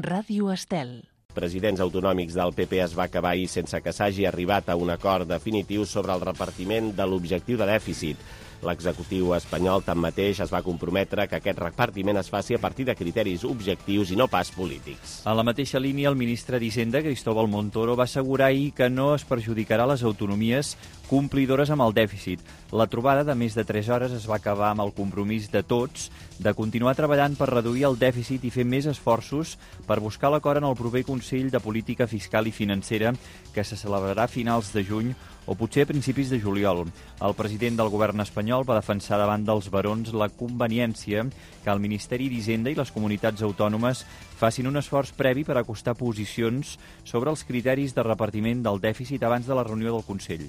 Ràdio Estel. Presidents autonòmics del PP es va acabar ahir sense que s'hagi arribat a un acord definitiu sobre el repartiment de l'objectiu de dèficit. L'executiu espanyol, tanmateix, es va comprometre que aquest repartiment es faci a partir de criteris objectius i no pas polítics. En la mateixa línia, el ministre d'Hisenda, Cristóbal Montoro, va assegurar ahir que no es perjudicarà les autonomies complidores amb el dèficit. La trobada de més de 3 hores es va acabar amb el compromís de tots de continuar treballant per reduir el dèficit i fer més esforços per buscar l'acord en el proper Consell de Política Fiscal i Financera que se celebrarà a finals de juny o potser a principis de juliol. El president del govern espanyol va defensar davant dels barons la conveniència que el Ministeri d'Hisenda i les comunitats autònomes facin un esforç previ per acostar posicions sobre els criteris de repartiment del dèficit abans de la reunió del Consell.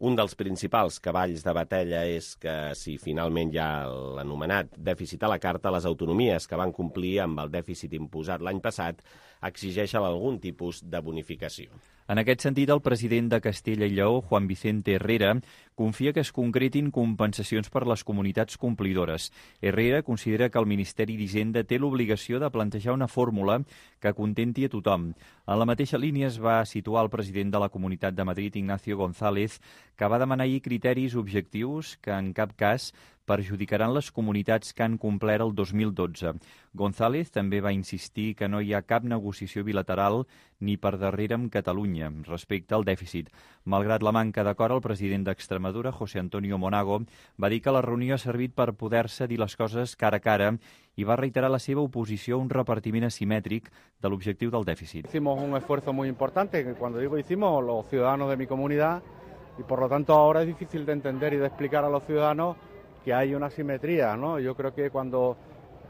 Un dels principals cavalls de batalla és que, si finalment hi ha l'anomenat dèficit a la carta, les autonomies que van complir amb el dèficit imposat l'any passat exigeixen algun tipus de bonificació. En aquest sentit, el president de Castella i Lleó, Juan Vicente Herrera, confia que es concretin compensacions per les comunitats complidores. Herrera considera que el Ministeri d'Hisenda té l'obligació de plantejar una fórmula que contenti a tothom. En la mateixa línia es va situar el president de la Comunitat de Madrid, Ignacio González, que va demanar ahir criteris objectius que en cap cas perjudicaran les comunitats que han complert el 2012. González també va insistir que no hi ha cap negociació bilateral ni per darrere amb Catalunya respecte al dèficit. Malgrat la manca d'acord, el president d'Extremadura, José Antonio Monago, va dir que la reunió ha servit per poder-se dir les coses cara a cara i va reiterar la seva oposició a un repartiment asimètric de l'objectiu del dèficit. Hicimos un esfuerzo muy importante, que cuando digo hicimos, los ciudadanos de mi comunidad, y por lo tanto ahora es difícil de entender y de explicar a los ciudadanos que hay una asimetría, ¿no? Yo creo que cuando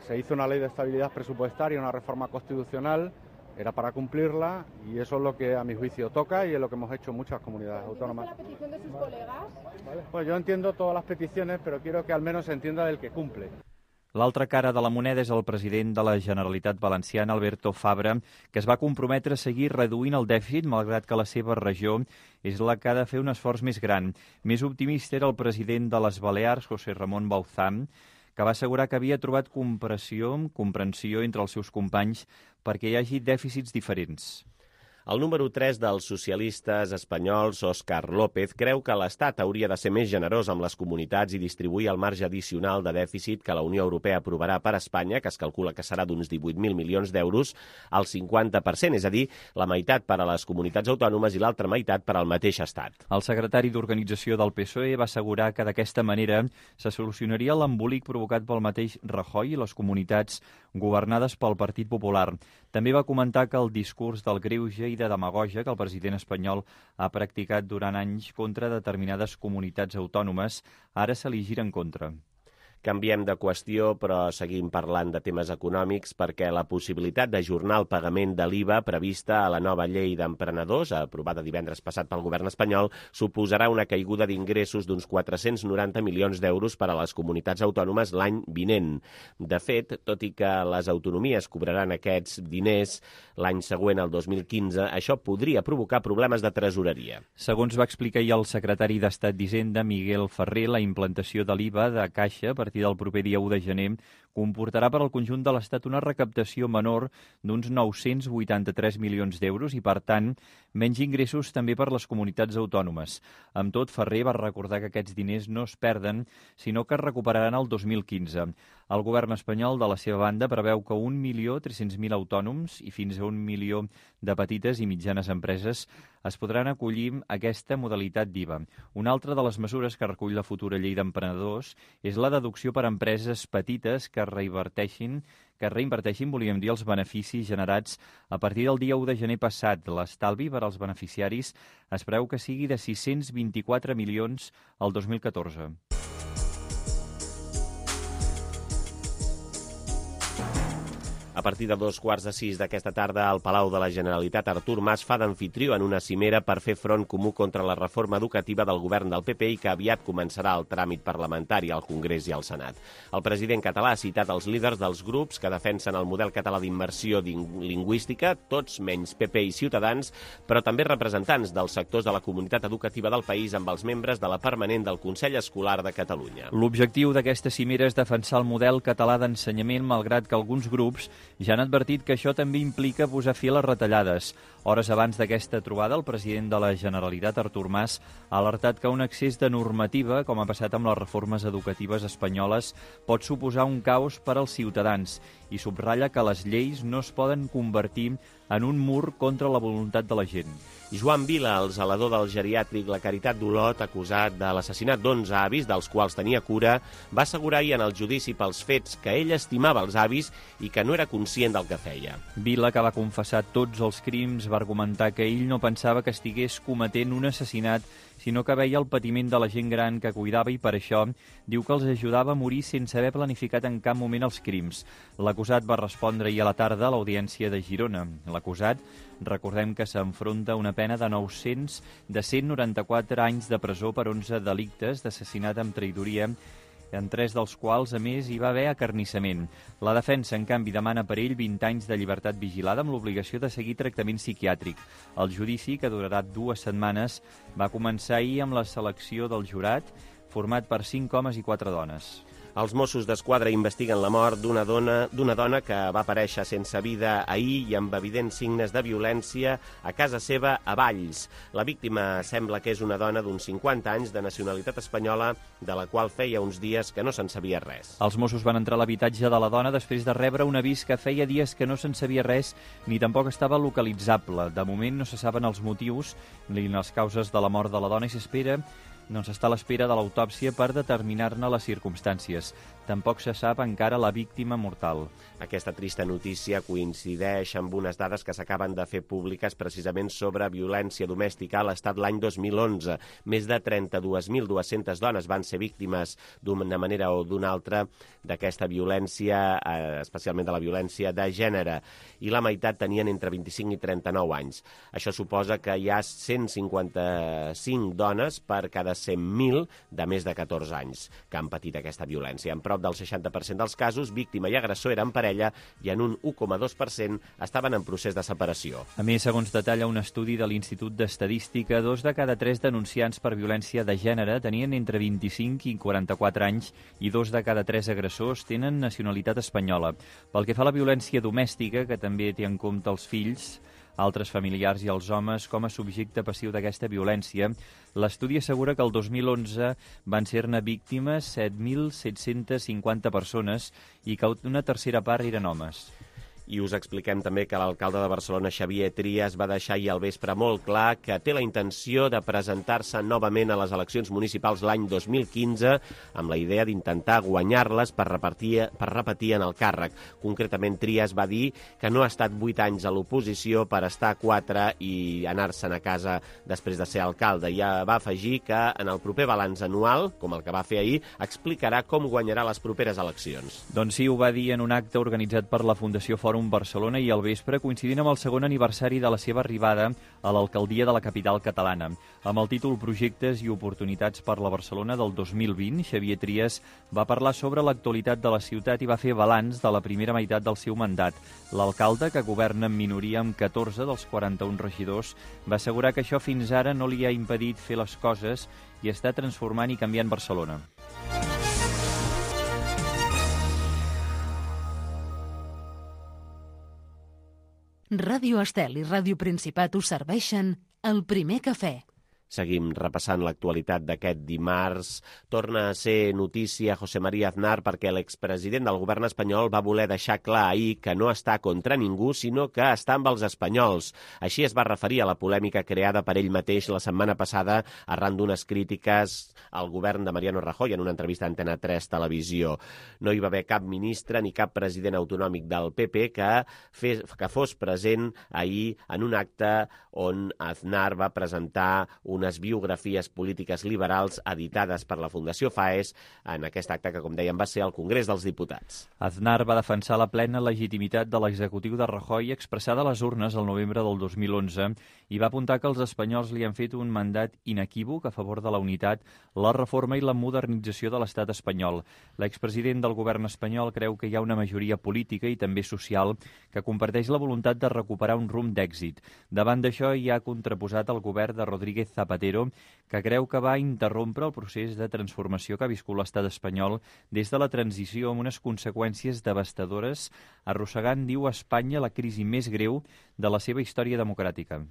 se hizo una ley de estabilidad presupuestaria, una reforma constitucional, era para cumplirla y eso es lo que a mi juicio toca y es lo que hemos hecho muchas comunidades autónomas. ¿La petición de sus colegas? Pues yo entiendo todas las peticiones, pero quiero que al menos se entienda del que cumple. L'altra cara de la moneda és el president de la Generalitat Valenciana, Alberto Fabra, que es va comprometre a seguir reduint el dèficit, malgrat que la seva regió és la que ha de fer un esforç més gran. Més optimista era el president de les Balears, José Ramon Bauzán, que va assegurar que havia trobat comprensió entre els seus companys perquè hi hagi dèficits diferents. El número 3 dels socialistes espanyols, Òscar López, creu que l'Estat hauria de ser més generós amb les comunitats i distribuir el marge addicional de dèficit que la Unió Europea aprovarà per a Espanya, que es calcula que serà d'uns 18.000 milions d'euros, al 50%, és a dir, la meitat per a les comunitats autònomes i l'altra meitat per al mateix Estat. El secretari d'Organització del PSOE va assegurar que d'aquesta manera se solucionaria l'embolic provocat pel mateix Rajoy i les comunitats governades pel Partit Popular. També va comentar que el discurs del greuge i de demagògia que el president espanyol ha practicat durant anys contra determinades comunitats autònomes ara se li gira en contra. Canviem de qüestió, però seguim parlant de temes econòmics perquè la possibilitat d'ajornar el pagament de l'IVA prevista a la nova llei d'emprenedors, aprovada divendres passat pel govern espanyol, suposarà una caiguda d'ingressos d'uns 490 milions d'euros per a les comunitats autònomes l'any vinent. De fet, tot i que les autonomies cobraran aquests diners l'any següent, el 2015, això podria provocar problemes de tresoreria. Segons va explicar ahir el secretari d'Estat d'Hisenda, Miguel Ferrer, la implantació de l'IVA de Caixa a partir del proper dia 1 de gener comportarà per al conjunt de l'Estat una recaptació menor d'uns 983 milions d'euros i, per tant, menys ingressos també per les comunitats autònomes. Amb tot, Ferrer va recordar que aquests diners no es perden, sinó que es recuperaran el 2015. El govern espanyol, de la seva banda, preveu que 1.300.000 autònoms i fins a 1 milió de petites i mitjanes empreses es podran acollir a aquesta modalitat d'IVA. Una altra de les mesures que recull la futura llei d'emprenedors és la deducció per a empreses petites que reinverteixin, volíem dir, els beneficis generats a partir del dia 1 de gener passat. L'estalvi per als beneficiaris es preveu que sigui de 624 milions al 2014. A partir de 5:15 d'aquesta tarda, al Palau de la Generalitat, Artur Mas fa d'anfitrió en una cimera per fer front comú contra la reforma educativa del govern del PP i que aviat començarà el tràmit parlamentari al Congrés i al Senat. El president català ha citat els líders dels grups que defensen el model català d'immersió lingüística, tots menys PP i Ciutadans, però també representants dels sectors de la comunitat educativa del país amb els membres de la permanent del Consell Escolar de Catalunya. L'objectiu d'aquesta cimera és defensar el model català d'ensenyament, malgrat que alguns grups ja han advertit que això també implica posar fi a les retallades. Hores abans d'aquesta trobada, el president de la Generalitat, Artur Mas, ha alertat que un excés de normativa, com ha passat amb les reformes educatives espanyoles, pot suposar un caos per als ciutadans i subratlla que les lleis no es poden convertir en un mur contra la voluntat de la gent. Joan Vila, el zelador del geriàtric La Caritat d'Olot, acusat de l'assassinat d'11 avis, dels quals tenia cura, va assegurar ahir en el judici pels fets que ell estimava els avis i que no era conscient del que feia. Vila, que va confessar tots els crims, va argumentar que ell no pensava que estigués cometent un assassinat, sinó que veia el patiment de la gent gran que cuidava i per això diu que els ajudava a morir sense haver planificat en cap moment els crims. L'acusat va respondre ahir a la tarda a l'Audiència de Girona. L'acusat, recordem que s'enfronta a una pena de 194 anys de presó per 11 delictes d'assassinat amb traïdoria, en 3 dels quals, a més, hi va haver acarnissament. La defensa, en canvi, demana per ell 20 anys de llibertat vigilada amb l'obligació de seguir tractament psiquiàtric. El judici, que durarà 2 setmanes, va començar ahir amb la selecció del jurat, format per 5 homes i 4 dones. Els Mossos d'Esquadra investiguen la mort d'una dona que va aparèixer sense vida ahir i amb evidents signes de violència a casa seva a Valls. La víctima sembla que és una dona d'uns 50 anys de nacionalitat espanyola, de la qual feia uns dies que no se'n sabia res. Els Mossos van entrar a l'habitatge de la dona després de rebre un avís que feia dies que no se'n sabia res ni tampoc estava localitzable. De moment no se saben els motius ni les causes de la mort de la dona i s'està a l'espera de l'autòpsia per determinar-ne les circumstàncies. Tampoc se sap encara la víctima mortal. Aquesta trista notícia coincideix amb unes dades que s'acaben de fer públiques precisament sobre violència domèstica a l'Estat l'any 2011. Més de 32.200 dones van ser víctimes d'una manera o d'una altra d'aquesta violència, especialment de la violència de gènere, i la meitat tenien entre 25 i 39 anys. Això suposa que hi ha 155 dones per cada 100.000 de més de 14 anys que han patit aquesta violència. En prop del 60% dels casos, víctima i agressor eren parella i en un 1,2% estaven en procés de separació. A més, segons detalla un estudi de l'Institut d'Estadística, 2 de cada 3 denunciants per violència de gènere tenien entre 25 i 44 anys i 2 de cada 3 agressors tenen nacionalitat espanyola. Pel que fa a la violència domèstica, que també té en compte els fills, altres familiars i els homes com a subjecte passiu d'aquesta violència, l'estudi assegura que el 2011 van ser-ne víctimes 7.750 persones i que una tercera part eren homes. I us expliquem també que l'alcalde de Barcelona, Xavier Trias, va deixar ahir al vespre molt clar que té la intenció de presentar-se novament a les eleccions municipals l'any 2015 amb la idea d'intentar guanyar-les per repetir en el càrrec. Concretament, Trias va dir que no ha estat 8 anys a l'oposició per estar 4 i anar-se'n a casa després de ser alcalde. I va afegir que en el proper balanç anual, com el que va fer ahir, explicarà com guanyarà les properes eleccions. Doncs sí, ho va dir en un acte organitzat per la Fundació Fòrum Barcelona i al vespre, coincidint amb el segon aniversari de la seva arribada a l'alcaldia de la capital catalana. Amb el títol Projectes i oportunitats per la Barcelona del 2020, Xavier Trias va parlar sobre l'actualitat de la ciutat i va fer balanç de la primera meitat del seu mandat. L'alcalde, que governa en minoria amb 14 dels 41 regidors, va assegurar que això fins ara no li ha impedit fer les coses i està transformant i canviant Barcelona. Ràdio Estel i Ràdio Principat us serveixen el primer cafè. Seguim repassant l'actualitat d'aquest dimarts. Torna a ser notícia José María Aznar perquè l'expresident del govern espanyol va voler deixar clar ahir que no està contra ningú, sinó que està amb els espanyols. Així es va referir a la polèmica creada per ell mateix la setmana passada arran d'unes crítiques al govern de Mariano Rajoy en una entrevista a Antena 3 Televisió. No hi va haver cap ministre ni cap president autonòmic del PP que fos present ahir en un acte on Aznar va presentar una unes biografies polítiques liberals editades per la Fundació FAES en aquest acte que, com dèiem, va ser al Congrés dels Diputats. Aznar va defensar la plena legitimitat de l'executiu de Rajoy expressada a les urnes el novembre del 2011 i va apuntar que els espanyols li han fet un mandat inequívoc a favor de la unitat, la reforma i la modernització de l'estat espanyol. L'expresident del govern espanyol creu que hi ha una majoria política i també social que comparteix la voluntat de recuperar un rumb d'èxit. Davant d'això hi ha contraposat el govern de Rodríguez Zapatero, que creu que va interrompre el procés de transformació que ha viscut l'estat espanyol des de la transició amb unes conseqüències devastadores, arrossegant, diu, a Espanya la crisi més greu de la seva història democràtica.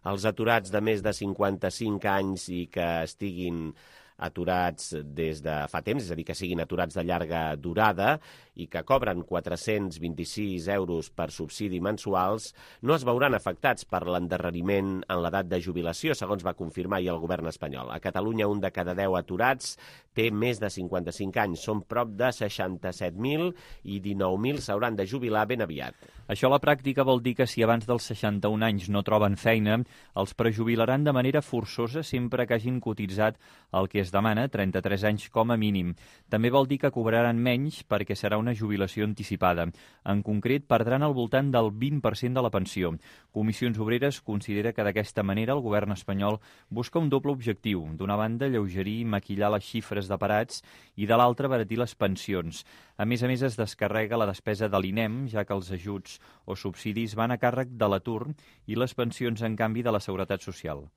Els aturats de més de 55 anys i que estiguin aturats des de fa temps, és a dir, que siguin aturats de llarga durada i que cobren 426 euros per subsidi mensuals, no es veuran afectats per l'endarreriment en l'edat de jubilació, segons va confirmar ahir el govern espanyol. A Catalunya, un de cada 10 aturats té més de 55 anys. Són prop de 67.000 i 19.000 s'hauran de jubilar ben aviat. Això a la pràctica vol dir que si abans dels 61 anys no troben feina, els prejubilaran de manera forçosa sempre que hagin cotitzat el que es demana, 33 anys com a mínim. També vol dir que cobraran menys perquè serà una jubilació anticipada. En concret, perdran al voltant del 20% de la pensió. Comissions Obreres considera que d'aquesta manera el govern espanyol busca un doble objectiu. D'una banda, alleugerir i maquillar les xifres de parats i de l'altra, abaratir les pensions. A més, es descarrega la despesa de l'INEM, ja que els ajuts o subsidis van a càrrec de l'atur i les pensions, en canvi, de la Seguretat Social.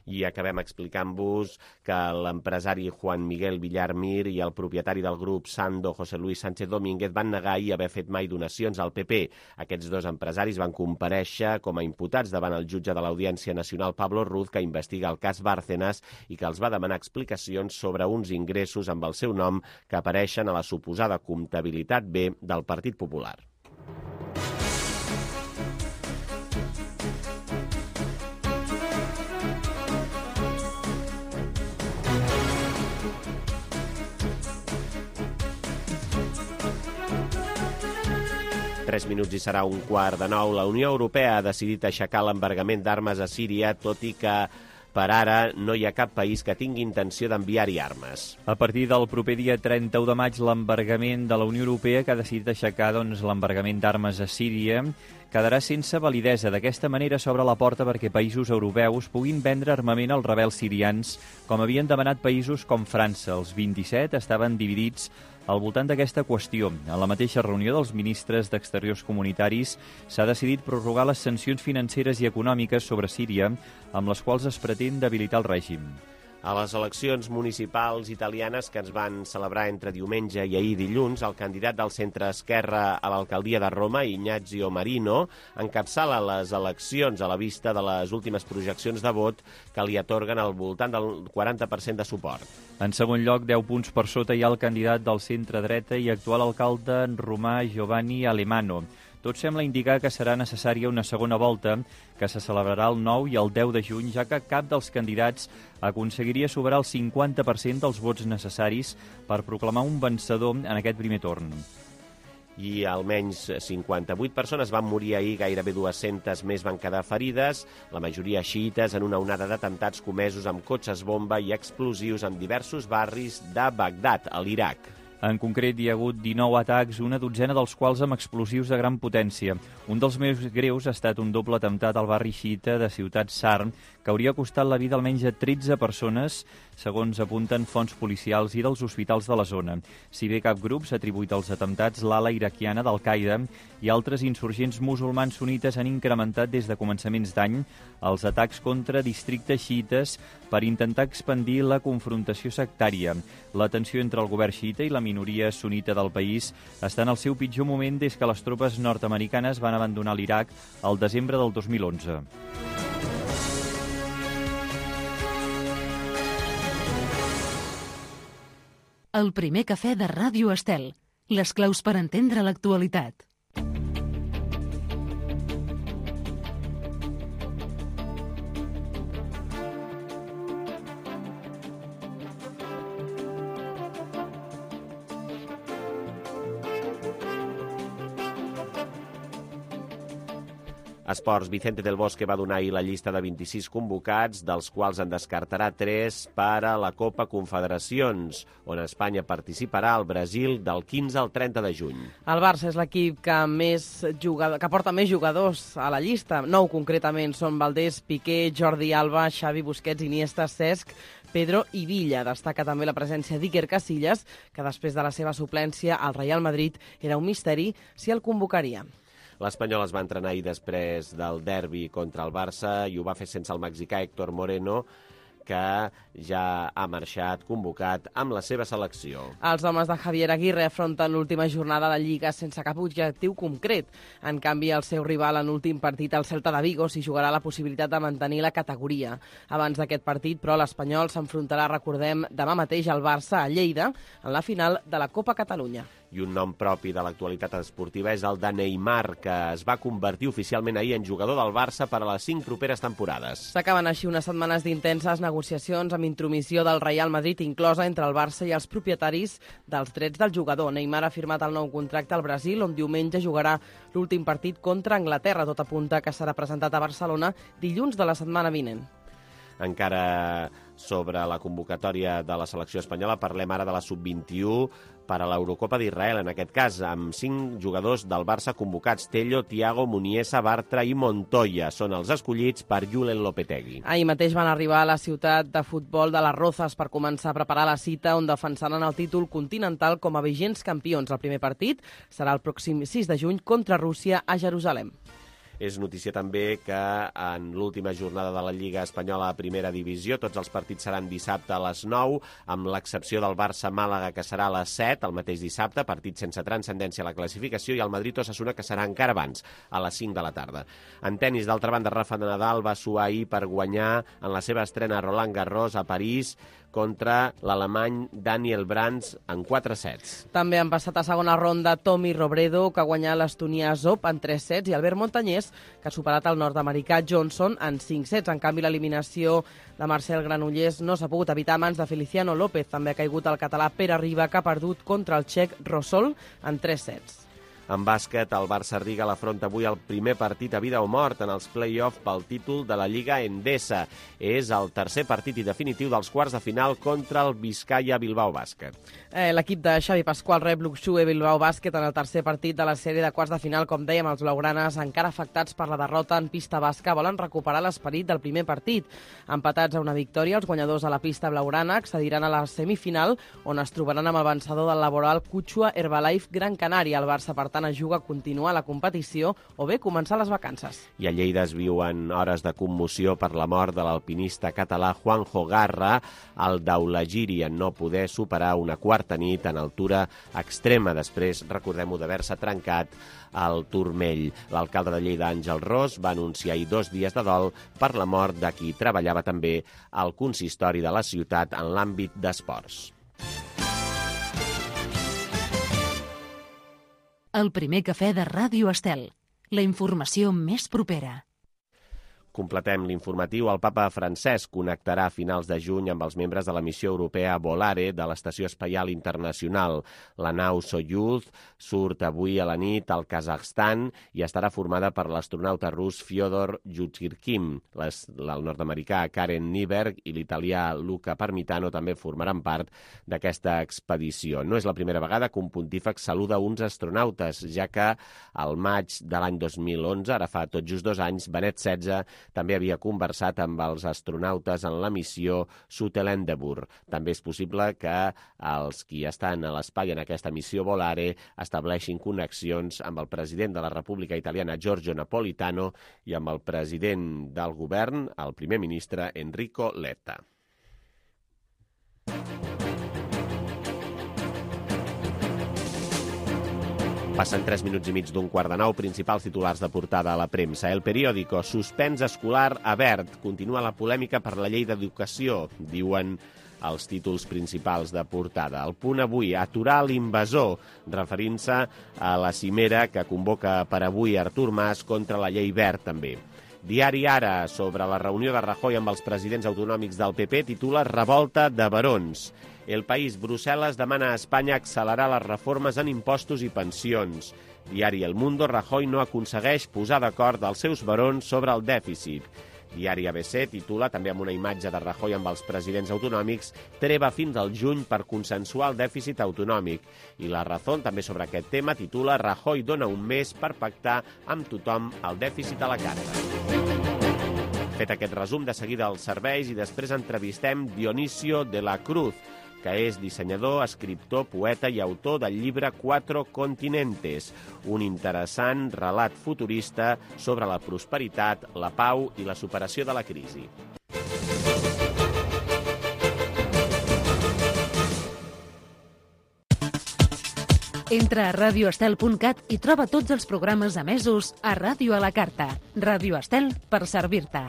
I acabem explicant-vos que l'empresari Juan Miguel Villar Mir i el propietari del grup Sando, José Luis Sánchez Domínguez, van negar ahir haver fet mai donacions al PP. Aquests dos empresaris van comparèixer com a imputats davant el jutge de l'Audiència Nacional Pablo Ruz, que investiga el cas Bárcenas i que els va demanar explicacions sobre uns ingressos amb el seu nom que apareixen a la suposada comptabilitat B del Partit Popular. Tres minuts i serà 8:15. La Unió Europea ha decidit aixecar l'embargament d'armes a Síria, tot i que per ara no hi ha cap país que tingui intenció d'enviar-hi armes. A partir del proper dia 31 de maig, l'embargament de la Unió Europea, que ha decidit aixecar l'embargament d'armes a Síria, quedarà sense validesa. D'aquesta manera s'obre la porta perquè països europeus puguin vendre armament als rebels sirians, com havien demanat països com França. Els 27 estaven dividits al voltant d'aquesta qüestió. A la mateixa reunió dels ministres d'Exteriors comunitaris s'ha decidit prorrogar les sancions financeres i econòmiques sobre Síria, amb les quals es pretén debilitar el règim. A les eleccions municipals italianes que es van celebrar entre diumenge i ahir dilluns, el candidat del centre-esquerra a l'alcaldia de Roma, Ignazio Marino, encapçala les eleccions a la vista de les últimes projeccions de vot que li atorguen al voltant del 40% de suport. En segon lloc, 10 punts per sota hi ha el candidat del centre-dreta i actual alcalde romà Giovanni Alemano. Tot sembla indicar que serà necessària una segona volta, que se celebrarà el 9 i el 10 de juny, ja que cap dels candidats aconseguiria superar el 50% dels vots necessaris per proclamar un vencedor en aquest primer torn. I almenys 58 persones van morir ahir, gairebé 200 més van quedar ferides, la majoria xiites, en una onada d'atemptats comesos amb cotxes bomba i explosius en diversos barris de Bagdad, a l'Iraq. En concret, hi ha hagut 19 atacs, una dotzena dels quals amb explosius de gran potència. Un dels més greus ha estat un doble atemptat al barri xiita de Ciutat Sarm, que hauria costat la vida almenys a 13 persones, segons apunten fonts policials i dels hospitals de la zona. Si bé cap grup s'ha atribuït als atemptats, l'ala iraquiana d'Al-Qaeda i altres insurgents musulmans sunites han incrementat des de començaments d'any els atacs contra districtes xiites per intentar expandir la confrontació sectària. La tensió entre el govern xiita i la minoria sunita del país està en el seu pitjor moment des que les tropes nord-americanes van abandonar l'Iraq al desembre del 2011. El primer cafè de Ràdio Estel. Les claus per entendre l'actualitat. Esports, Vicente del Bosque va donar ahir la llista de 26 convocats, dels quals en descartarà 3 per a la Copa Confederacions, on Espanya participarà al Brasil del 15 al 30 de juny. El Barça és l'equip que porta més jugadors a la llista. 9 concretament són Valdés, Piqué, Jordi Alba, Xavi, Busquets, Iniesta, Cesc, Pedro i Villa. Destaca també la presència d'Iker Casillas, que després de la seva suplència al Real Madrid era un misteri si el convocaria. L'Espanyol es va entrenar ahir després del derbi contra el Barça i ho va fer sense el mexicà Héctor Moreno, que ja ha marxat convocat amb la seva selecció. Els homes de Javier Aguirre afronten l'última jornada de Lliga sense cap objectiu concret. En canvi, el seu rival en l'últim partit, el Celta de Vigo, s'hi jugarà la possibilitat de mantenir la categoria. Abans d'aquest partit, però, l'Espanyol s'enfrontarà, recordem, demà mateix al Barça a Lleida, en la final de la Copa Catalunya. I un nom propi de l'actualitat esportiva és el de Neymar, que es va convertir oficialment ahir en jugador del Barça per a les 5 properes temporades. S'acaben així unes setmanes d'intenses negociacions amb intromissió del Real Madrid, inclosa entre el Barça i els propietaris dels drets del jugador. Neymar ha firmat el nou contracte al Brasil, on diumenge jugarà l'últim partit contra Anglaterra. Tot apunta que serà presentat a Barcelona dilluns de la setmana vinent. Encara sobre la convocatòria de la selecció espanyola, parlem ara de la sub-21 per a l'Eurocopa d'Israel, en aquest cas, amb 5 jugadors del Barça convocats: Tello, Thiago, Muniesa, Bartra i Montoya. Són els escollits per Julen Lopetegui. Ahir mateix van arribar a la ciutat de futbol de les Rozas per començar a preparar la cita on defensaran el títol continental com a vigents campions. El primer partit serà el pròxim 6 de juny contra Rússia a Jerusalem. És notícia també que en l'última jornada de la Lliga Espanyola a Primera Divisió tots els partits seran dissabte a les 9, amb l'excepció del Barça-Màlaga, que serà a les 7, el mateix dissabte, partit sense transcendència a la classificació, i el Madrid-Osasuna, que serà encara abans, a les 5 de la tarda. En tenis, d'altra banda, Rafa Nadal va suar ahir per guanyar en la seva estrena a Roland Garros a París contra l'alemany Daniel Brands en 4 sets. També han passat a segona ronda Tommy Robredo, que ha guanyat l'estonià Zop en 3 sets, i Albert Montañés, que ha superat el nord-americà Johnson en 5 sets. En canvi, l'eliminació de Marcel Granollers no s'ha pogut evitar a mans de Feliciano López. També ha caigut el català Pere Riba, que ha perdut contra el txec Rosol en 3 sets. En bàsquet, el Barça-Riga l'afronta avui el primer partit a vida o mort en els play-off pel títol de la Lliga Endesa. És el tercer partit i definitiu dels quarts de final contra el Vizcaya Bilbao Bàsquet. L'equip de Xavi Pascual rep l'Uxue Bilbao Bàsquet en el tercer partit de la sèrie de quarts de final. Com dèiem, els blaugranes, encara afectats per la derrota en pista basca, volen recuperar l'esperit del primer partit. Empatats a una victòria, els guanyadors a la pista blaugrana accediran a la semifinal, on es trobaran amb el vencedor del laboral Cuchua Herbalife Gran Canària. El Barça, per tant, es juga a continuar la competició o bé començar les vacances. I a Lleida es viuen hores de commoció per la mort de l'alpinista català Juanjo Garra, el d'Aulagiri, en no poder superar una quarta nit en altura extrema, després, recordem-ho, d'haver-se trencat el turmell. L'alcalde de Lleida, Àngel Ros, va anunciar ahir 2 dies de dol per la mort de qui treballava també al consistori de la ciutat en l'àmbit d'esports. El primer cafè de Ràdio Estel. La informació més propera. Completem l'informatiu. El papa Francesc connectarà a finals de juny amb els membres de la missió europea Volare de l'Estació Espacial Internacional. La nau Soyuz surt avui a la nit al Kazakhstan i estarà formada per l'astronauta rus Fyodor Yuzhirkin. El nord-americà Karen Nyberg i l'italià Luca Parmitano també formaran part d'aquesta expedició. No és la primera vegada que un pontífex saluda uns astronautes, ja que al maig de l'any 2011, ara fa tot just 2 anys, Benet XVI també havia conversat amb els astronautes en la missió Sutherland-Endeavour. També és possible que els qui estan a l'espai en aquesta missió Volare estableixin connexions amb el president de la República Italiana, Giorgio Napolitano, i amb el president del govern, el primer ministre Enrico Letta. Passen 3 minuts i mig d'un 8:15, principals titulars de portada a la premsa. El Periódico, suspens escolar a Wert. Continua la polèmica per la llei d'educació, diuen els títols principals de portada. El Punt avui, aturar l'invasor, referint-se a la cimera que convoca per avui Artur Mas contra la llei Wert també. Diari Ara, sobre la reunió de Rajoy amb els presidents autonòmics del PP, titula Revolta de barons. El País, Brussel·les demana a Espanya accelerar les reformes en impostos i pensions. Diari El Mundo, Rajoy no aconsegueix posar d'acord els seus barons sobre el dèficit. Diari ABC titula, també amb una imatge de Rajoy amb els presidents autonòmics, treva fins al juny per consensuar el dèficit autonòmic. I La Razón, també sobre aquest tema, titula Rajoy dona un mes per pactar amb tothom el dèficit a la carta. Fet aquest resum, de seguida els serveis i després entrevistem Dionisio de la Cruz, que és dissenyador, escriptor, poeta i autor del llibre Cuatro Continentes, un interessant relat futurista sobre la prosperitat, la pau i la superació de la crisi. Entra a radioestel.cat i troba tots els programes emesos a Ràdio a la Carta. Ràdio Estel, per servir-te.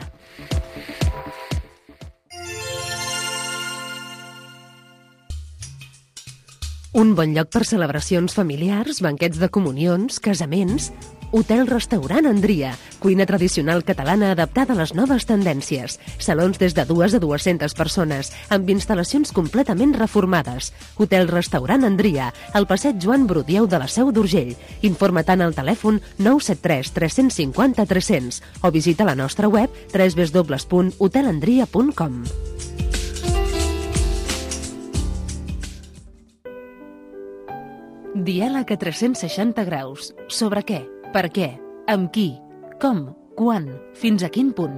Un bon lloc per celebracions familiars, banquets de comunions, casaments... Hotel-restaurant Andria, cuina tradicional catalana adaptada a les noves tendències. Salons des de 2 a 200 persones, amb instal·lacions completament reformades. Hotel-restaurant Andria, al passeig Joan Brudieu de la Seu d'Urgell. Informa-te'n al telèfon 973 350 300 o visita la nostra web www.hotelandria.com. Diàleg a 360 graus. Sobre què? Per què? Amb qui? Com? Quan? Fins a quin punt?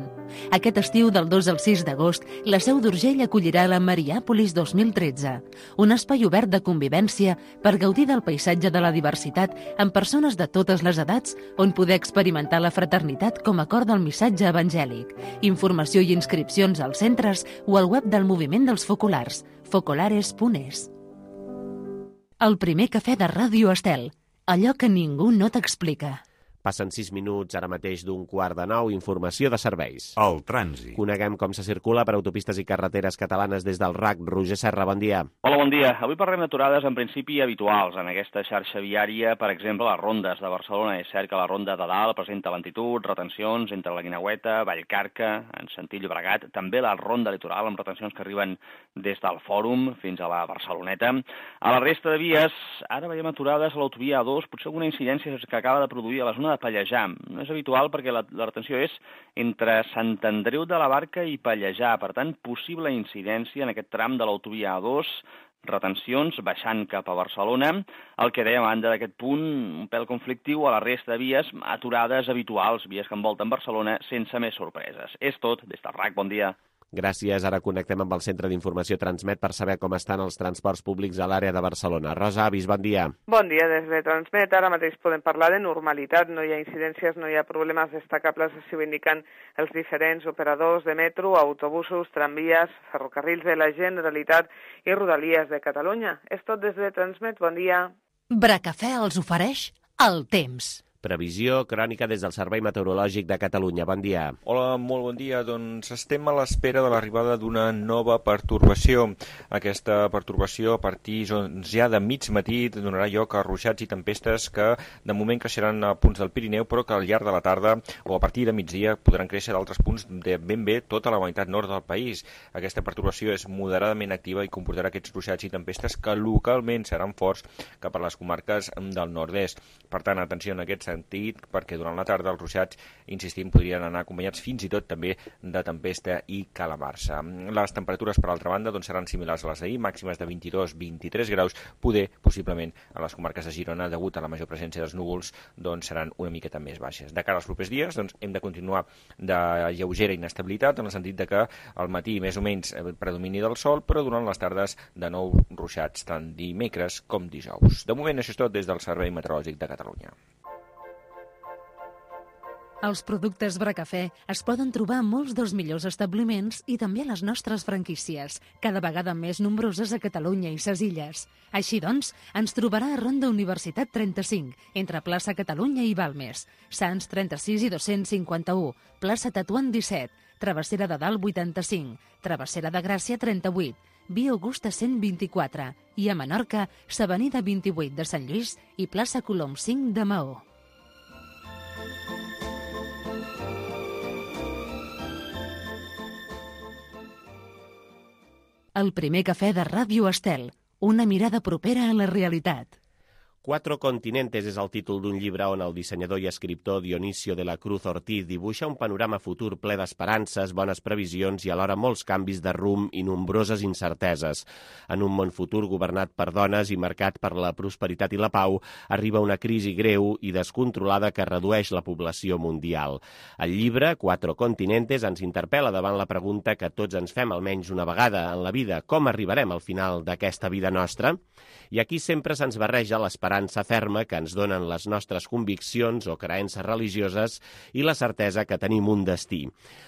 Aquest estiu, del 2 al 6 d'agost, la Seu d'Urgell acollirà la Mariàpolis 2013, un espai obert de convivència per gaudir del paisatge de la diversitat amb persones de totes les edats, on poder experimentar la fraternitat com a cor del missatge evangèlic. Informació i inscripcions als centres o al web del Moviment dels Focolars, focolares.es. El primer cafè de Ràdio Estel, allò que ningú no t'explica. Passen 6 minuts ara mateix d'un 8:45, informació de serveis. El trànsit. Coneguem com se circula per autopistes i carreteres catalanes des del RAC. Roger Serra, bon dia. Hola, bon dia. Avui parlem d'aturades en principi habituals en aquesta xarxa viària, per exemple, les rondes de Barcelona. És cert que la ronda de dalt presenta lentitud, retencions entre la Guineueta, Vallcarca, en sentit Llobregat, també la ronda litoral amb retencions que arriben des del Fòrum fins a la Barceloneta. A la resta de vies, ara veiem aturades a l'autovia A2, potser alguna incidència que acaba de produir a la zona de Pallejà. No és habitual perquè la retenció és entre Sant Andreu de la Barca i Pallejà. Per tant, possible incidència en aquest tram de l'autovia A2, retencions baixant cap a Barcelona. El que dèiem a banda d'aquest punt, un pèl conflictiu a la resta de vies, aturades habituals, vies que envolten Barcelona sense més sorpreses. És tot. Des del RAC, bon dia. Gràcies. Ara connectem amb el Centre d'Informació Transmet per saber com estan els transports públics a l'àrea de Barcelona. Rosa Avis, bon dia. Bon dia, des de Transmet. Ara mateix podem parlar de normalitat. No hi ha incidències, no hi ha problemes destacables, així ho indiquen els diferents operadors de metro, autobusos, tramvies, ferrocarrils de la Generalitat i Rodalies de Catalunya. És tot des de Transmet. Bon dia. Bracafè els ofereix el temps. Previsió crònica des del Servei Meteorològic de Catalunya. Bon dia. Hola, molt bon dia. Doncs estem a l'espera de l'arribada d'una nova pertorbació. Aquesta pertorbació, a partir ja de mig matí, donarà lloc a ruixats i tempestes que de moment creixeran a punts del Pirineu, però que al llarg de la tarda o a partir de migdia podran créixer d'altres punts de ben bé tota la meitat nord del país. Aquesta pertorbació és moderadament activa i comportarà aquests ruixats i tempestes que localment seran forts cap a les comarques del nord-est. Per tant, atenció en aquest sentit, perquè durant la tarda els ruixats, insistim, podrien anar acompanyats fins i tot també de tempesta i calamarsa. Les temperatures, per altra banda, doncs, seran similars a les d'ahir, màximes de 22-23 graus, possiblement a les comarques de Girona, degut a la major presència dels núvols, doncs seran una miqueta més baixes. De cara als propers dies, doncs, hem de continuar de lleugera inestabilitat, en el sentit de que al matí més o menys predomini del sol, però durant les tardes de nou ruixats, tant dimecres com dijous. De moment, això és tot des del Servei Meteorològic de Catalunya. Els productes Bracafè es poden trobar a molts dels millors establiments i també a les nostres franquícies, cada vegada més nombroses a Catalunya i ses illes. Així doncs, ens trobarà a Ronda Universitat 35, entre plaça Catalunya i Balmes, Sants 36 i 251, plaça Tetuan 17, Travessera de Dalt 85, Travessera de Gràcia 38, Via Augusta 124 i a Menorca, s'Avenida 28 de Sant Lluís i plaça Colom 5 de Maó. El primer cafè de Ràdio Estel. Una mirada propera a la realitat. Cuatro continentes és el títol d'un llibre on el dissenyador i escriptor Dionisio de la Cruz Ortiz dibuixa un panorama futur ple d'esperances, bones previsions i alhora molts canvis de rumb i nombroses incerteses. En un món futur governat per dones i marcat per la prosperitat i la pau, arriba una crisi greu i descontrolada que redueix la població mundial. El llibre, Cuatro continentes, ens interpel·la davant la pregunta que tots ens fem almenys una vegada en la vida: com arribarem al final d'aquesta vida nostra? I aquí sempre se'ns barreja l'esperança ferma que ens donen les nostres conviccions o creences religioses i la certesa que tenim un destí.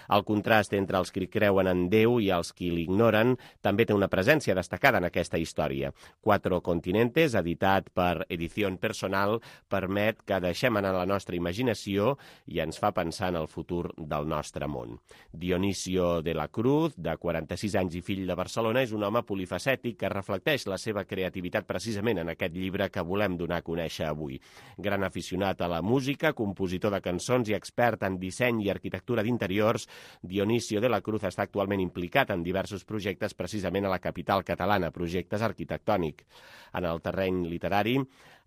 El contrast entre els que creuen en Déu i els qui l'ignoren també té una presència destacada en aquesta història. Cuatro continentes, editat per Edición Personal, permet que deixem anar la nostra imaginació i ens fa pensar en el futur del nostre món. Dionisio de la Cruz, de 46 anys i fill de Barcelona, és un home polifacètic que reflecteix la seva creativitat precisament en aquest llibre que volem donar a conèixer avui. Gran aficionat a la música, compositor de cançons i expert en disseny i arquitectura d'interiors, Dionisio de la Cruz està actualment implicat en diversos projectes precisament a la capital catalana, projectes arquitectònics. En el terreny literari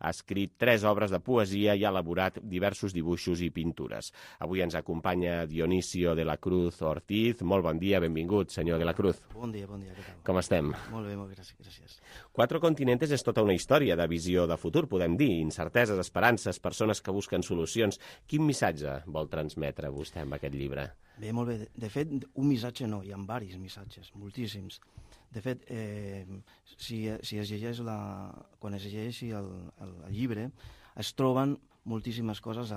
ha escrit 3 obres de poesia i ha elaborat diversos dibuixos i pintures. Avui ens acompanya Dionisio de la Cruz Ortiz. Molt bon dia, benvingut, senyor de la Cruz. Bon dia, què tal? Com estem? Molt bé, gràcies. Cuatro continentes és tota una història de visió de futur, podem dir, incerteses, esperances, persones que busquen solucions. Quin missatge vol transmetre vostè amb aquest llibre? Bé, molt bé. De fet, un missatge no, hi ha diversos missatges, moltíssims. De fet, si es llegeix quan es llegeixi el llibre, es troben moltíssimes coses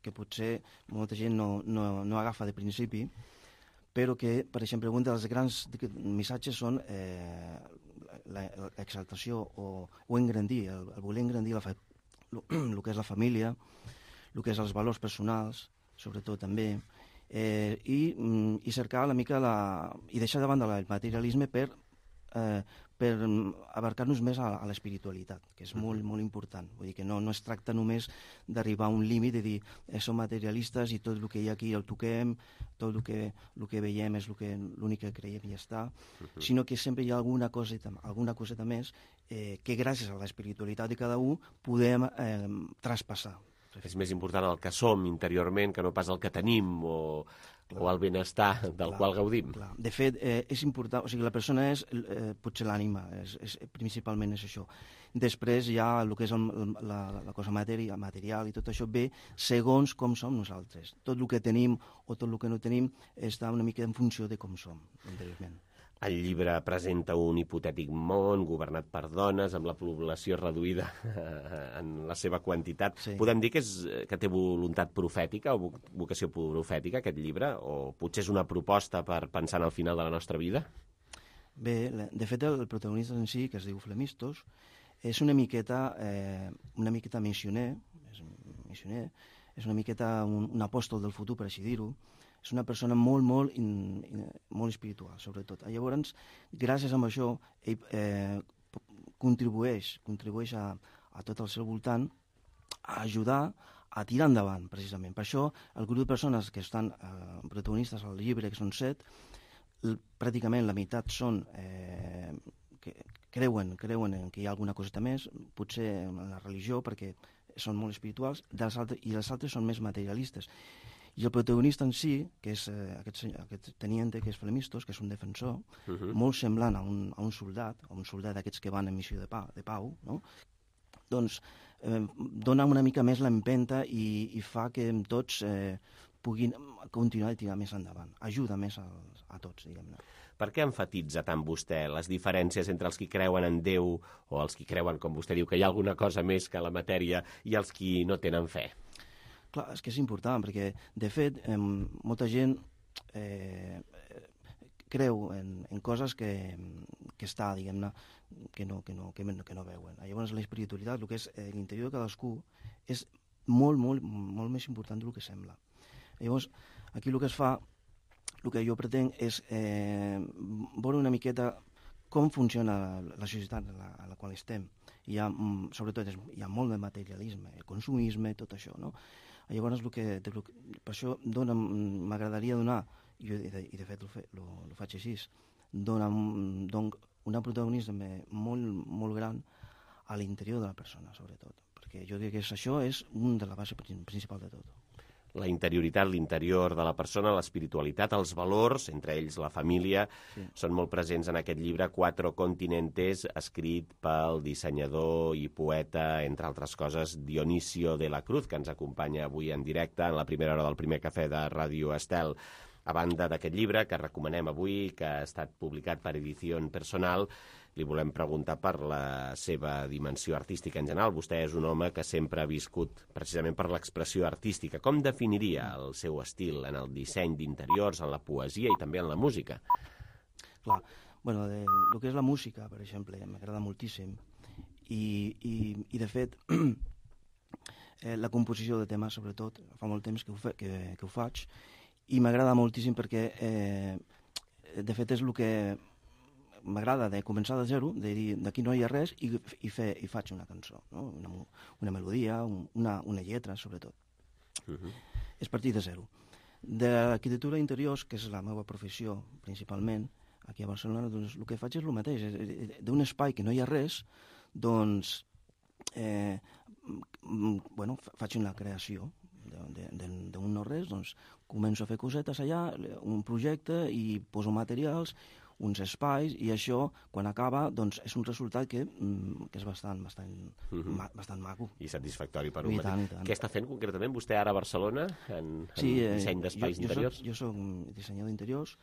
que potser molta gent no agafa de principi, però que, per exemple, un dels grans missatges són l'exaltació o engrandir, el voler engrandir el que és la família, el que és els valors personals, sobretot també, i cercar una mica i deixar de banda el materialisme per abarcar-nos més a l'espiritualitat, que és molt, molt important. Vull dir que no es tracta només d'arribar a un límit de dir som materialistes i tot el que hi ha aquí el toquem, tot el que veiem és l'únic que creiem i ja està, sinó que sempre hi ha alguna coseta més que gràcies a l'espiritualitat de cada un podem traspassar. És més important el que som interiorment que no pas el que tenim o el benestar del qual gaudim. Clar. De fet, és important, o sigui, la persona és potser l'ànima, principalment és això. Després hi ha el que és la cosa material i tot això ve segons com som nosaltres. Tot el que tenim o tot el que no tenim està una mica en funció de com som interiorment. El llibre presenta un hipotètic món governat per dones, amb la població reduïda en la seva quantitat. Sí. Podem dir que té voluntat profètica o vocació profètica, aquest llibre? O potser és una proposta per pensar en el final de la nostra vida? Bé, de fet, el protagonista en si, que es diu Flemistos, és una miqueta missioner, és una miqueta un apòstol del futur, per així dir-ho. És una persona molt, molt espiritual, sobretot. Llavors, gràcies a això, ell contribueix a tot el seu voltant a ajudar a tirar endavant, precisament. Per això, el grup de persones que estan protagonistes al llibre, que són 7, pràcticament la meitat són que creuen que hi ha alguna coseta més, potser en la religió, perquè són molt espirituals, i els altres són més materialistes. I el protagonista en si, que és aquest teniente, que és Flemistos, que és un defensor, molt semblant a un soldat d'aquests que van en missió de pau, no? Doncs dona una mica més l'empenta i fa que tots puguin continuar i tirar més endavant. Ajuda més a tots, diguem-ne. Per què enfatitza tant vostè les diferències entre els que creuen en Déu o els que creuen, com vostè diu, que hi ha alguna cosa més que la matèria i els qui no tenen fe? Clar, és que és important, perquè, de fet, molta gent creu en coses que està, diguem-ne, que no veuen. Llavors, l'espiritualitat, el que és l'interior de cadascú, és molt, molt, molt més important del que sembla. Llavors, aquí el que es fa, el que jo pretenc és veure una miqueta com funciona la societat a la qual estem. Sobretot, hi ha molt de materialisme, el consumisme, tot això, no? Llavors, per això m'agradaria donar, i de fet ho faig així, dona una protagonisme molt gran a l'interior de la persona, sobretot. Perquè jo diria que això és una de la base principal de tot. La interioritat, l'interior de la persona, l'espiritualitat, els valors, entre ells la família, són molt presents en aquest llibre Cuatro Continentes, escrit pel dissenyador i poeta, entre altres coses, Dionisio de la Cruz, que ens acompanya avui en directe en la primera hora del primer cafè de Ràdio Estel. A banda d'aquest llibre, que recomanem avui, que ha estat publicat per Edició Personal, li volem preguntar per la seva dimensió artística en general. Vostè és un home que sempre ha viscut precisament per l'expressió artística. Com definiria el seu estil en el disseny d'interiors, en la poesia i també en la música? Clar, bueno, el que és la música, per exemple, m'agrada moltíssim. I de fet, la composició de temes, sobretot, fa molt temps que ho faig, i m'agrada moltíssim perquè, de fet, és el que m'agrada de començar de zero, de dir d'aquí no hi ha res i faig una cançó, no? Una melodia, una lletra, sobretot. És partir de zero. De l'arquitectura d'interiors, que és la meva professió principalment, aquí a Barcelona, doncs el que faig és el mateix. D'un espai que no hi ha res, doncs faig una creació d'un no res, doncs començo a fer cosetes allà, un projecte i poso materials, uns espais, i això, quan acaba, doncs és un resultat que és bastant maco. I satisfactori per un mateix. Què està fent concretament vostè ara a Barcelona en disseny d'espais interiors? Jo soc dissenyador d'interiors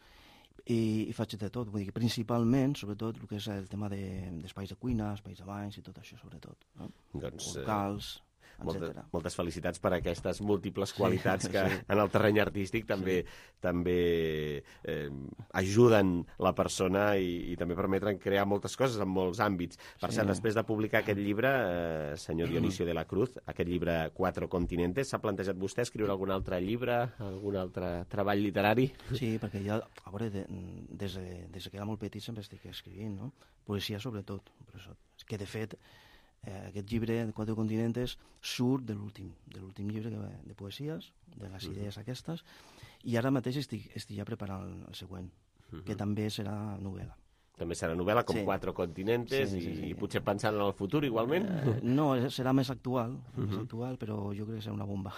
i faig de tot, vull dir que principalment, sobretot, el que és el tema d'espais de cuina, espais de banys i tot això, sobretot. Locals, moltes felicitats per aquestes múltiples qualitats que en el terreny artístic també ajuden la persona i també permeten crear moltes coses en molts àmbits. Per cert, després de publicar aquest llibre, senyor Dionisio de la Cruz, aquest llibre Cuatro Continentes, s'ha plantejat vostè escriure algun altre llibre, algun altre treball literari? Sí, perquè ja, a veure, des que era molt petit sempre estic escrivint, no? Poesia sobretot, que de fet aquest llibre de Cuatro Continentes surt de l'últim llibre de poesies, de les idees aquestes, i ara mateix estic ja preparant el següent, que també serà novel·la. També serà novel·la, com Cuatro Continentes, i potser pensant en el futur igualment? No, serà més actual, però jo crec que serà una bomba.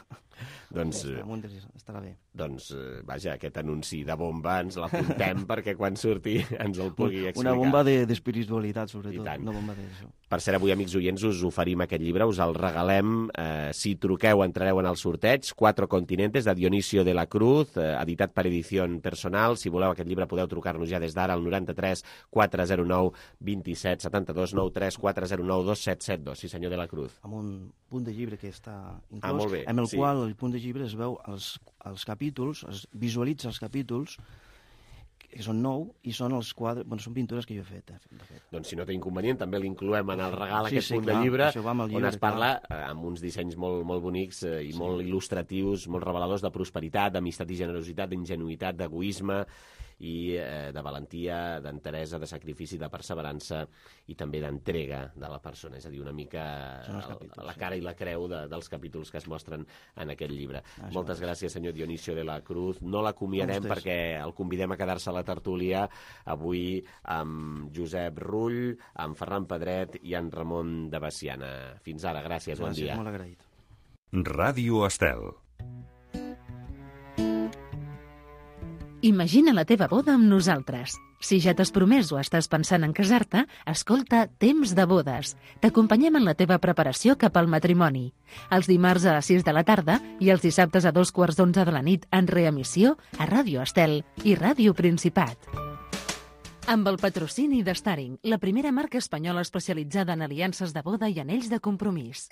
Doncs estarà bé. Doncs, vaja, aquest anunci de bomba ens l'apuntem perquè quan surti ens el pugui explicar. Una bomba d'espiritualitat, sobretot. Una bomba d'això. Per cert, avui, amics oients, us oferim aquest llibre, us el regalem. Si truqueu, entrareu en el sorteig. Cuatro Continentes, de Dionisio de la Cruz, editat per Edició Personal. Si voleu aquest llibre, podeu trucar-nos ja des d'ara al 93 409 27 72 93 409 2772. Sí, senyor de la Cruz. Amb un punt de llibre que està inclòs, molt bé, amb el qual el punt de llibre es veu els capítols, es visualitza els capítols, que són 9, i són els quadres, són pintures que jo he fet, de fet. Doncs si no té inconvenient, també l'incloem en el regal, aquest punt de llibre, on es parla amb uns dissenys molt bonics i molt il·lustratius, molt reveladors de prosperitat, d'amistat i generositat, d'ingenuïtat, d'egoisme i de valentia, d'enteresa, de sacrifici, de perseverança i també d'entrega de la persona. És a dir, una mica la cara i la creu dels capítols que es mostren en aquest llibre. Moltes gràcies, senyor Dionisio de la Cruz. No l'acomiadem perquè el convidem a quedar-se a la tertúlia avui amb Josep Rull, amb Ferran Pedret i en Ramon de Baciana. Fins ara, gràcies, bon dia. Molt agraït. Ràdio Estel. Imagina la teva boda amb nosaltres. Si ja t'has promès o estàs pensant en casar-te, escolta Temps de bodes. T'acompanyem en la teva preparació cap al matrimoni. Els dimarts a les 6 de la tarda i els dissabtes a 2:15 de la nit en reemissió a Ràdio Estel i Ràdio Principat. Amb el patrocini de Staring, la primera marca espanyola especialitzada en aliances de boda i anells de compromís.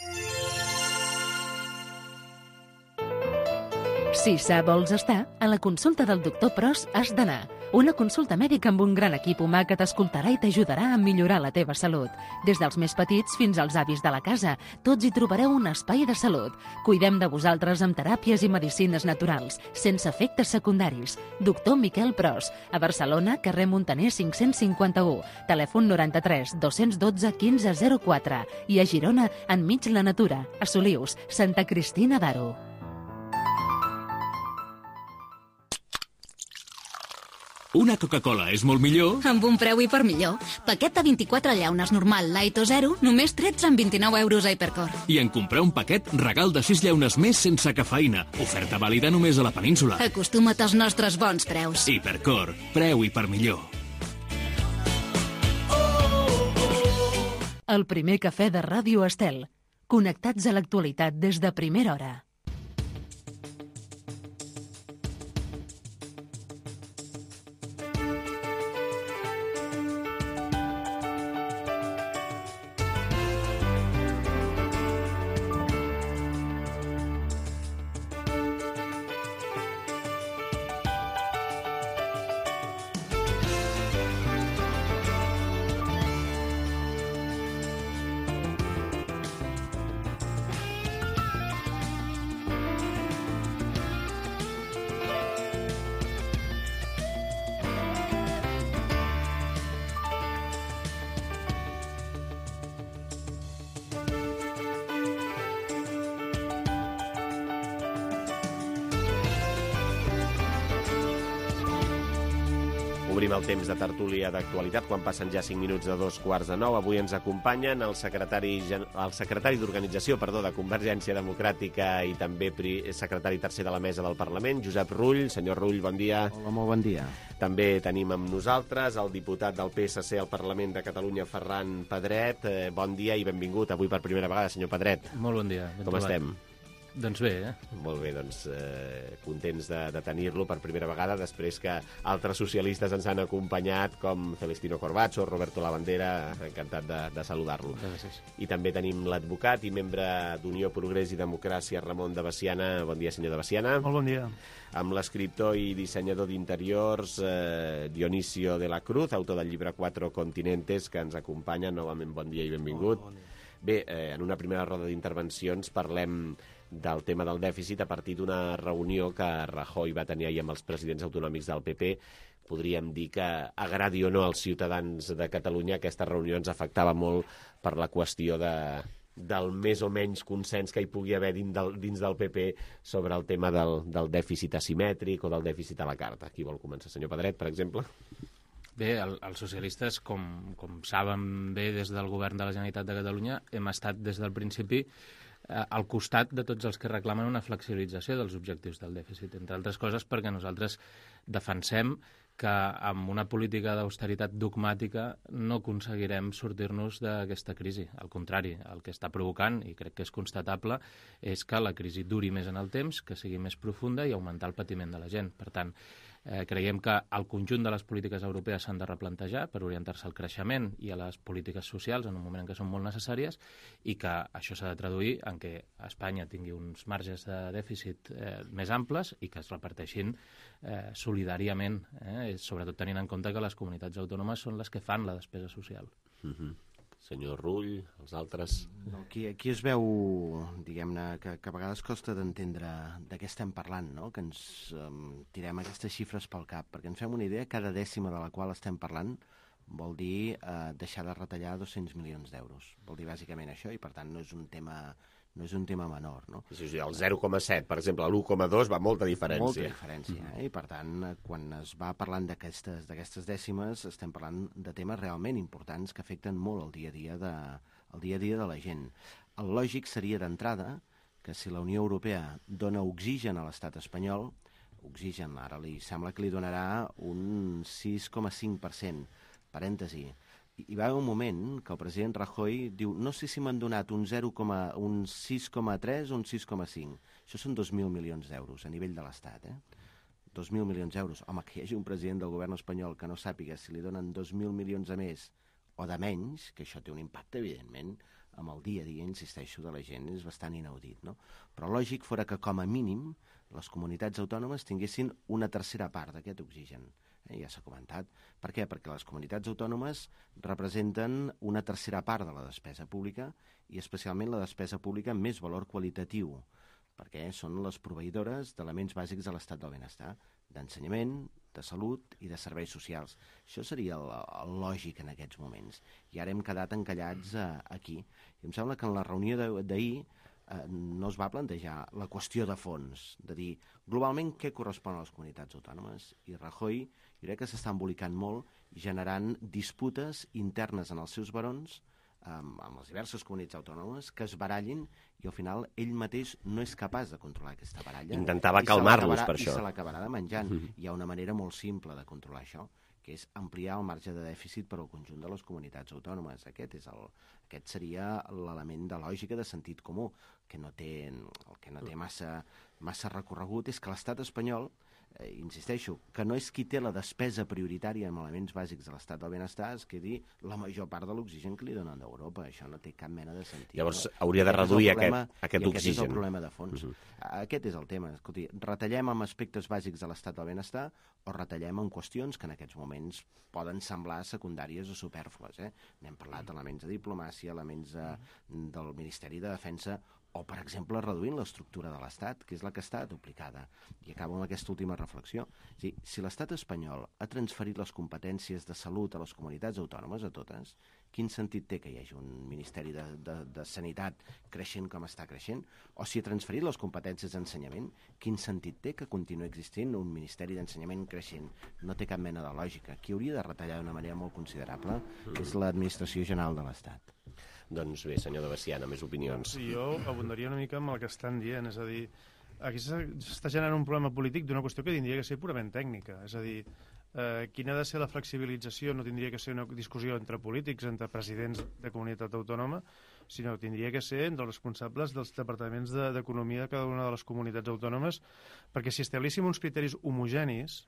Si sa vols estar, a la consulta del doctor Pros has d'anar. Una consulta mèdica amb un gran equip humà que t'escoltarà i t'ajudarà a millorar la teva salut. Des dels més petits fins als avis de la casa, tots hi trobareu un espai de salut. Cuidem de vosaltres amb teràpies i medicines naturals, sense efectes secundaris. Doctor Miquel Pros, a Barcelona, carrer Montaner 551, telèfon 93 212 1504 i a Girona, enmig la natura, a Solius, Santa Cristina d'Aro. Una Coca-Cola és molt millor... Amb un preu hipermillor. Paquet de 24 llaunes normal, light o zero, només 13,29 euros a Hipercor. I en comprar un paquet, regal de 6 llaunes més sense cafeïna. Oferta vàlida només a la península. Acostuma't als nostres bons preus. Hipercor, preu hipermillor. El primer cafè de Ràdio Estel. Connectats a l'actualitat des de primera hora. Obrim el temps de tertúlia d'actualitat quan passen ja 5 minuts de 2:15. Avui ens acompanyen el secretari d'Organització de Convergència Democràtica i també secretari tercer de la mesa del Parlament, Josep Rull. Senyor Rull, bon dia. Hola, molt bon dia. També tenim amb nosaltres el diputat del PSC al Parlament de Catalunya, Ferran Pedret. Bon dia i benvingut avui per primera vegada, senyor Pedret. Molt bon dia. Com estem? Doncs bé, Molt bé, doncs contents de tenir-lo per primera vegada després que altres socialistes ens han acompanyat com Celestino Corbacho, Roberto Lavandera, encantat de saludar-lo. Gràcies. I també tenim l'advocat i membre d'Unió, Progrés i Democràcia, Ramon de Veciana. Bon dia, senyor de Veciana. Molt bon dia. Amb l'escriptor i dissenyador d'interiors Dionisio de la Cruz, autor del llibre Cuatro Continentes, que ens acompanya. Novament, bon dia i benvingut. Bon dia. Bé, en una primera roda d'intervencions parlem del tema del dèficit a partir d'una reunió que Rajoy va tenir ahir amb els presidents autonòmics del PP. Podríem dir que, agradi o no als ciutadans de Catalunya, aquesta reunió ens afectava molt per la qüestió del més o menys consens que hi pugui haver dins del PP sobre el tema del dèficit asimètric o del dèficit a la carta. Qui vol començar? Senyor Pedret, per exemple? Bé, els socialistes, com saben bé des del govern de la Generalitat de Catalunya, hem estat des del principi al costat de tots els que reclamen una flexibilització dels objectius del dèficit, entre altres coses perquè nosaltres defensem que amb una política d'austeritat dogmàtica no aconseguirem sortir-nos d'aquesta crisi. Al contrari, el que està provocant, i crec que és constatable, és que la crisi duri més en el temps, que sigui més profunda i augmentar el patiment de la gent. Per tant, creiem que el conjunt de les polítiques europees s'han de replantejar per orientar-se al creixement i a les polítiques socials en un moment en què són molt necessàries i que això s'ha de traduir en què Espanya tingui uns marges de dèficit més amples i que es reparteixin solidàriament, sobretot tenint en compte que les comunitats autònomes són les que fan la despesa social. Senyor Rull, els altres... Aquí es veu, diguem-ne, que a vegades costa d'entendre de què estem parlant, no? Que ens tirem aquestes xifres pel cap, perquè ens fem una idea, cada dècima de la qual estem parlant vol dir deixar de retallar 200 milions d'euros. Vol dir bàsicament això i, per tant, no és un tema menor, no? Sí, el 0,7, per exemple, l'1,2 va molta diferència. Molta diferència, i per tant, quan es va parlant d'aquestes dècimes, estem parlant de temes realment importants que afecten molt el dia a dia de la gent. El lògic seria d'entrada que si la Unió Europea dona oxigen a l'estat espanyol, oxigen ara li sembla que li donarà un 6,5%, parèntesi. Hi va haver un moment que el president Rajoy diu no sé si m'han donat un 6,3 o un 6,5. Això són 2.000 milions d'euros a nivell de l'Estat, 2.000 milions d'euros. Home, que hi hagi un president del govern espanyol que no sàpiga si li donen 2.000 milions a més o de menys, que això té un impacte, evidentment, amb el dia a dia, insisteixo, de la gent, és bastant inaudit, no? Però lògic fora que, com a mínim, les comunitats autònomes tinguessin una tercera part d'aquest oxigen. Ja s'ha comentat. Per què? Perquè les comunitats autònomes representen una tercera part de la despesa pública i especialment la despesa pública amb més valor qualitatiu, perquè són les proveïdores d'elements bàsics de l'estat del benestar, d'ensenyament, de salut i de serveis socials. Això seria el lògic en aquests moments. I ara hem quedat encallats aquí. I em sembla que en la reunió d'ahir no es va plantejar la qüestió de fons, de dir globalment què correspon a les comunitats autònomes, i Rajoy jo crec que s'està embolicant molt i generant disputes internes en els seus barons amb les diverses comunitats autònomes que es barallin i al final ell mateix no és capaç de controlar aquesta baralla. Intentava calmar-los per això. I se l'acabarà de menjant. Hi ha una manera molt simple de controlar això, que és ampliar el marge de dèficit per al conjunt de les comunitats autònomes. Aquest seria l'element de lògica, de sentit comú, que el que no té massa recorregut és que l'estat espanyol, insisteixo, que no és qui té la despesa prioritària en elements bàsics de l'estat del benestar, es quedi la major part de l'oxigen que li donen d'Europa. Això no té cap mena de sentit. Llavors hauria de reduir aquest oxigen. Aquest és el problema de fons. Aquest és el tema. Escolti, retallem en aspectes bàsics de l'estat del benestar o retallem en qüestions que en aquests moments poden semblar secundàries o supèrflues. N'hem parlat d'elements de diplomàcia, elements del Ministeri de Defensa, o, per exemple, reduint l'estructura de l'Estat, que és la que està duplicada. I acabo amb aquesta última reflexió. Si l'Estat espanyol ha transferit les competències de salut a les comunitats autònomes, a totes, quin sentit té que hi hagi un Ministeri de Sanitat creixent com està creixent? O si ha transferit les competències d'ensenyament, quin sentit té que continuï existint un Ministeri d'Ensenyament creixent? No té cap mena de lògica. Qui hauria de retallar d'una manera molt considerable és l'Administració General de l'Estat. Doncs bé, senyor de Veciana, més opinions. Sí, jo abundaria una mica amb el que estan dient, és a dir, aquí s'està generant un problema polític d'una qüestió que tindria que ser purament tècnica, és a dir, quina ha de ser la flexibilització no tindria que ser una discussió entre polítics, entre presidents de comunitat autònoma, sinó que tindria que ser entre els responsables dels departaments d'economia de cada una de les comunitats autònomes, perquè si establíssim uns criteris homogenis,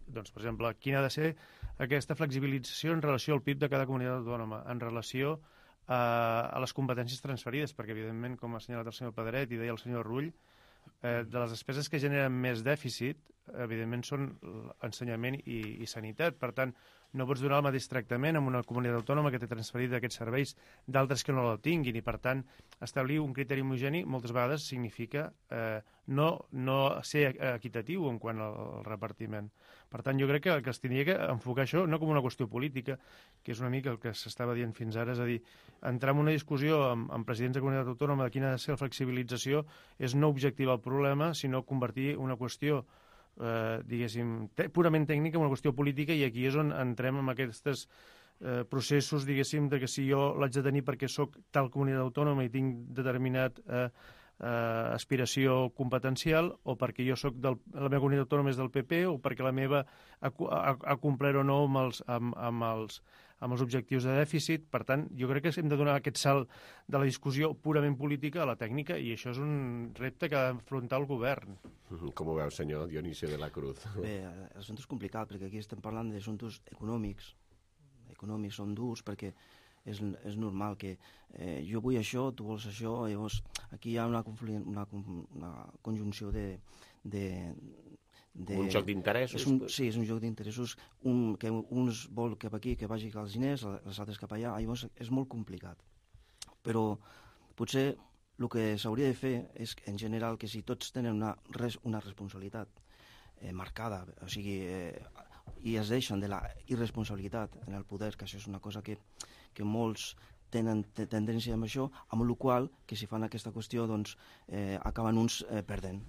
doncs, per exemple, quina ha de ser aquesta flexibilització en relació al PIB de cada comunitat autònoma, en relació a les competències transferides, perquè, evidentment, com ha assenyalat el senyor Pedret i deia el senyor Rull, de les despeses que generen més dèficit, evidentment, són ensenyament i sanitat. Per tant, no pots donar el mateix tractament amb una comunitat autònoma que té transferit aquests serveis d'altres que no el tinguin, i, per tant, establir un criteri homogeni moltes vegades significa no ser equitatiu en quant al repartiment. Per tant, jo crec que es tindria que enfocar això no com una qüestió política, que és una mica el que s'estava dient fins ara, és a dir, entrar en una discussió amb presidents de comunitat autònoma de quina ha de ser la flexibilització és no objectivar el problema, sinó convertir una qüestió diguéssim, purament tècnica, una qüestió política, i aquí és on entrem en aquests processos, diguéssim, de que si jo l'haig de tenir perquè sóc tal comunitat autònoma i tinc determinat aspiració competencial, o perquè jo soc la meva comunitat autònoma és del PP, o perquè la meva ha complert o no amb els objectius de dèficit. Per tant, jo crec que hem de donar aquest salt de la discussió purament política a la tècnica, i això és un repte que ha d'afrontar el govern. Com ho veu, senyor Dionisio de la Cruz? Bé, l'assumpte és complicat, perquè aquí estem parlant d'assumptes econòmics. Econòmics són durs, perquè és normal que jo vull això, tu vols això, llavors aquí hi ha una conjunció de un joc d'interessos? Sí, és un joc d'interessos, que uns vol cap aquí, que vagi als diners, els altres cap allà, llavors és molt complicat. Però potser el que s'hauria de fer és, en general, que si tots tenen una responsabilitat marcada, o sigui, i es deixen de la irresponsabilitat en el poder, que això és una cosa que molts tenen tendència amb això, amb la qual que si fan aquesta qüestió doncs acaben uns perdent.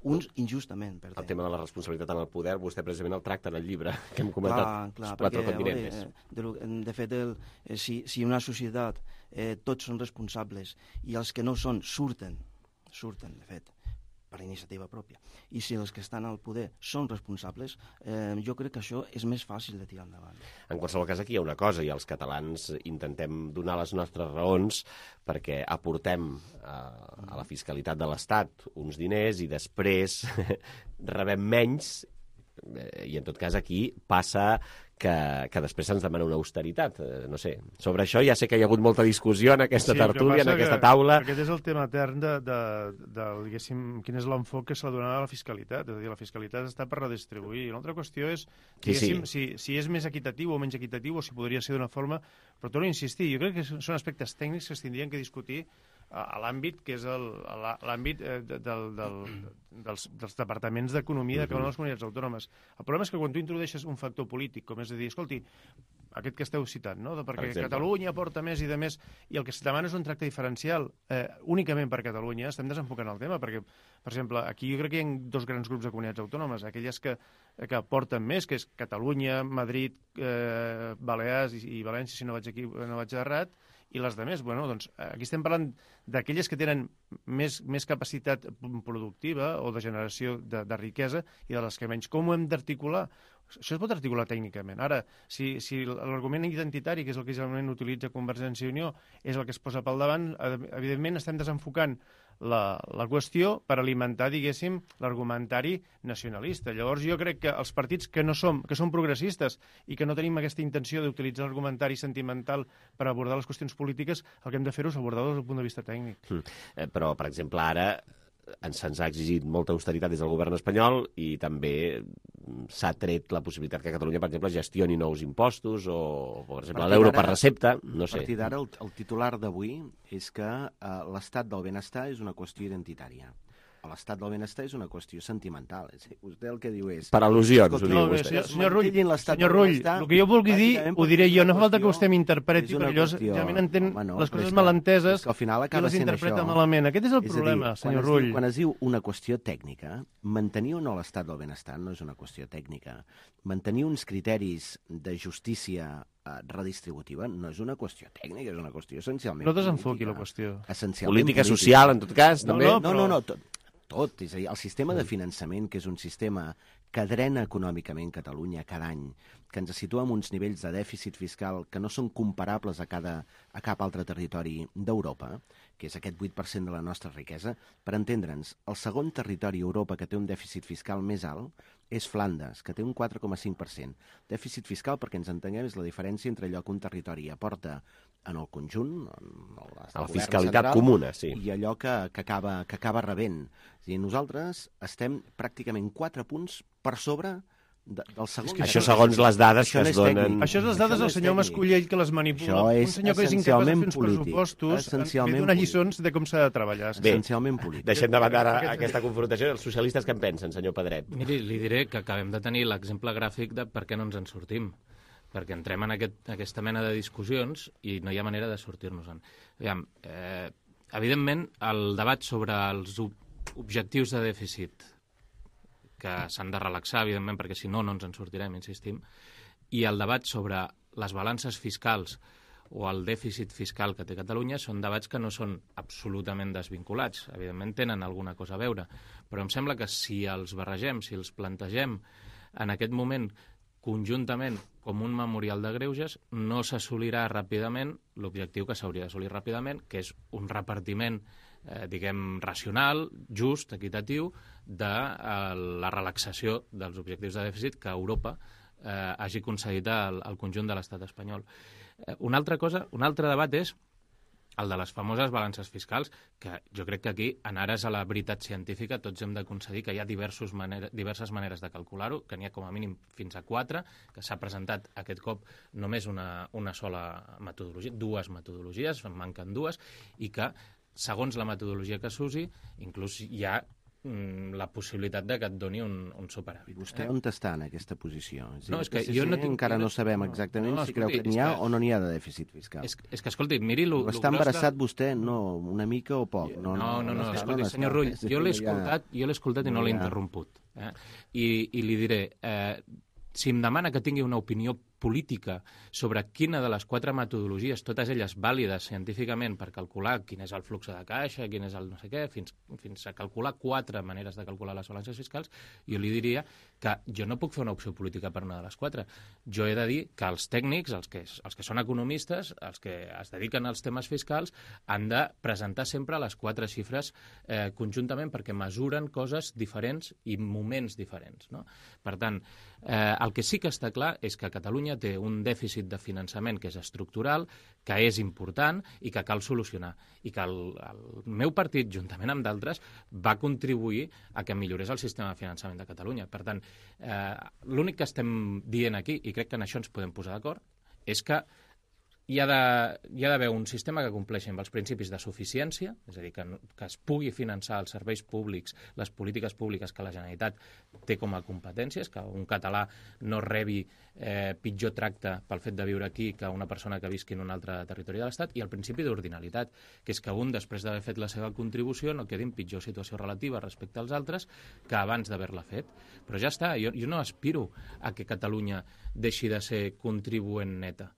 Uns injustament perdent. El tema de la responsabilitat en el poder, vostè precisament el tracta en el llibre que hem comentat, els quatre continents. De fet, si una societat tots són responsables i els que no són surten, de fet, per iniciativa pròpia, i si els que estan al poder són responsables, jo crec que això és més fàcil de tirar endavant. En qualsevol cas, aquí hi ha una cosa, i els catalans intentem donar les nostres raons perquè aportem a la fiscalitat de l'Estat uns diners i després rebem menys, i en tot cas aquí passa que després se'ns demana una austeritat. No sé, sobre això ja sé que hi ha hagut molta discussió en aquesta tertúlia, en aquesta taula. Aquest és el tema etern diguéssim, quin és l'enfoc que s'ha de donar a la fiscalitat. És a dir, la fiscalitat està per redistribuir. Una altra qüestió és, diguéssim, si és més equitatiu o menys equitatiu, o si podria ser d'una forma... Però torno a insistir, jo crec que són aspectes tècnics que es tindrien que discutir a l'àmbit que és l'àmbit dels departaments d'economia de cada una de les comunitats autònomes. El problema és que quan tu introdueixes un factor polític, com és a dir, escolti, aquest que esteu citant, no? Perquè Catalunya aporta més i de més, i el que es demana és un tracte diferencial únicament per Catalunya. Estem desenfocant el tema, perquè, per exemple, aquí jo crec que hi ha dos grans grups de comunitats autònomes, aquelles que aporten més, que és Catalunya, Madrid, Balears i València, si no vaig errat, i les de més. Bueno, doncs aquí estem parlant d'aquelles que tenen més capacitat productiva o de generació de riquesa i de les que menys. Com ho hem d'articular? Això es pot articular tècnicament. Ara, si l'argument identitari, que és el que generalment utilitza Convergència i Unió, és el que es posa pel davant, evidentment estem desenfocant la qüestió per alimentar, diguéssim, l'argumentari nacionalista. Llavors jo crec que els partits que són progressistes i que no tenim aquesta intenció d'utilitzar l'argumentari sentimental per abordar les qüestions polítiques, el que hem de fer és abordar-ho des del punt de vista tècnic. Però, per exemple, ara se'ns ha exigit molta austeritat des del govern espanyol i també s'ha tret la possibilitat que Catalunya, per exemple, gestioni nous impostos o, per exemple, l'euro per recepta, no sé. A partir d'ara, el titular d'avui és que l'estat del benestar és una qüestió identitària. L'estat del benestar és una qüestió sentimental. Vostè el que diu és... Per al·lusions, ho diu vostè. Senyor Rull, el que jo vulgui dir, ho diré jo. No fa falta que vostè m'interpreti, perquè jo realment entenc les coses malenteses i les interpreta malament. Aquest és el problema, senyor Rull. Quan es diu una qüestió tècnica, mantenir o no l'estat del benestar no és una qüestió tècnica. Mantenir uns criteris de justícia redistributiva no és una qüestió tècnica, és una qüestió essencialment política. No desenfoqui la qüestió. Política social, en tot cas, també? No, tot. És a dir, el sistema de finançament, que és un sistema que drena econòmicament Catalunya cada any, que ens situa en uns nivells de dèficit fiscal que no són comparables a cap altre territori d'Europa, que és aquest 8% de la nostra riquesa. Per entendre'ns, el segon territori a Europa que té un dèficit fiscal més alt és Flandes, que té un 4,5%. Dèficit fiscal, perquè ens entenguem, és la diferència entre allò que un territori aporta en el conjunt, a la fiscalitat comuna, sí, i allò que acaba rebent. És a dir, nosaltres estem pràcticament 4 punts per sobre del segon. Això segons les dades que es donen... Això és les dades del senyor Mascolell que les manipula. Un senyor que és incapaç de fer uns pressupostos ve donar lliçons de com s'ha de treballar. Essencialment polític. Deixem de banda ara aquesta confrontació. Els socialistes què en pensen, senyor Pedret? Miri, li diré que acabem de tenir l'exemple gràfic de per què no ens en sortim. Perquè entrem en aquesta mena de discussions i no hi ha manera de sortir-nos-en. Evidentment, el debat sobre els objectius de dèficit, que s'han de relaxar, evidentment, perquè si no, no ens en sortirem, insistim, i el debat sobre les balances fiscals o el dèficit fiscal que té Catalunya són debats que no són absolutament desvinculats. Evidentment, tenen alguna cosa a veure, però em sembla que si els barregem, si els plantegem en aquest moment conjuntament com un memorial de greuges, no s'assolirà ràpidament l'objectiu que s'hauria d'assolir ràpidament, que és un repartiment, diguem, racional, just, equitatiu, de la relaxació dels objectius de dèficit que Europa hagi concedit al conjunt de l'estat espanyol. Una altre debat és el de les famoses balances fiscals, que jo crec que aquí, en ares a la veritat científica, tots hem de concedir que hi ha diverses maneres de calcular-ho, que n'hi ha com a mínim fins a 4, que s'ha presentat aquest cop només una sola metodologia, 2 metodologies, en manquen 2, i que, segons la metodologia que s'usi, inclús hi ha la possibilitat de que et doni un superàvit. Vostè on està en aquesta posició? És que jo no tinc... Encara no sabem exactament si creu que n'hi ha o no n'hi ha de dèficit fiscal. És que, escolti, miri... Està embarassat vostè? No, una mica o poc? No, escolti, senyor Rull, jo l'he escoltat i no l'he interromput. I li diré, si em demana que tingui una opinió política sobre quina de les 4 metodologies, totes elles vàlides científicament per calcular quin és el flux de caixa, quin és el no sé què, fins a calcular 4 maneres de calcular les balances fiscals, jo li diria que jo no puc fer una opció política per una de les 4. Jo he de dir que els tècnics, els que són economistes, els que es dediquen als temes fiscals, han de presentar sempre les 4 xifres conjuntament perquè mesuren coses diferents i moments diferents, no? Per tant, el que sí que està clar és que Catalunya té un dèficit de finançament que és estructural, que és important i que cal solucionar. I que el meu partit, juntament amb d'altres, va contribuir a que millorés el sistema de finançament de Catalunya. Per tant, l'únic que estem dient aquí, i crec que en això ens podem posar d'acord, és que hi ha d'haver un sistema que compleixi amb els principis de suficiència, és a dir, que es pugui finançar els serveis públics, les polítiques públiques que la Generalitat té com a competències, que un català no rebi pitjor tracte pel fet de viure aquí que una persona que visqui en un altre territori de l'Estat, i el principi d'ordinalitat, que és que un, després d'haver fet la seva contribució, no quedi en pitjor situació relativa respecte als altres que abans d'haver-la fet. Però ja està, jo no aspiro a que Catalunya deixi de ser contribuent neta.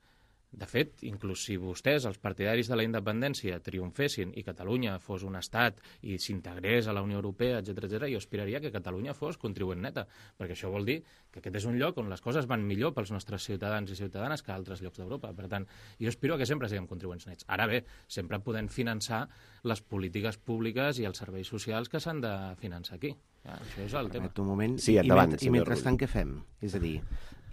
De fet, inclús si vostès, els partidaris de la independència, triomfessin i Catalunya fos un estat i s'integrés a la Unió Europea, etc., jo aspiraria que Catalunya fos contribuent neta, perquè això vol dir que aquest és un lloc on les coses van millor pels nostres ciutadans i ciutadanes que a altres llocs d'Europa. Per tant, jo aspiro que sempre siguem contribuents nets. Ara bé, sempre podem finançar les polítiques públiques i els serveis socials que s'han de finançar aquí. Ja, això és el tema. Un moment. Sí, endavant, I mentrestant què fem? És a dir,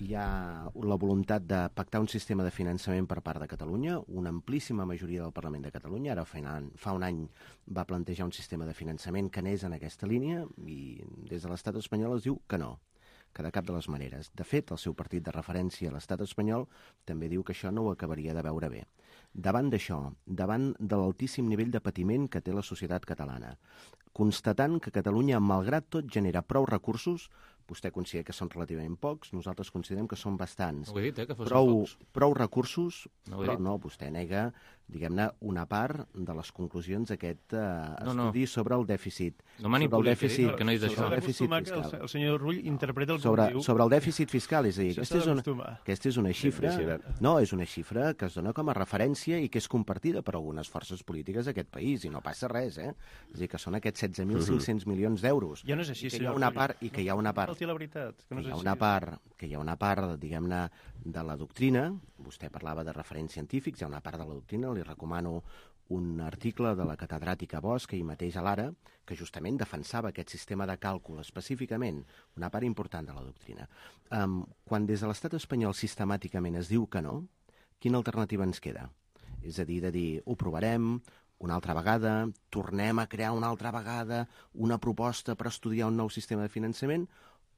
hi ha la voluntat de pactar un sistema de finançament per part de Catalunya, una amplíssima majoria del Parlament de Catalunya, ara fa un any va plantejar un sistema de finançament que anés en aquesta línia i des de l'estat espanyol es diu que no, que de cap de les maneres. De fet, el seu partit de referència a l'estat espanyol també diu que això no ho acabaria de veure bé. Davant d'això, davant de l'altíssim nivell de patiment que té la societat catalana, constatant que Catalunya, malgrat tot, genera prou recursos, vostè considera que són relativament pocs, nosaltres considerem que són bastants. No ho he dit, que fossin pocs. Prou recursos, no però no, vostè nega, diguem-ne, una part de les conclusions d'aquest estudi sobre el dèficit. No manipuli, que no he dit això. El senyor Rull interpreta el que diu. Sobre el dèficit fiscal, és a dir, aquesta és una xifra, no, és una xifra que es dona com a referència i que és compartida per algunes forces polítiques d'aquest país, i no passa res, És a dir, que són aquests 16.500 milions d'euros. Ja no és així, senyor. I que hi ha una part... Que hi ha una part, diguem-ne, de la doctrina, vostè parlava de referents científics, hi ha una part de la doctrina, li recomano un article de la catedràtica Bosch, ahir mateix a l'Ara, que justament defensava aquest sistema de càlcul específicament, una part important de la doctrina. Quan des de l'estat espanyol sistemàticament es diu que no, quina alternativa ens queda? És a dir, ho provarem una altra vegada, tornem a crear una altra vegada una proposta per estudiar un nou sistema de finançament,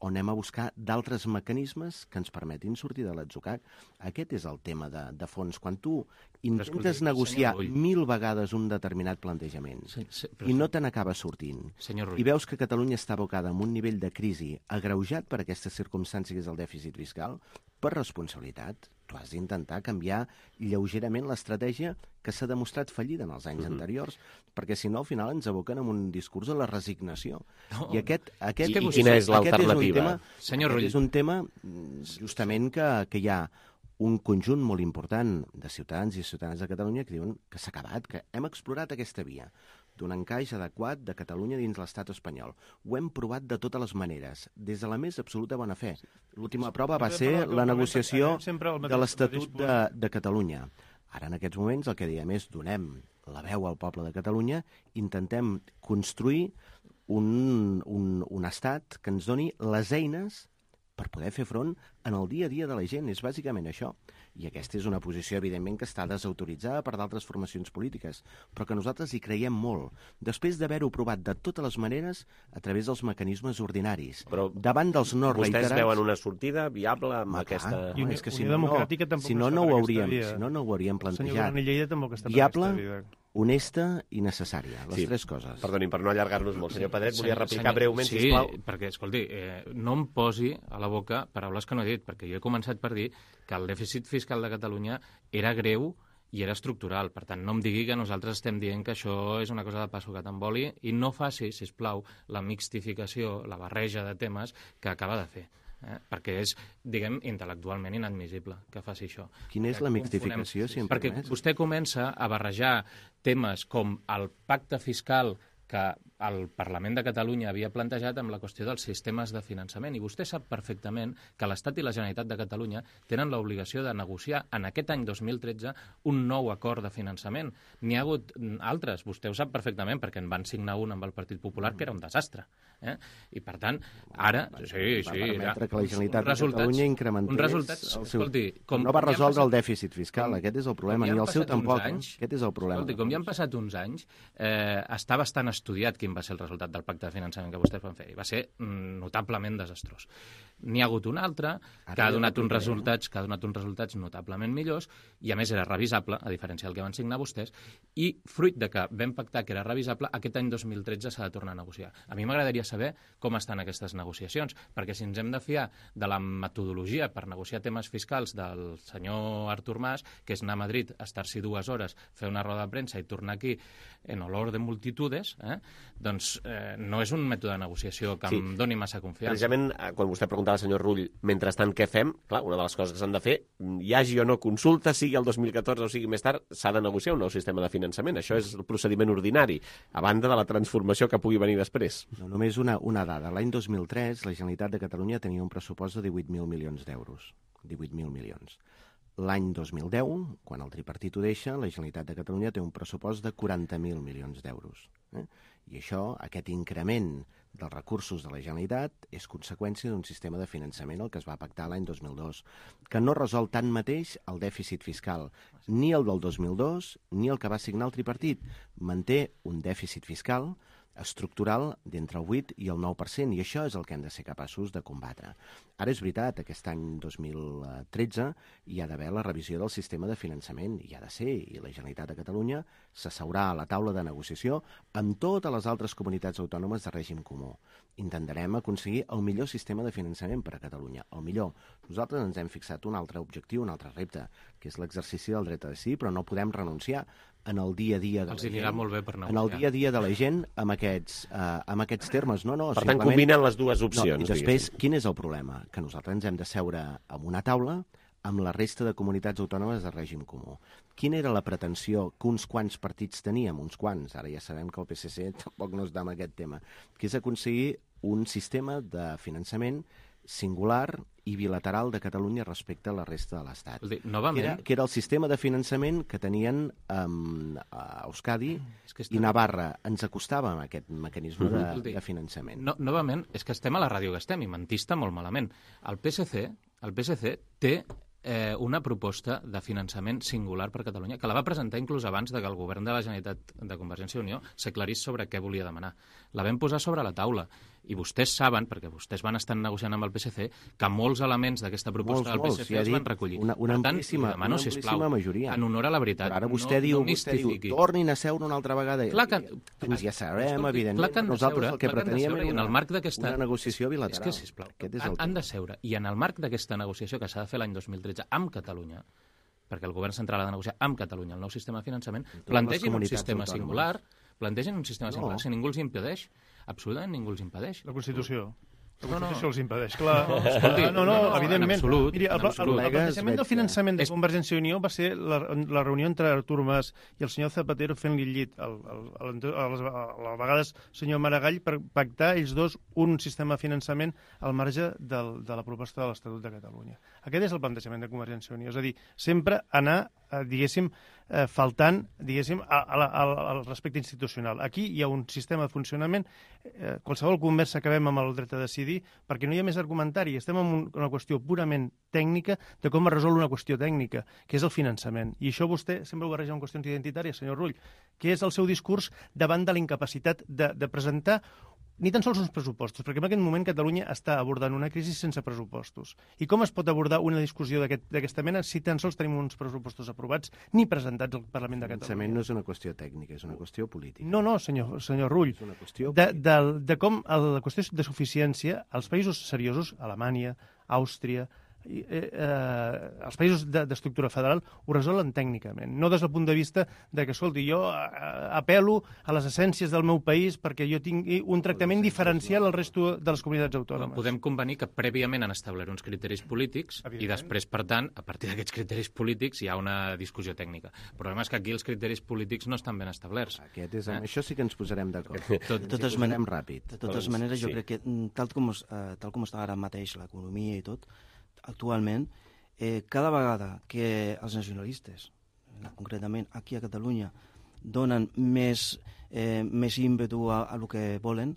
o anem a buscar d'altres mecanismes que ens permetin sortir de l'atzucac. Aquest és el tema de fons. Quan tu intentes negociar 1000 vegades un determinat plantejament i no te n'acaba sortint, i veus que Catalunya està abocada en un nivell de crisi agreujat per aquestes circumstàncies del dèficit fiscal, per responsabilitat, tu has d'intentar canviar lleugerament l'estratègia que s'ha demostrat fallida en els anys anteriors, perquè si no, al final ens aboquen en un discurs de la resignació. I quina és l'alternativa? És un tema justament que hi ha un conjunt molt important de ciutadans i ciutadanes de Catalunya que diuen que s'ha acabat, que hem explorat aquesta via d'un encaix adequat de Catalunya dins l'estat espanyol. Ho hem provat de totes les maneres, des de la més absoluta bona fe. L'última prova va ser la negociació de l'Estatut de Catalunya. Ara, en aquests moments, el que diem és donem la veu al poble de Catalunya, intentem construir un estat que ens doni les eines per poder fer front en el dia a dia de la gent. És bàsicament això. I aquesta és una posició, evidentment, que està desautoritzada per d'altres formacions polítiques, però que nosaltres hi creiem molt. Després d'haver-ho provat de totes les maneres a través dels mecanismes ordinaris. Però davant dels no reiterats... Vostès veuen una sortida viable amb aquesta... És que si no ho hauríem plantejat. Viable, honesta i necessària. Les tres coses. Perdonin, per no allargar-nos molt. Senyor Pedret, volia replicar breument, sisplau. Sí, perquè, escolti, no em posi a la boca paraules que no he dit, perquè jo he començat per dir que el dèficit fiscal de Catalunya era greu i era estructural. Per tant, no em digui que nosaltres estem dient que això és una cosa de passo que t'emboli i no faci, sisplau, la mixtificació, la barreja de temes que acaba de fer. Perquè és, diguem, intel·lectualment inadmissible que faci això. Quina és la mixtificació, si em permets? Perquè vostè comença a barrejar temes com el pacte fiscal que el Parlament de Catalunya havia plantejat amb la qüestió dels sistemes de finançament. I vostè sap perfectament que l'Estat i la Generalitat de Catalunya tenen l'obligació de negociar en aquest any 2013 un nou acord de finançament. N'hi ha hagut altres, vostè ho sap perfectament, perquè en van signar un amb el Partit Popular que era un desastre. I per tant, ara... Va permetre que la Generalitat de Catalunya incrementés el seu... No va resoldre el dèficit fiscal, aquest és el problema, ni el seu tampoc. Aquest és el problema. Com ja han passat uns anys, està bastant estudiat quin va ser el resultat del pacte de finançament que vostès van fer. Va ser notablement desastrós. N'hi ha hagut un altre que ha donat uns resultats notablement millors i, a més, era revisable, a diferència del que van signar vostès, i fruit de que vam pactar que era revisable, aquest any 2013 s'ha de tornar a negociar. A mi m'agradaria saber com estan aquestes negociacions, perquè si ens hem de fiar de la metodologia per negociar temes fiscals del senyor Artur Mas, que és anar a Madrid, estar-s'hi 2 hores, fer una roda de premsa i tornar aquí en olor de multitudes, doncs no és un mètode de negociació que em doni massa confiança. Precisament, quan vostè preguntava al senyor Rull, mentrestant què fem, clar, una de les coses que s'han de fer, hi hagi o no consulta, sigui el 2014 o sigui més tard, s'ha de negociar un nou sistema de finançament. Això és el procediment ordinari, a banda de la transformació que pugui venir després. No, només una dada. L'any 2003, la Generalitat de Catalunya tenia un pressupost de 18.000 milions d'euros. 18.000 milions. L'any 2010, quan el tripartit ho deixa, la Generalitat de Catalunya té un pressupost de 40.000 milions d'euros. I això, aquest increment dels recursos de la Generalitat, és conseqüència d'un sistema de finançament, el que es va pactar l'any 2002, que no resol tanmateix el dèficit fiscal, ni el del 2002, ni el que va signar el tripartit. Manté un dèficit fiscal estructural d'entre el 8 i el 9%, i això és el que hem de ser capaços de combatre. Ara és veritat, aquest any 2013 hi ha d'haver la revisió del sistema de finançament, hi ha de ser, i la Generalitat de Catalunya s'asseurà a la taula de negociació amb totes les altres comunitats autònomes de règim comú. Intentarem aconseguir el millor sistema de finançament per a Catalunya, el millor. Nosaltres ens hem fixat un altre objectiu, un altre repte, que és l'exercici del dret a decidir, però no podem renunciar en el dia a dia de la gent. Els anirà molt bé per negociar. En el dia a dia de la gent amb aquests termes. No, per tant, combinen les dues opcions. I després, quin és el problema? Que nosaltres ens hem de seure en una taula amb la resta de comunitats autònomes de règim comú. Quina era la pretensió que uns quants partits teníem? Uns quants, ara ja sabem que el PSC tampoc no està en aquest tema, que és aconseguir un sistema de finançament singular i bilateral de Catalunya respecte a la resta de l'Estat. Que era el sistema de finançament que tenien a Euskadi i Navarra. Ens acostava amb aquest mecanisme de finançament. Novament, és que estem a la ràdio que estem i mentista molt malament. El PSC té una proposta de finançament singular per Catalunya, que la va presentar inclús abans que el govern de la Generalitat de Convergència i Unió s'aclarís sobre què volia demanar. La vam posar sobre la taula. I vostès saben, perquè vostès van estar negociant amb el PSC, que molts elements d'aquesta proposta del PSC es van recollir. Una amplíssima majoria. En honor a la veritat. Però ara vostè diu, tornin a seure una altra vegada. Ja sabrem, evidentment. Nosaltres el que preteníem era una negociació bilateral. És que, sisplau, han de seure. I en el marc d'aquesta negociació que s'ha de fer l'any 2013 amb Catalunya, perquè el govern central ha de negociar amb Catalunya el nou sistema de finançament, plantegin un sistema singular, si ningú els impedeix. Absolutament ningú els impedeix. La Constitució. La Constitució els impedeix, clar. No, evidentment. Miri, el plantejament del finançament de Convergència i Unió va ser la reunió entre Artur Mas i el senyor Zapatero fent-li llit a vegades senyor Maragall per pactar ells dos un sistema de finançament al marge de la proposta de l'Estatut de Catalunya. Aquest és el plantejament de Convergència i Unió, és a dir, sempre anar, diguéssim, faltant, diguéssim, al respecte institucional. Aquí hi ha un sistema de funcionament, qualsevol conversa que acabem amb el dret a decidir, perquè no hi ha més argumentari, estem en una qüestió purament tècnica de com es resol una qüestió tècnica, que és el finançament. I això vostè sempre ho barreja amb qüestions identitàries, senyor Rull, que és el seu discurs davant de la incapacitat de presentar ni tan sols uns pressupostos, perquè en aquest moment Catalunya està abordant una crisi sense pressupostos. I com es pot abordar una discussió d'aquesta mena si tan sols tenim uns pressupostos aprovats ni presentats al Parlament de Catalunya? El finançament no és una qüestió tècnica, és una qüestió política. No, senyor Rull. És una qüestió de com la qüestió de suficiència, els països seriosos, Alemanya, Àustria, els països d'estructura federal ho resolen tècnicament, no des del punt de vista de que, escolti, jo apel·lo a les essències del meu país perquè jo tingui un tractament diferencial al resto de les comunitats autònomes. Podem convenir que prèviament han establert uns criteris polítics i després, per tant, a partir d'aquests criteris polítics hi ha una discussió tècnica. El problema és que aquí els criteris polítics no estan ben establerts. Això sí que ens posarem d'acord. De totes maneres, jo crec que tal com està ara mateix l'economia i tot, actualment, cada vegada que els nacionalistes, concretament aquí a Catalunya, donen més ímpetu a el que volen,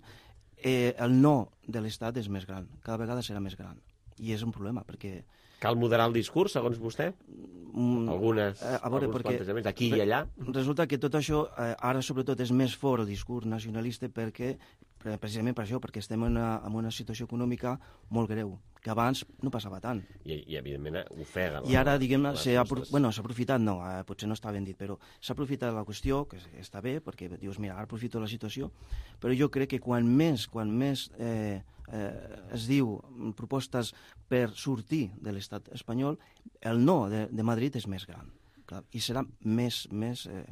el no de l'Estat és més gran, cada vegada serà més gran. I és un problema, perquè Cal moderar el discurs, segons vostè? Alguns plantejaments aquí i allà? Resulta que tot això ara sobretot és més fort el discurs nacionalista precisament per això, perquè estem en una situació econòmica molt greu, que abans no passava tant. I evidentment, ofega. I ara, diguem-ne, s'ha aprofitat, no, potser no està ben dit, però s'ha aprofitat la qüestió, que està bé, perquè dius, mira, ara aprofito la situació, però jo crec que quan més es diu propostes per sortir de l'estat espanyol, el no de Madrid és més gran. I serà més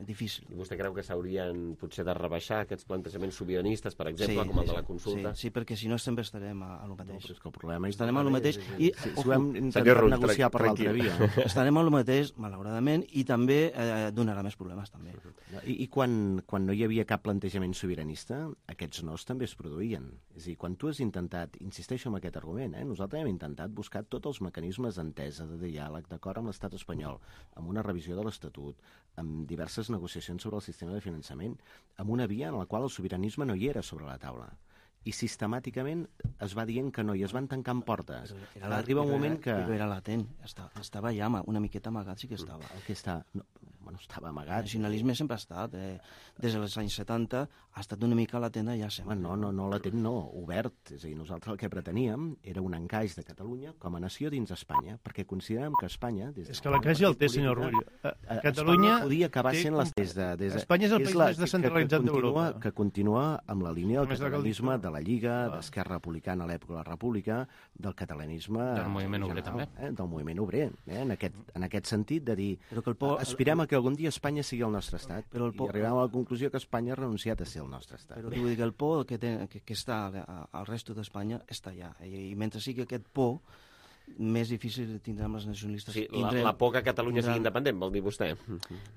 difícil. I vostè creu que s'haurien potser de rebaixar aquests plantejaments sobiranistes, per exemple, com el de la consulta? Sí, perquè si no sempre estarem a lo mateix. No, però és que el problema estarem a lo mateix i ho hem intentat negociar per l'altra via. Estarem a lo mateix, malauradament, i també donarà més problemes, també. I quan no hi havia cap plantejament sobiranista, aquests nos també es produïen. És a dir, quan tu has intentat, insisteixo en aquest argument, nosaltres hem intentat buscar tots els mecanismes d'entesa, de diàleg, d'acord amb l'estat espanyol, amb una revisió de l'Estatut, amb diverses negociacions sobre el sistema de finançament, amb una via en la qual el sobiranisme no hi era sobre la taula. I sistemàticament es va dient que no, i es van tancant portes. Arriba un moment que... Però era latent, estava ja una miqueta amagat, sí que estava. El que està... Bueno, estava amagat. El nacionalisme sempre ha estat, des dels anys 70 ha estat una mica latent ja sempre. No latent, no, obert. És a dir, nosaltres el que preteníem era un encaix de Catalunya com a nació dins Espanya, perquè considerem que Espanya... És que l'encaix ja el té, senyor Rull. Catalunya podia acabar sent Espanya és el país més descentralitzat d'Europa. Que continua amb la línia del catalanisme de la Lliga, d'Esquerra Republicana a l'època de la República, del catalanisme... Del moviment obrer, també. Del moviment obrer, en aquest sentit de dir, aspirem a que algun dia Espanya sigui el nostre estat, i arribem a la conclusió que Espanya ha renunciat a ser el nostre estat. Però vull dir que el por que està al resto d'Espanya està allà, i mentre sigui aquest por, més difícil tindrem els nacionalistes. Sí, la por que Catalunya sigui independent, vol dir vostè?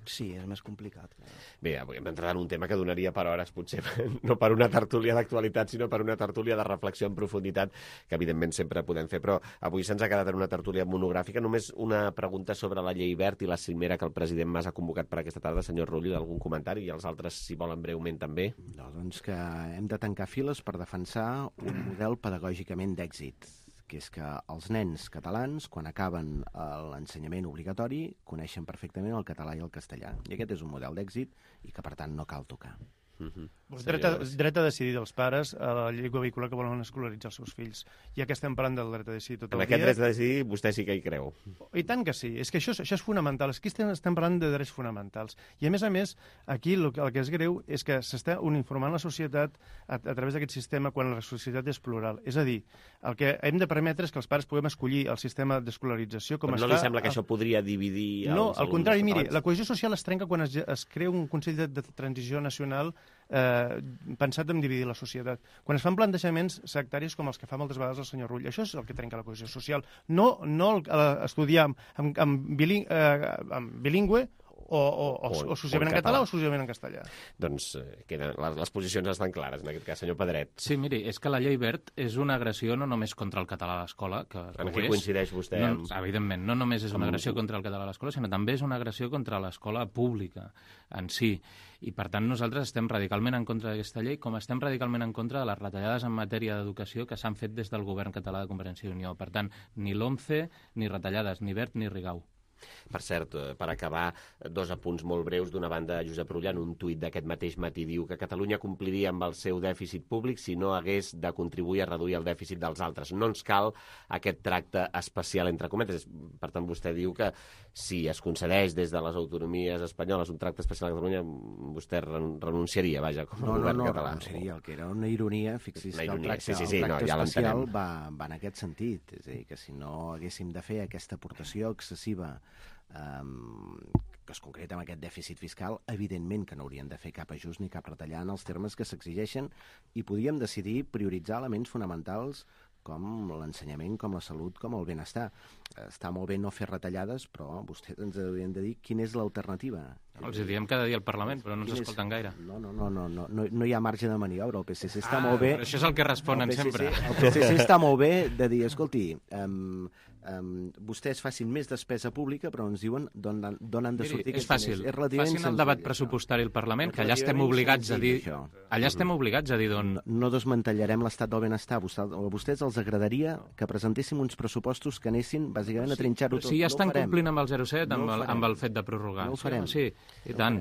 Sí, és més complicat. Bé, avui hem d'entrar en un tema que donaria per hores, potser no per una tertúlia d'actualitat, sinó per una tertúlia de reflexió en profunditat, que evidentment sempre podem fer, però avui se'ns ha quedat en una tertúlia monogràfica. Només una pregunta sobre la llei verd i la cimera que el president Mas ha convocat per aquesta tarda. Senyor Rull, algun comentari? I els altres, si volen breument, també. No, doncs que hem de tancar files per defensar un model pedagògicament d'èxit, que és que els nens catalans, quan acaben l'ensenyament obligatori, coneixen perfectament el català i el castellà. I aquest és un model d'èxit i que, per tant, no cal tocar. Dret a decidir dels pares a la llengua vehicular que volen escolaritzar els seus fills. Ja que estem parlant del dret a decidir tot el dia... En aquest dret a decidir vostè sí que hi creu. I tant que sí. És que això és fonamental. Aquí estem parlant de drets fonamentals. I a més, aquí el que és greu és que s'està uniformant la societat a través d'aquest sistema quan la societat és plural. És a dir, el que hem de permetre és que els pares puguem escollir el sistema d'escolarització com està... Però no li sembla que això podria dividir... No, al contrari, miri, la cohesió social es trenca quan es crea un Consell de Transició Nacional pensat en dividir la societat. Quan es fan plantejaments sectaris com els que fa moltes vegades el senyor Rull, això és el que trenca la cohesió social. No estudiar en bilingüe o exclusivament en català o exclusivament en castellà. Doncs les posicions estan clares, en aquest cas, senyor Pedret. Sí, miri, és que la llei verd és una agressió no només contra el català a l'escola, que en què coincideix vostè? Evidentment, no només és una agressió contra el català a l'escola, sinó també és una agressió contra l'escola pública en si. I, per tant, nosaltres estem radicalment en contra d'aquesta llei, com estem radicalment en contra de les retallades en matèria d'educació que s'han fet des del govern català de Convergència i Unió. Per tant, ni l'OMCE, ni retallades, ni Wert, ni Rigau. Per cert, per acabar, dos apunts molt breus. D'una banda, Josep Rull, en un tuit d'aquest mateix matí, diu que Catalunya compliria amb el seu dèficit públic si no hagués de contribuir a reduir el dèficit dels altres. No ens cal aquest tracte especial, entre cometes. Per tant, vostè diu que si es concedeix des de les autonomies espanyoles un tracte especial a Catalunya, vostè renunciaria, vaja, com a govern català. No renunciaria, el que era una ironia, fixi's que el tracte especial va en aquest sentit. És a dir, que si no haguéssim de fer aquesta aportació excessiva que es concreta amb aquest dèficit fiscal, evidentment que no haurien de fer cap ajust ni cap retallar en els termes que s'exigeixen i podíem decidir prioritzar elements fonamentals com l'ensenyament, com la salut, com el benestar. Està molt bé no fer retallades, però vostès ens haurien de dir quina és l'alternativa. Els diem cada dia al Parlament, però no ens escolten gaire. No hi ha marge de maniobra. El PSC està molt bé... Però això és el que responen sempre. El PSC està molt bé de dir, escolti, vostès facin més despesa pública, però ens diuen d'on han de sortir aquests diners. És relativament senzill. Facin el debat pressupostari al Parlament, que allà estem obligats a dir... Allà estem obligats a dir d'on... No desmantellarem l'estat del benestar. A vostès els agradaria que presentéssim uns pressupostos que anessin, bàsicament, a trinxar-ho tot. Sí, ja estan complint amb el 0,7, amb el fet de prorrogar. No ho farem. Sí, i tant.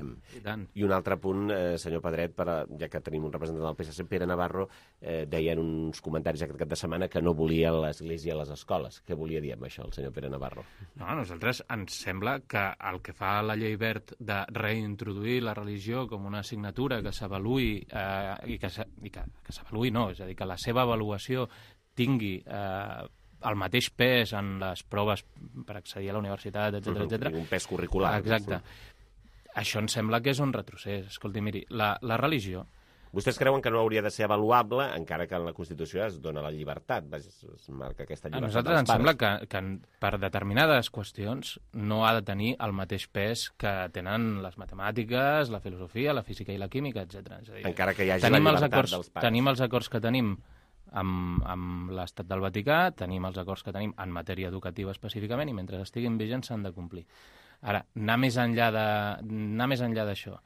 I un altre punt, senyor Pedret, ja que tenim un representant del PSC, Pere Navarro, deien uns comentaris aquest cap de setmana que no volia l'Església a les escoles. Què volia dir amb això el senyor Pere Navarro? No, a nosaltres ens sembla que el que fa la llei Wert de reintroduir la religió com una assignatura que s'avaluï i que s'avaluï no, és a dir, que la seva avaluació tingui el mateix pes en les proves per accedir a la universitat, etc. Un pes curricular. Exacte. Això ens sembla que és un retrocés. Escolti, miri, la religió... Vostès creuen que no hauria de ser avaluable, encara que en la Constitució es dona la llibertat, es marca aquesta llibertat. A nosaltres ens sembla que per determinades qüestions no ha de tenir el mateix pes que tenen les matemàtiques, la filosofia, la física i la química, etc. Encara que hi hagi la llibertat dels pares. Tenim els acords que tenim amb l'Estat del Vaticà, tenim els acords que tenim en matèria educativa específicament, i mentre estiguin vigents s'han de complir. Ara, anar més enllà d'això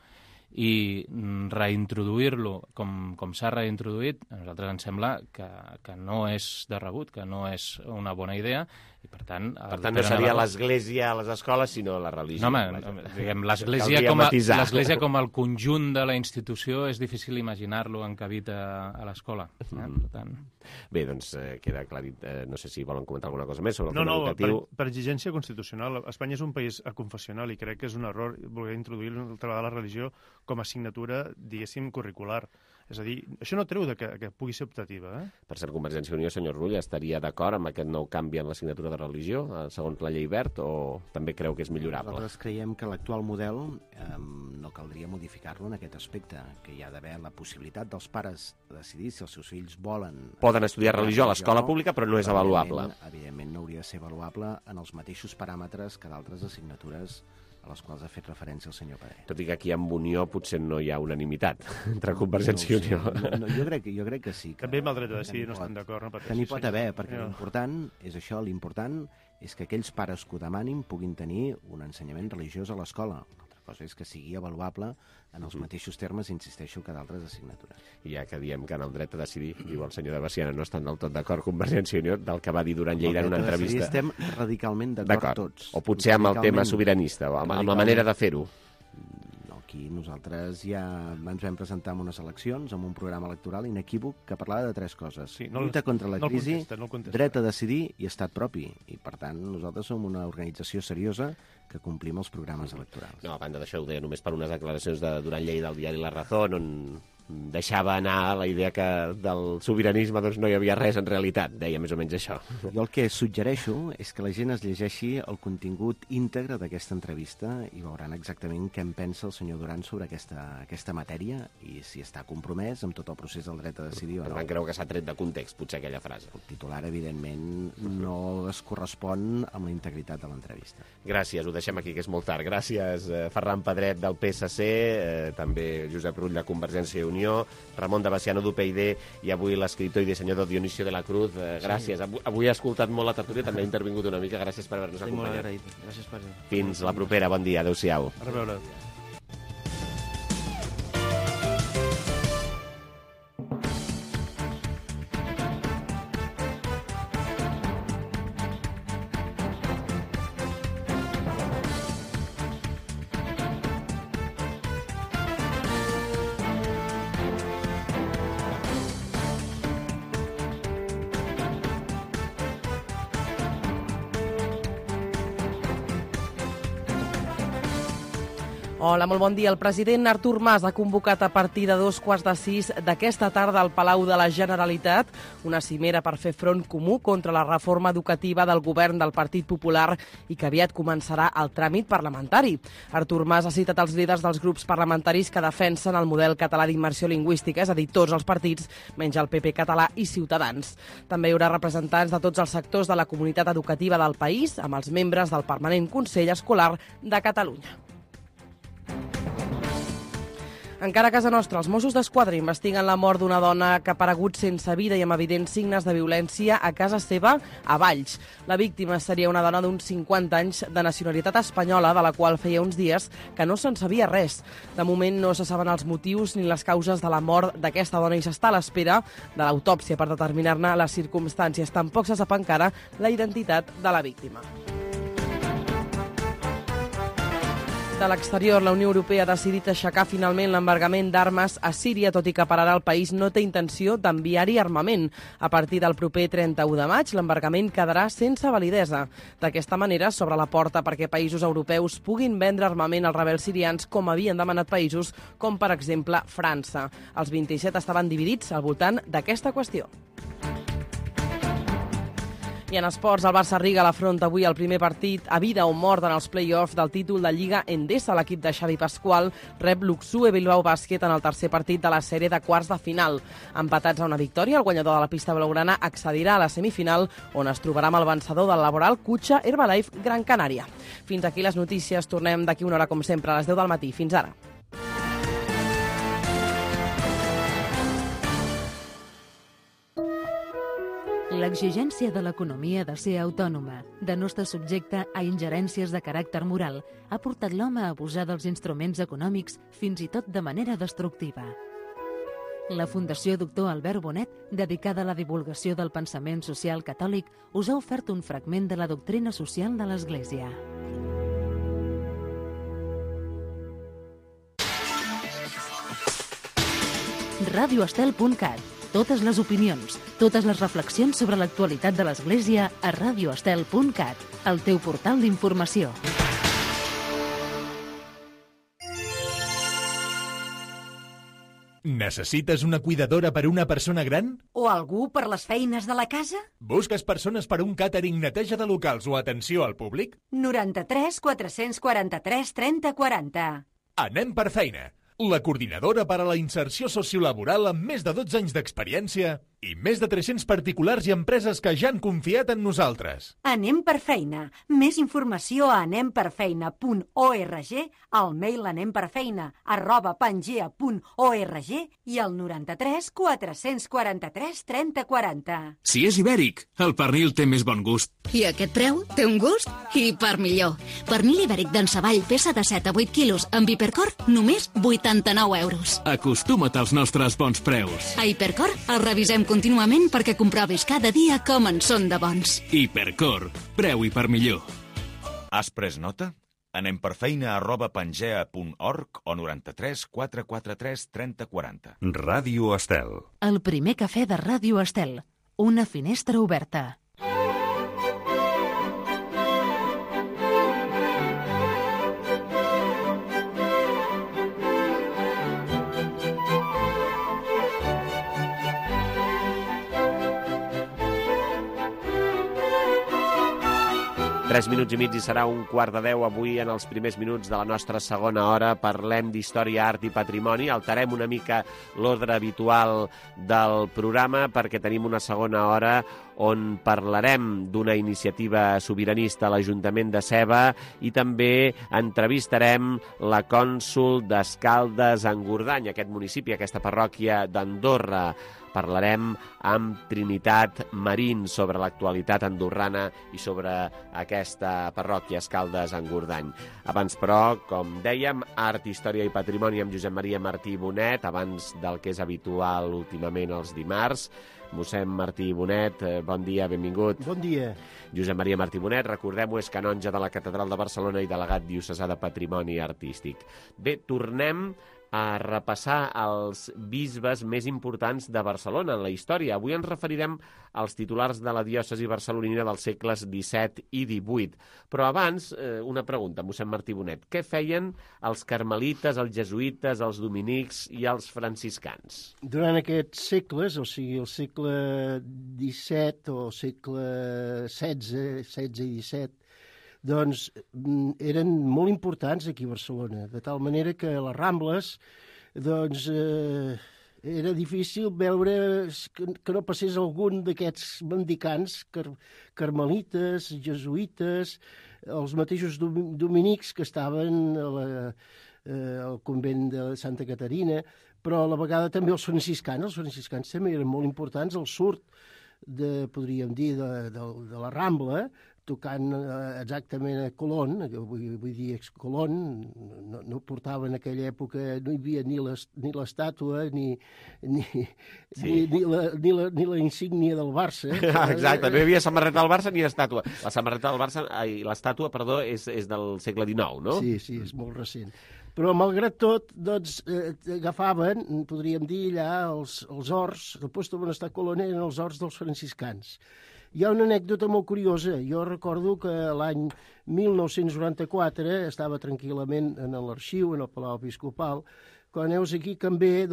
i reintroduir-lo com s'ha reintroduït, a nosaltres ens sembla que no és de rebut, que no és una bona idea, i per tant... Per tant, no seria l'Església a les escoles, sinó la religió. No, home, diguem, l'Església com el conjunt de la institució és difícil imaginar-lo encabit a l'escola. Per tant... Bé, doncs queda aclarit. No sé si volen comentar alguna cosa més sobre el tema educatiu. Per exigència constitucional. Espanya és un país aconfessional i crec que és un error voler introduir altra vegada la religió com a assignatura, diguéssim, curricular. És a dir, això no treu que pugui ser optativa. Per cert, Convergència i Unió, senyor Rull, estaria d'acord amb aquest nou canvi en l'assignatura de religió, segons la llei Wert, o també creu que és millorable? Nosaltres creiem que l'actual model no caldria modificar-lo en aquest aspecte, que hi ha d'haver la possibilitat dels pares de decidir si els seus fills volen... Poden estudiar religió a l'escola pública, però no és avaluable. Evidentment no hauria de ser avaluable en els mateixos paràmetres que d'altres assignatures a les quals ha fet referència el senyor Pedret. Tot i que aquí amb Unió potser no hi ha unanimitat entre Convergència i Unió. No, jo crec que sí. També amb el dret a decidir no estem d'acord. Que n'hi pot haver, perquè l'important és això, l'important és que aquells pares que ho demanin puguin tenir un ensenyament religiós a l'escola. Una cosa és que sigui avaluable en els mateixos termes, insisteixo, que d'altres assignatures. I ja que diem que en el dret a decidir, diu el senyor de Baciana, no estan del tot d'acord Convergència i Unió, del que va dir Duran Lleida en una entrevista. Estem radicalment d'acord tots. O potser amb el tema sobiranista, o amb la manera de fer-ho. Aquí nosaltres ja ens vam presentar en unes eleccions amb un programa electoral inequívoc que parlava de tres coses. Lluita contra la crisi, dret a decidir i estat propi. I, per tant, nosaltres som una organització seriosa que complim els programes electorals. No, a banda d'això ho deia només per unes declaracions de Duran Lleida al diari La Razón, on deixava anar la idea que del sobiranisme doncs, no hi havia res en realitat, deia més o menys això. Jo el que suggereixo és que la gent es llegeixi el contingut íntegre d'aquesta entrevista i veuran exactament què en pensa el senyor Duran sobre aquesta matèria i si està compromès amb tot el procés del dret a decidir o no. Per tant, creu que s'ha tret de context, potser, aquella frase. El titular, evidentment, no es correspon amb la integritat de l'entrevista. Gràcies, ho deixem aquí, que és molt tard. Gràcies, Ferran Pedret, del PSC, també Josep Rull, de Convergència i Unió, Ramon de Baciano, d'UPyD, i avui l'escriptor i dissenyador Dionisio de la Cruz. Gràcies. Avui he escoltat molt la tertúlia, també he intervingut una mica. Gràcies per haver-nos acompanyat. Gràcies per... Fins la propera. Bon dia. Adéu-siau. A reveure. Hola, molt bon dia. El president Artur Mas ha convocat a partir de 5:15 d'aquesta tarda al Palau de la Generalitat una cimera per fer front comú contra la reforma educativa del govern del Partit Popular i que aviat començarà el tràmit parlamentari. Artur Mas ha citat els líders dels grups parlamentaris que defensen el model català d'immersió lingüística, és a dir, tots els partits, menys el PP català i Ciutadans. També hi haurà representants de tots els sectors de la comunitat educativa del país, amb els membres del Permanent Consell Escolar de Catalunya. Encara a casa nostra, els Mossos d'Esquadra investiguen la mort d'una dona que ha aparegut sense vida i amb evidents signes de violència a casa seva a Valls. La víctima seria una dona d'uns 50 anys de nacionalitat espanyola, de la qual feia uns dies que no se'n sabia res. De moment no se saben els motius ni les causes de la mort d'aquesta dona i s'està a l'espera de l'autòpsia per determinar-ne les circumstàncies. Tampoc se sap encara la identitat de la víctima. De l'exterior, la Unió Europea ha decidit aixecar finalment l'embargament d'armes a Síria, tot i que per ara el país no té intenció d'enviar-hi armament. A partir del proper 31 de maig, l'embargament quedarà sense validesa. D'aquesta manera, s'obre la porta perquè països europeus puguin vendre armament als rebels sirians, com havien demanat països com, per exemple, França. Els 27 estaven dividits al voltant d'aquesta qüestió. I en esports, el Barça-Riga l'afronta avui el primer partit a vida o mort en els play-offs del títol de Lliga Endesa. L'equip de Xavi Pascual rep l'Uxue Bilbao Bàsquet en el tercer partit de la sèrie de quarts de final. Empatats a una victòria, el guanyador de la pista blaugrana accedirà a la semifinal, on es trobarà amb el vencedor del laboral Cutxa Herbalife Gran Canària. Fins aquí les notícies. Tornem d'aquí una hora, com sempre, a les 10 del matí. Fins ara. L'exigència de l'economia de ser autònoma, de no estar subjecte a ingerències de caràcter moral, ha portat l'home a abusar dels instruments econòmics fins i tot de manera destructiva. La Fundació Doctor Albert Bonet, dedicada a la divulgació del pensament social catòlic, us ha ofert un fragment de la doctrina social de l'Església. radioestel.cat. Totes les opinions, totes les reflexions sobre l'actualitat de l'Església a radioestel.cat, el teu portal d'informació. Necessites una cuidadora per una persona gran? O algú per les feines de la casa? Busques persones per un càtering, neteja de locals o atenció al públic? 93 443 30 40. Anem per feina. La coordinadora per a la inserció sociolaboral amb més de 12 anys d'experiència i més de 300 particulars i empreses que ja han confiat en nosaltres. Anem per feina. Més informació a anemperfeina.org, al mail anemperfeina@pangea.org i al 93 443 30 40. Si és ibèric, el pernil té més bon gust. I aquest preu té un gust i per millor. Pernil ibèric d'Ensavall, peça de 7 a 8 quilos, amb Hipercor, només 89 euros. Acostuma't als nostres bons preus. A Hipercor el revisem contínuament perquè comprovis cada dia com en són de bons. Hipercor, preu i per millor. Has pres nota? Anem per feina@pangea.org o 93 443 30 40. Ràdio Estel. El primer cafè de Ràdio Estel. Una finestra oberta. Tres minuts i mig i serà 9:15 avui. En els primers minuts de la nostra segona hora parlem d'història, art i patrimoni. Alterem una mica l'ordre habitual del programa perquè tenim una segona hora on parlarem d'una iniciativa sobiranista a l'Ajuntament de Seva i també entrevistarem la cònsol d'Escaldes-Engordany, aquest municipi, aquesta parròquia d'Andorra. Parlarem amb Trinitat Marín sobre l'actualitat andorrana i sobre aquesta parròquia Escaldes-Engordany. Abans, però, com dèiem, art, història i patrimoni amb Josep Maria Martí Bonet, abans del que és habitual últimament els dimarts. Mossèn Martí Bonet, bon dia, benvingut. Bon dia. Josep Maria Martí Bonet, recordem-ho, és canonge de la Catedral de Barcelona i delegat diocesà de Patrimoni Artístic. Bé, tornem a repassar els bisbes més importants de Barcelona en la història. Avui ens referirem als titulars de la diòcesi barcelonina dels segles XVII i XVIII. Però abans, una pregunta, mossèn Martí Bonet. Què feien els carmelites, els jesuïtes, els dominics i els franciscans? Durant aquests segles, o sigui, el segle XVII o segle XVI i XVII, doncs eren molt importants aquí a Barcelona, de tal manera que a les Rambles doncs, era difícil veure que no passés algun d'aquests mendicants carmelites, jesuïtes, els mateixos dominics que estaven el convent de Santa Caterina, però a la vegada també els franciscans també eren molt importants, el surt podríem dir, de la Rambla, tocant exactament a Colón, vull dir ex-Colón, no portava en aquella època, no hi havia ni l'estàtua ni la insígnia del Barça. Exacte, no hi havia samarreta del Barça ni estàtua. La samarreta del Barça, l'estàtua, perdó, és del segle XIX, no? Sí, és molt recent. Però, malgrat tot, doncs, agafaven, podríem dir, allà els horts, el puesto on està Colón eren els horts dels franciscans. Hi ha una anècdota molt curiosa. Jo recordo que l'any 1994 estava tranquil·lament en l'arxiu, en el Palau Episcopal, quan heus aquí també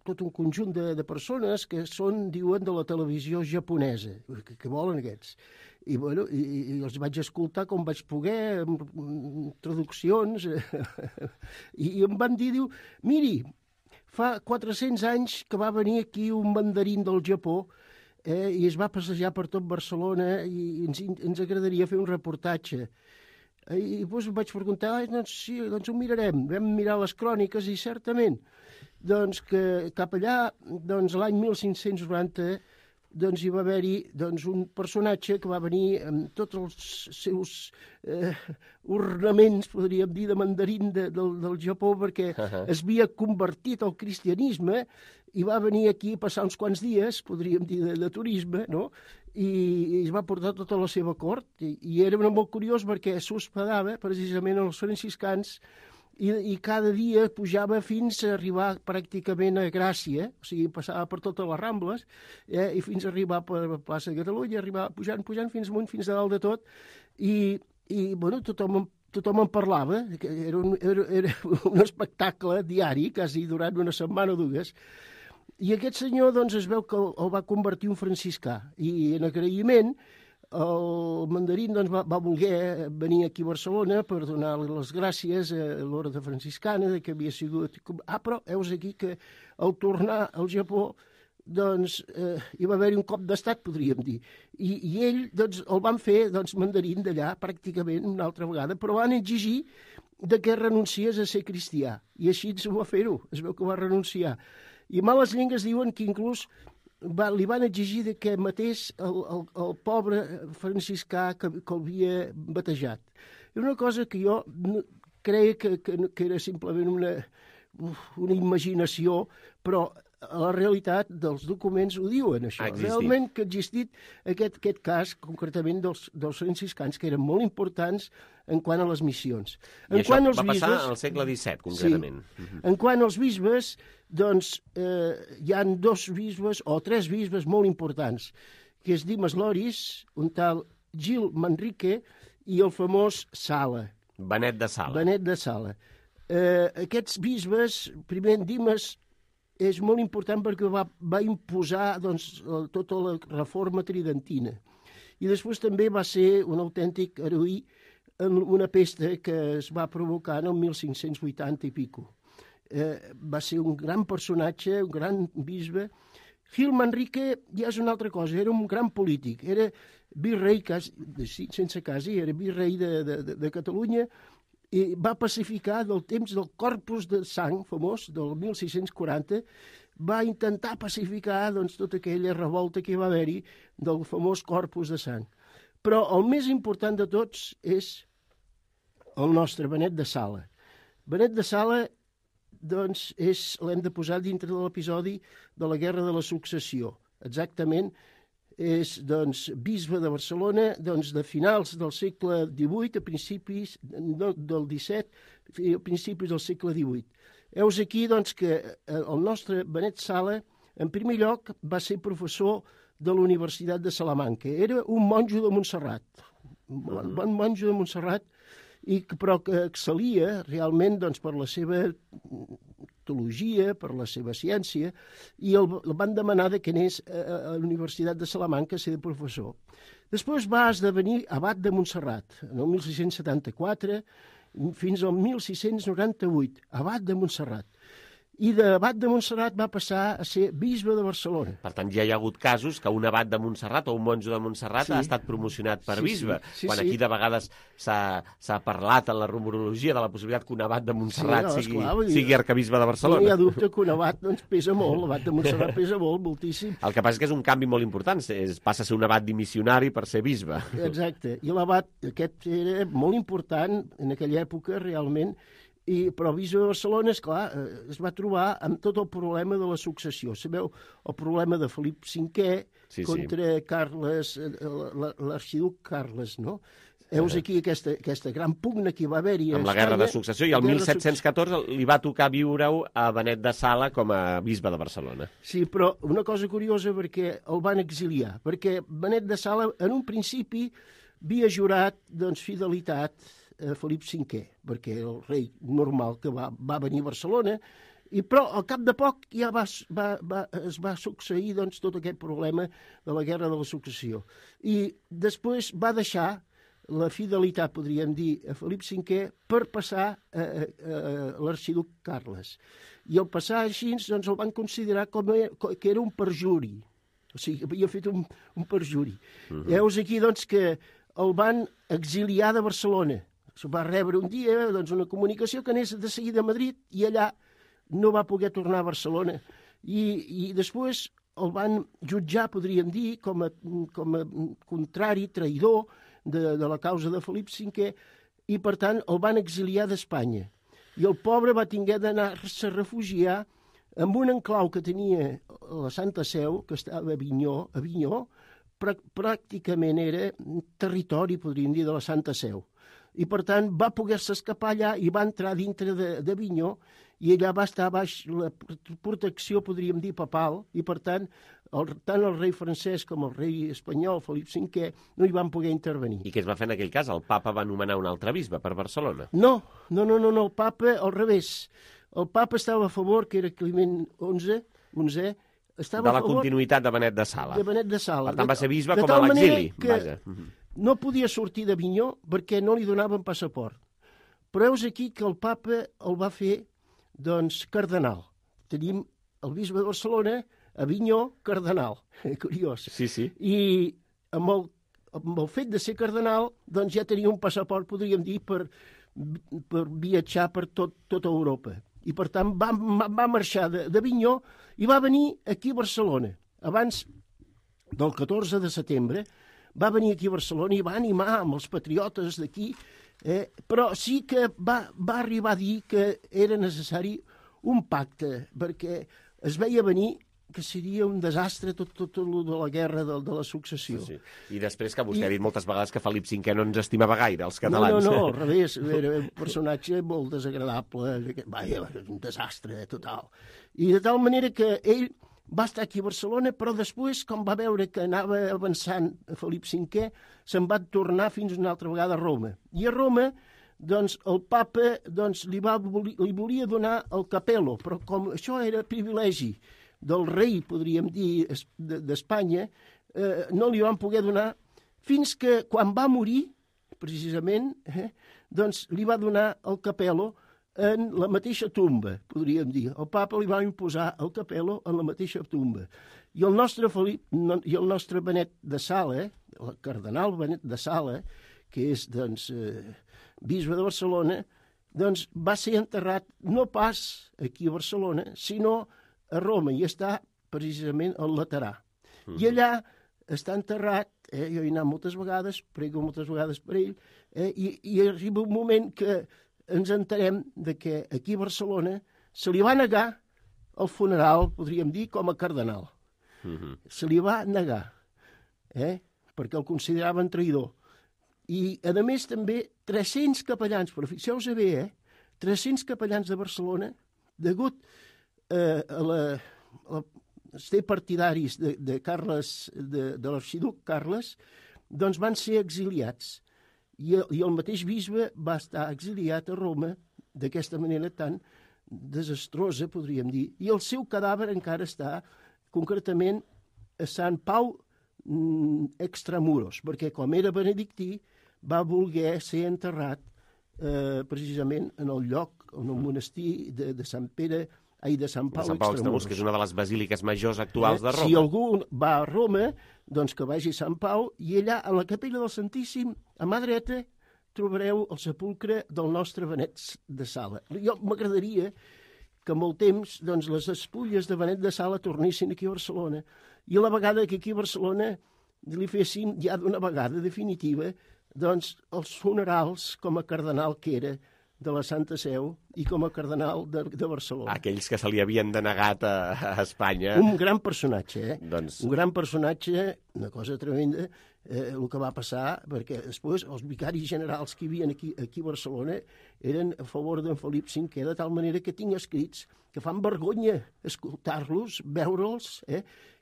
tot un conjunt de persones que diuen, de la televisió japonesa. Què volen aquests? I els vaig escoltar com vaig poder, amb traduccions, i em van dir, miri, fa 400 anys que va venir aquí un mandarín del Japó i es va passejar per tot Barcelona i ens agradaria fer un reportatge. I doncs vaig preguntar, sí, doncs ho mirarem. Vam mirar les cròniques i certament doncs, que cap allà, doncs, l'any 1590, doncs hi va haver-hi un personatge que va venir amb tots els seus ornaments, podríem dir, de mandarín del Japó, perquè es havia convertit al cristianisme i va venir aquí a passar uns quants dies, podríem dir, de turisme, no? I es va portar tota la seva cort. I era molt curiós perquè s'hospedava precisament als franciscans i cada dia pujava fins a arribar pràcticament a Gràcia, o sigui, passava per totes les Rambles, i fins a arribar per la plaça de Catalunya, arribava pujant fins amunt, fins a dalt de tot, i tothom en parlava, era un espectacle diari, quasi durant una setmana o dues, i aquest senyor, doncs, es veu que el va convertir un franciscà, i en agraïment el mandarín doncs, va voler venir aquí a Barcelona per donar les gràcies a l'orde franciscana que havia sigut... però heus aquí que al tornar al Japó doncs, hi va haver-hi un cop d'estat, podríem dir. I ell doncs, el van fer mandarín d'allà pràcticament una altra vegada, però van exigir que renunciés a ser cristià. I així es va fer-ho, es veu que va renunciar. I males llengues diuen que inclús li van exigir que matés el pobre franciscà que l'havia batejat. Era una cosa que jo creia que era simplement una imaginació, però la realitat dels documents ho diuen, això. Realment que ha existit aquest cas, concretament dels franciscans, que eren molt importants en quant a les missions. I això va passar al segle XVII, concretament. Sí. En quant als bisbes, doncs, hi ha 2 bisbes o 3 bisbes molt importants, que és Dimes Loris, un tal Gil Manrique i el famós Sala. Benet de Sala. Benet de Sala. Aquests bisbes, primer Dimes, és molt important perquè va imposar doncs, tota la reforma tridentina. I després també va ser un autèntic heroí en una pesta que es va provocar en el 1580 i pico. Va ser un gran personatge, un gran bisbe. Gil Manrique ja és una altra cosa, era un gran polític, era virrei, sense quasi, era virrei de Catalunya, i va pacificar del temps del Corpus de Sang, famós, del 1640, va intentar pacificar doncs, tota aquella revolta que va haver-hi del famós Corpus de Sang. Però el més important de tots és el nostre Benet de Sala. Benet de Sala doncs, l'hem de posar dintre de l'episodi de la Guerra de la Successió. Exactament, és doncs, bisbe de Barcelona doncs, de finals del segle XVIII a principis del XVII a principis del segle XVIII. Heus aquí doncs, que el nostre Benet Sala, en primer lloc, va ser professor de la Universitat de Salamanca. Era un monjo de Montserrat, un bon monjo de Montserrat, però que excel·lia realment doncs, per la seva teologia, per la seva ciència, i el van demanar que anés a la Universitat de Salamanca a ser professor. Després va esdevenir abat de Montserrat, en el 1674 fins al 1698, abat de Montserrat. i d'abat de Montserrat va passar a ser bisbe de Barcelona. Per tant, ja hi ha hagut casos que un abat de Montserrat o un monjo de Montserrat ha estat promocionat per bisbe, quan aquí de vegades s'ha parlat en la rumorologia de la possibilitat que un abat de Montserrat sigui arcabisbe de Barcelona. No hi ha dubte que un abat pesa molt, l'abat de Montserrat pesa molt, moltíssim. El que passa és que és un canvi molt important, passa a ser un abat dimissionari per ser bisbe. Exacte, i l'abat aquest era molt important en aquella època, realment, però el bisbe de Barcelona, esclar, es va trobar amb tot el problema de la successió. Sabeu, el problema de Felip V contra Carles, l'arxiduc Carles, no? Heus aquí aquesta gran pugna que hi va haver-hi a Espanya. Amb la guerra de successió, i el 1714 li va tocar viure-ho a Benet de Sala com a bisbe de Barcelona. Sí, però una cosa curiosa, perquè el van exiliar, perquè Benet de Sala, en un principi, havia jurat fidelitat a Felip V, perquè el rei normal que va venir a Barcelona, però al cap de poc ja es va succeir tot aquest problema de la guerra de la successió. I després va deixar la fidelitat, podríem dir, a Felip V per passar a l'arxiduc Carles. I al passar així el van considerar que era un perjuri. O sigui, havia fet un perjuri. Heus aquí que el van exiliar de Barcelona. Va rebre un dia una comunicació que anés de seguida a Madrid i allà no va poder tornar a Barcelona. I després el van jutjar, podríem dir, com a contrari, traïdor de la causa de Felip V, i per tant el van exiliar d'Espanya. I el pobre va haver d'anar-se a refugiar en un enclau que tenia la Santa Seu, que estava a Avinyó, pràcticament era territori, podríem dir, de la Santa Seu. I, per tant, va poder-se escapar allà i va entrar dintre d'Avinyó i allà va estar baix la protecció, podríem dir, papal, i, per tant, tant el rei francès com el rei espanyol, Felip V, no hi van poder intervenir. I què es va fer en aquell cas? El papa va nomenar un altre bisbe per Barcelona? No, el papa, al revés. El papa estava a favor, que era Climent XI, estava de la continuïtat de Benet de Sala. De Benet de Sala. Per tant, va ser bisbe com a l'exili. No podia sortir d'Avinyó perquè no li donaven passaport. Però heus aquí que el papa el va fer, cardenal. Tenim el bisbe de Barcelona, Avinyó, cardenal. Curiós. Sí. I amb el fet de ser cardenal, ja tenia un passaport, podríem dir, per viatjar per tota Europa. I, per tant, va marxar d'Avinyó i va venir aquí a Barcelona. Abans del 14 de setembre, va venir aquí a Barcelona i va animar amb els patriotes d'aquí, però sí que va arribar a dir que era necessari un pacte, perquè es veia venir que seria un desastre tot el de la guerra de la successió. Sí. I després que vostè ha dit moltes vegades que Felip V no ens estimava gaire, els catalans. No, al revés, era un personatge molt desagradable, un desastre total. I de tal manera que ell va estar aquí a Barcelona, però després, com va veure que anava avançant a Felip V, se'n va tornar fins una altra vegada a Roma. I a Roma, el papa li volia donar el capello, però com això era privilegi del rei, podríem dir, d'Espanya, no li van poder donar, fins que quan va morir, precisament, li va donar el capello en la mateixa tomba, podríem dir. El papa li va imposar el capello en la mateixa tomba. I el nostre Benet de Sala, el cardenal Benet de Sala, que és, bisbe de Barcelona, va ser enterrat no pas aquí a Barcelona, sinó a Roma, i està precisament al Laterà. I allà està enterrat, jo he anat moltes vegades, prego moltes vegades per ell, i arriba un moment que ens enterem que aquí a Barcelona se li va negar el funeral, podríem dir, com a cardenal. Se li va negar, perquè el consideraven traïdor. I, a més, també 300 capellans, però fixeu-vos bé, 300 capellans de Barcelona, degut a ser partidaris de Carles, de l'arxiduc Carles, van ser exiliats. I el mateix bisbe va estar exiliat a Roma d'aquesta manera tan desastrosa, podríem dir, i el seu cadàver encara està concretament a Sant Pau Extramuros, perquè com era benedictí va voler ser enterrat precisament en el lloc, en el monestir de Sant Pere de Sant Pau Extramurs, que és una de les basíliques majors actuals de Roma. Si algú va a Roma, doncs que vagi a Sant Pau, i allà, a la capella del Santíssim, a mà dreta, trobareu el sepulcre del nostre Benet de Sala. Jo m'agradaria que amb el temps doncs, les despulles de Benet de Sala tornessin aquí a Barcelona, i a la vegada que aquí a Barcelona li fessin ja d'una vegada definitiva doncs, els funerals com a cardenal que era de la Santa Seu i com a cardenal de Barcelona. Aquells que se li havien denegat a Espanya. Un gran personatge, Doncs... Un gran personatge, una cosa tremenda, el que va passar, perquè després els vicaris generals que hi havia aquí a Barcelona eren a favor d'en Felip V, de tal manera que tinc escrits que fan vergonya escoltar-los, veure'ls,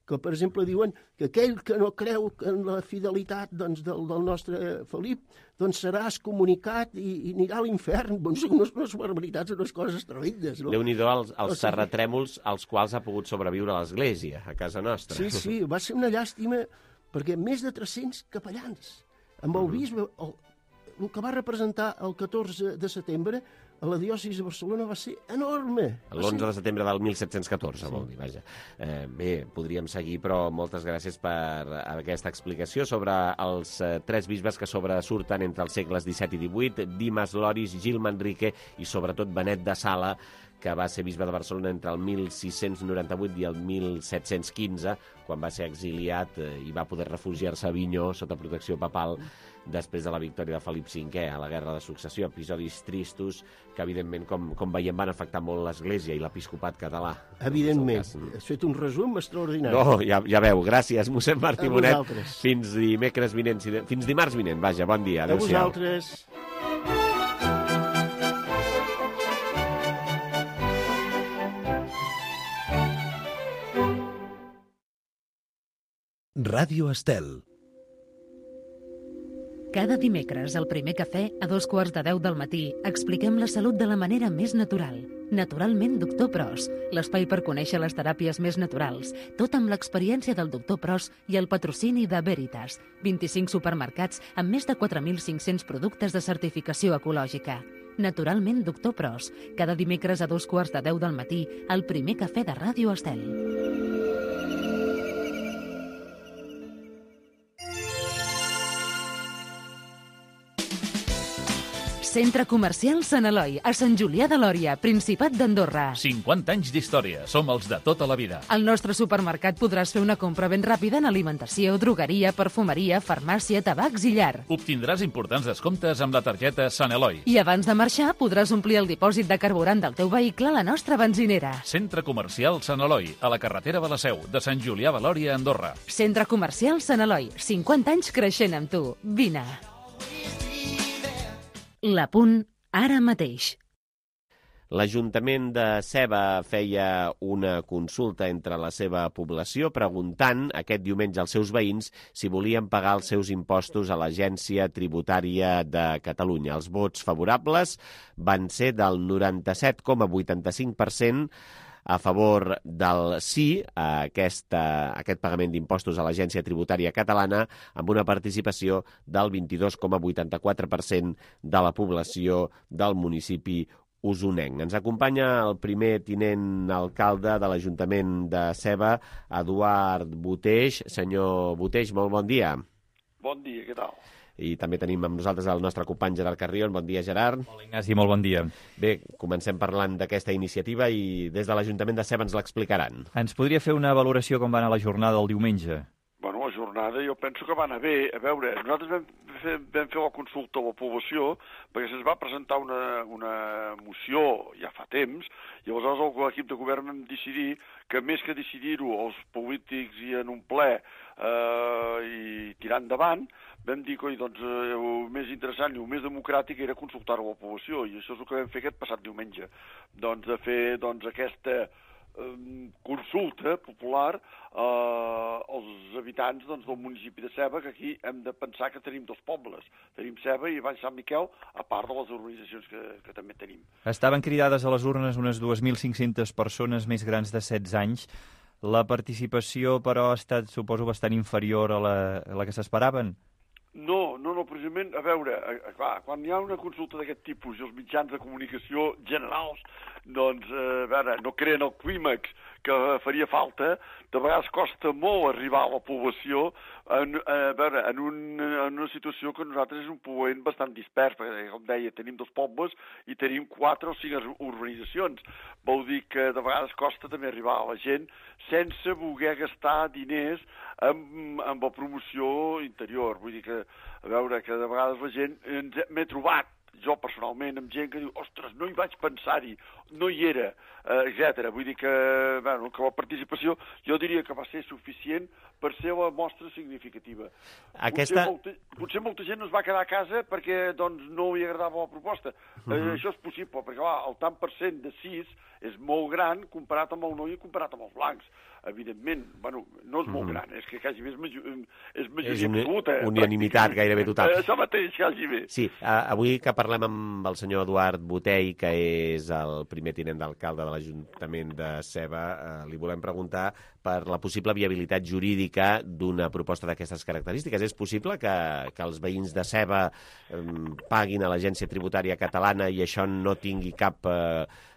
que, per exemple, diuen que aquell que no creu en la fidelitat doncs, del nostre Felip doncs serà excomunicat i anirà a l'infern. Bon, són unes barbaritats, unes coses tremendes. No? Déu-n'hi-do els terratrèmols als quals ha pogut sobreviure l'Església, a casa nostra. Sí, va ser una llàstima, perquè més de 300 capellans. Amb el bisbe, el que va representar el 14 de setembre a la diòcesi de Barcelona va ser enorme. L'11 de setembre del 1714, vol dir, vaja. Bé, podríem seguir, però moltes gràcies per aquesta explicació sobre els 3 bisbes que sobresurten entre els segles XVII i XVIII, Dimes Loris, Gil Manrique i sobretot Benet de Sala, que va ser bisbe de Barcelona entre el 1698 i el 1715, quan va ser exiliat i va poder refugiar-se a Avinyó sota protecció papal després de la victòria de Felip V a la Guerra de Successió. Episodis tristos que, evidentment, com veiem, van afectar molt l'Església i l'episcopat català. Evidentment. Has fet un resum extraordinari. No, ja veu. Gràcies, mossèn Martí Bonet. Fins dimarts vinent. Vaja, bon dia. Adéu-siau. A vosaltres. Ràdio Estel. Cada dimecres, al primer cafè, a 2:15 del matí, expliquem la salut de la manera més natural. Naturalment, Doctor Pros, l'espai per conèixer les teràpies més naturals, tot amb l'experiència del Doctor Pros i el patrocini de Veritas, 25 supermercats amb més de 4.500 productes de certificació ecològica. Naturalment, Doctor Pros, cada dimecres a 2:15 del matí, al primer cafè de Ràdio Estel. Centre Comercial Sant Eloi, a Sant Julià de Lòria, Principat d'Andorra. 50 anys d'història. Som els de tota la vida. Al nostre supermercat podràs fer una compra ben ràpida en alimentació, drogueria, perfumeria, farmàcia, tabacs i llar. Obtindràs importants descomptes amb la targeta Sant Eloi. I abans de marxar podràs omplir el dipòsit de carburant del teu vehicle a la nostra benzinera. Centre Comercial Sant Eloi, a la carretera de la Seu, de Sant Julià de Lòria, Andorra. Centre Comercial Sant Eloi, 50 anys creixent amb tu. Vine. L'Apunt, ara mateix. L'Ajuntament de Seva feia una consulta entre la seva població preguntant aquest diumenge als seus veïns si volien pagar els seus impostos a l'Agència Tributària de Catalunya. Els vots favorables van ser del 97,85% a favor del sí a aquest pagament d'impostos a l'Agència Tributària Catalana, amb una participació del 22,84% de la població del municipi usonenc. Ens acompanya el primer tinent alcalde de l'Ajuntament de Seva, Eduard Boteix. Senyor Boteix, molt bon dia. Bon dia, què tal? I també tenim amb nosaltres el nostre company Gerard Carrion. Bon dia, Gerard. Hola, Ignasi, molt bon dia. Bé, comencem parlant d'aquesta iniciativa i des de l'Ajuntament de Seva ens l'explicaran. Ens podria fer una valoració com va anar la jornada del diumenge? Bueno, la jornada jo penso que va anar bé. A veure, nosaltres vam fer la consulta a la població perquè se'ns va presentar una moció ja fa temps i aleshores l'equip de govern vam decidir que més que decidir-ho els polítics i en un ple i tirar endavant, vam dir que doncs, el més interessant i el més democràtic era consultar-ho a la població i això és el que vam fer aquest passat diumenge. Doncs de fer aquesta consulta popular als habitants del municipi de Seva, que aquí hem de pensar que tenim dos pobles. Tenim Seva i Baix Sant Miquel, a part de les urbanitzacions que també tenim. Estaven cridades a les urnes unes 2.500 persones més grans de 16 anys. La participació, però, ha estat, suposo, bastant inferior a la que s'esperaven? No, precisament, a veure, clar, quan hi ha una consulta d'aquest tipus i els mitjans de comunicació generals, doncs, a veure, no creen el clímax que faria falta, de vegades costa molt arribar a la població en una situació que nosaltres és un poblament bastant dispers, perquè, com deia, tenim 2 pobles i tenim 4 o 5 urbanitzacions. Vol dir que de vegades costa també arribar a la gent sense voler gastar diners amb la promoció interior. Vull dir que, a veure, que de vegades la gent m'he trobat, jo personalment, amb gent que diu, ostres, no hi vaig pensar-hi, no hi era, etc. Vull dir que, bueno, que la participació jo diria que va ser suficient per ser la mostra significativa. Potser molta gent no es va quedar a casa perquè doncs, no li agradava la proposta. Això és possible, perquè clar, el tant per cent de 6 és molt gran comparat amb el noi i comparat amb els blancs. Evidentment, bueno, no és molt gran, és que quasi és majoria absoluta. Unanimitat gairebé total. Això mateix, quasi bé. Sí, avui que parlem amb el senyor Eduard Botey, que és el primer tinent d'alcalde de l'Ajuntament de Seva, li volem preguntar per la possible viabilitat jurídica d'una proposta d'aquestes característiques. És possible que els veïns de Seva paguin a l'Agència Tributària Catalana i això no tingui cap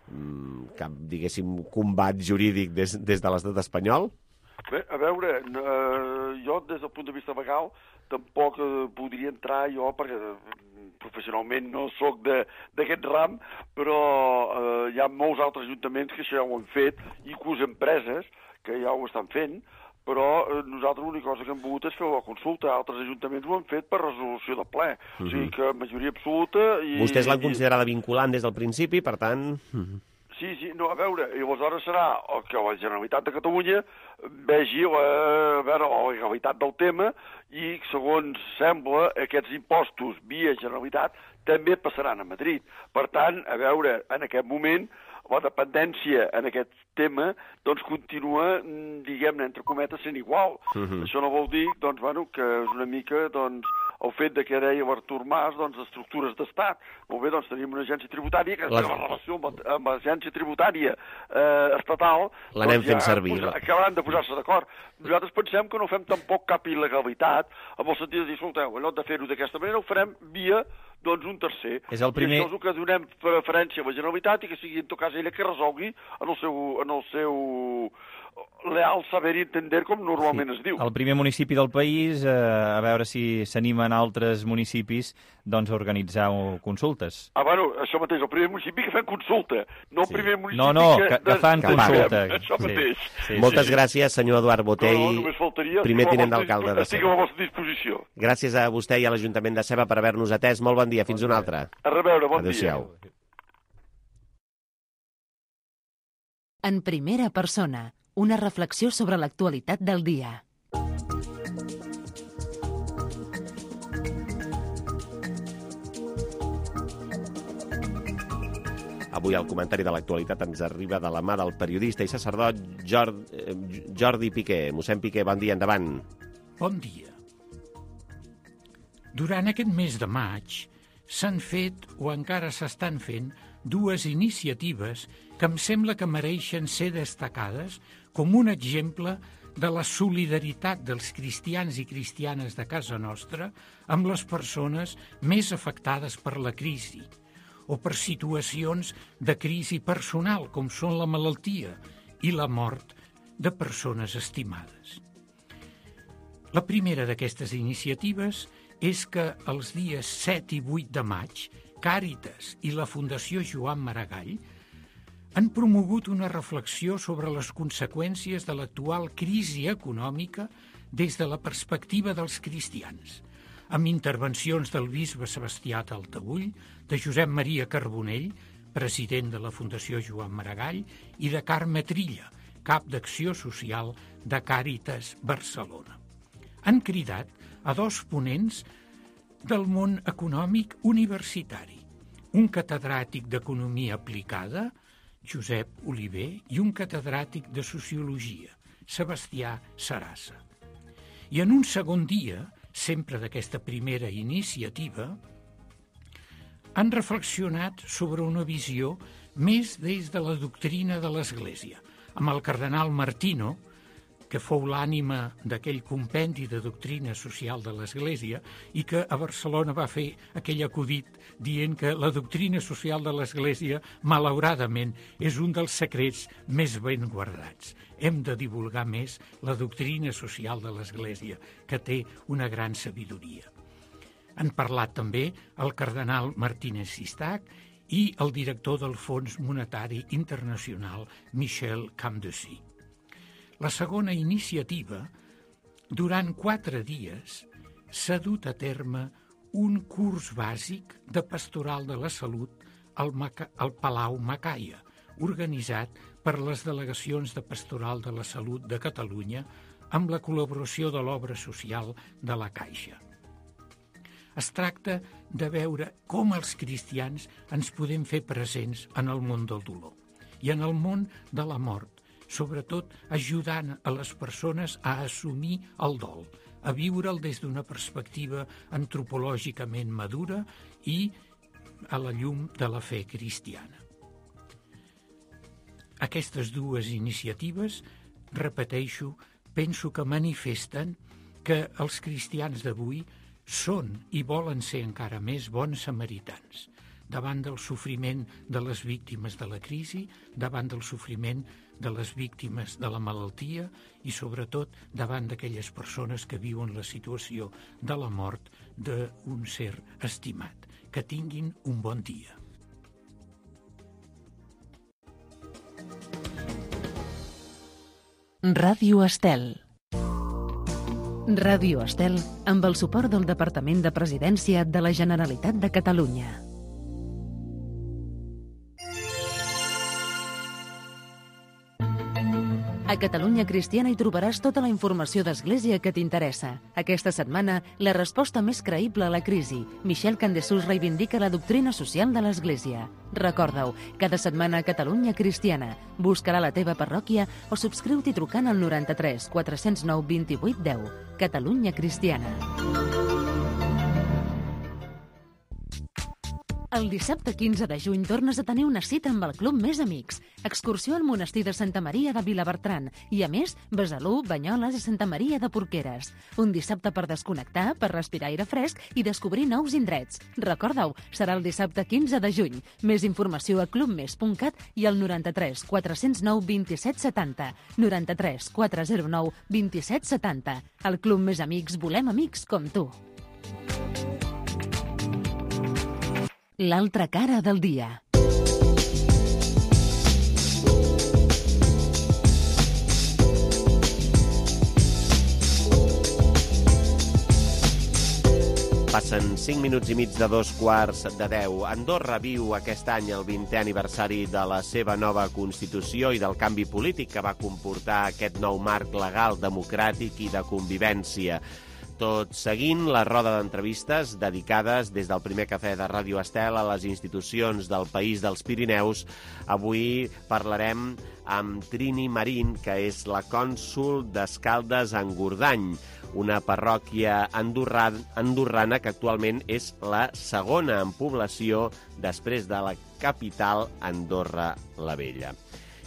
diguéssim, combat jurídic des de l'estat espanyol? Bé, a veure, jo des del punt de vista legal tampoc podria entrar jo, perquè professionalment no sóc d'aquest ram, però hi ha molts altres ajuntaments que això ja ho han fet, inclús empreses que ja ho estan fent, però nosaltres l'única cosa que hem volgut és fer la consulta. Altres ajuntaments ho han fet per resolució de ple. O sigui que majoria absoluta... Vostès l'han considerada vinculant des del principi, per tant... Sí, no, a veure, i aleshores serà que la Generalitat de Catalunya vegi la legalitat del tema i, segons sembla, aquests impostos via Generalitat també passaran a Madrid. Per tant, a veure, en aquest moment la dependència en aquest tema doncs continua, diguem-ne, entre cometes, sent igual. Això no vol dir, doncs, bueno, que és una mica, doncs, el fet de que deia l'Artur Mas, doncs, estructures d'estat. Molt bé, doncs, tenim una agència tributària que la relació amb l'agència tributària estatal... L'anem fent servir. Acabaran de posar-se d'acord. Nosaltres pensem que no fem tampoc cap il·legalitat, amb el sentit de dir, escolteu, en lloc de fer-ho d'aquesta manera, ho farem via doncs un tercer. És el primer... I això és el que donem preferència a la Generalitat i que sigui, en tot cas, ella que resolgui en el seu leal saber i entender, com normalment es diu. El primer municipi del país, a veure si s'animen altres municipis doncs, a organitzar consultes. Bueno, això mateix, el primer municipi que fem consulta, no el primer municipi que fan consulta. Això mateix. Moltes gràcies, senyor Eduard Botey, primer tinent d'alcalde de Seva. Estic a la vostra disposició. Gràcies a vostè i a l'Ajuntament de Seva per haver-nos atès. Molt bon dia, fins una altra. A reveure, bon dia. Adéu-siau. En primera persona, una reflexió sobre l'actualitat del dia. Avui el comentari de l'actualitat ens arriba de la mà del periodista i sacerdot Jordi Piqué. Mossèn Piqué, bon dia, endavant. Bon dia. Durant aquest mes de maig s'han fet, o encara s'estan fent, 2 iniciatives que em sembla que mereixen ser destacades com un exemple de la solidaritat dels cristians i cristianes de casa nostra amb les persones més afectades per la crisi o per situacions de crisi personal, com són la malaltia i la mort de persones estimades. La primera d'aquestes iniciatives és que els dies 7 i 8 de maig, Càritas i la Fundació Joan Maragall han promogut una reflexió sobre les conseqüències de l'actual crisi econòmica des de la perspectiva dels cristians, amb intervencions del bisbe Sebastià Taltabull, de Josep Maria Carbonell, president de la Fundació Joan Maragall, i de Carme Trilla, cap d'Acció Social de Càritas Barcelona. Han cridat a 2 ponents del món econòmic universitari, un catedràtic d'Economia Aplicada, Josep Oliver, i un catedràtic de Sociologia, Sebastià Sarassa. I en un segon dia, sempre d'aquesta primera iniciativa, han reflexionat sobre una visió més des de la doctrina de l'Església, amb el cardenal Martino, que fou l'ànima d'aquell compendi de doctrina social de l'Església i que a Barcelona va fer aquell acudit dient que la doctrina social de l'Església, malauradament, és un dels secrets més ben guardats. Hem de divulgar més la doctrina social de l'Església, que té una gran sabidoria. Han parlat també el cardenal Martínez Sistac i el director del Fons Monetari Internacional, Michel Camdessy. La segona iniciativa, durant 4 dies, s'ha dut a terme un curs bàsic de pastoral de la salut al Palau Macaia, organitzat per les delegacions de pastoral de la salut de Catalunya amb la col·laboració de l'obra social de la Caixa. Es tracta de veure com els cristians ens podem fer presents en el món del dolor i en el món de la mort, sobretot ajudant a les persones a assumir el dol, a viure'l des d'una perspectiva antropològicament madura i a la llum de la fe cristiana. Aquestes 2 iniciatives, repeteixo, penso que manifesten que els cristians d'avui són i volen ser encara més bons samaritans, davant del sofriment de les víctimes de la crisi, davant del sofriment de les víctimes de la malaltia i, sobretot, davant d'aquelles persones que viuen la situació de la mort d'un ser estimat. Que tinguin un bon dia. Ràdio Estel. Ràdio Estel amb el suport del Departament de Presidència de la Generalitat de Catalunya. A Catalunya Cristiana hi trobaràs tota la informació d'Església que t'interessa. Aquesta setmana, la resposta més creïble a la crisi. Michel Camdessy reivindica la doctrina social de l'Església. Recorda-ho, cada setmana a Catalunya Cristiana. Busca-la a la teva parròquia o subscriu-t'hi trucant al 93 409 28 10. Catalunya Cristiana. El dissabte 15 de juny tornes a tenir una cita amb el Club Més Amics. Excursió al monestir de Santa Maria de Vilabertran i, a més, Besalú, Banyoles i Santa Maria de Porqueres. Un dissabte per desconnectar, per respirar aire fresc i descobrir nous indrets. Recorda-ho, serà el dissabte 15 de juny. Més informació a clubmes.cat i al 93 409 27 70. 93 409 27 70. Al Club Més Amics volem amics com tu. L'altra cara del dia. Passen 5 minuts i mig de 2:45 de 10. Andorra viu aquest any el 20è aniversari de la seva nova Constitució i del canvi polític que va comportar aquest nou marc legal, democràtic i de convivència. Tot seguint la roda d'entrevistes dedicades des del primer cafè de Ràdio Estel a les institucions del País dels Pirineus. Avui parlarem amb Trini Marín, que és la cònsol d'Escaldes-Engordany, una parròquia andorrana que actualment és la segona en població després de la capital, Andorra la Vella.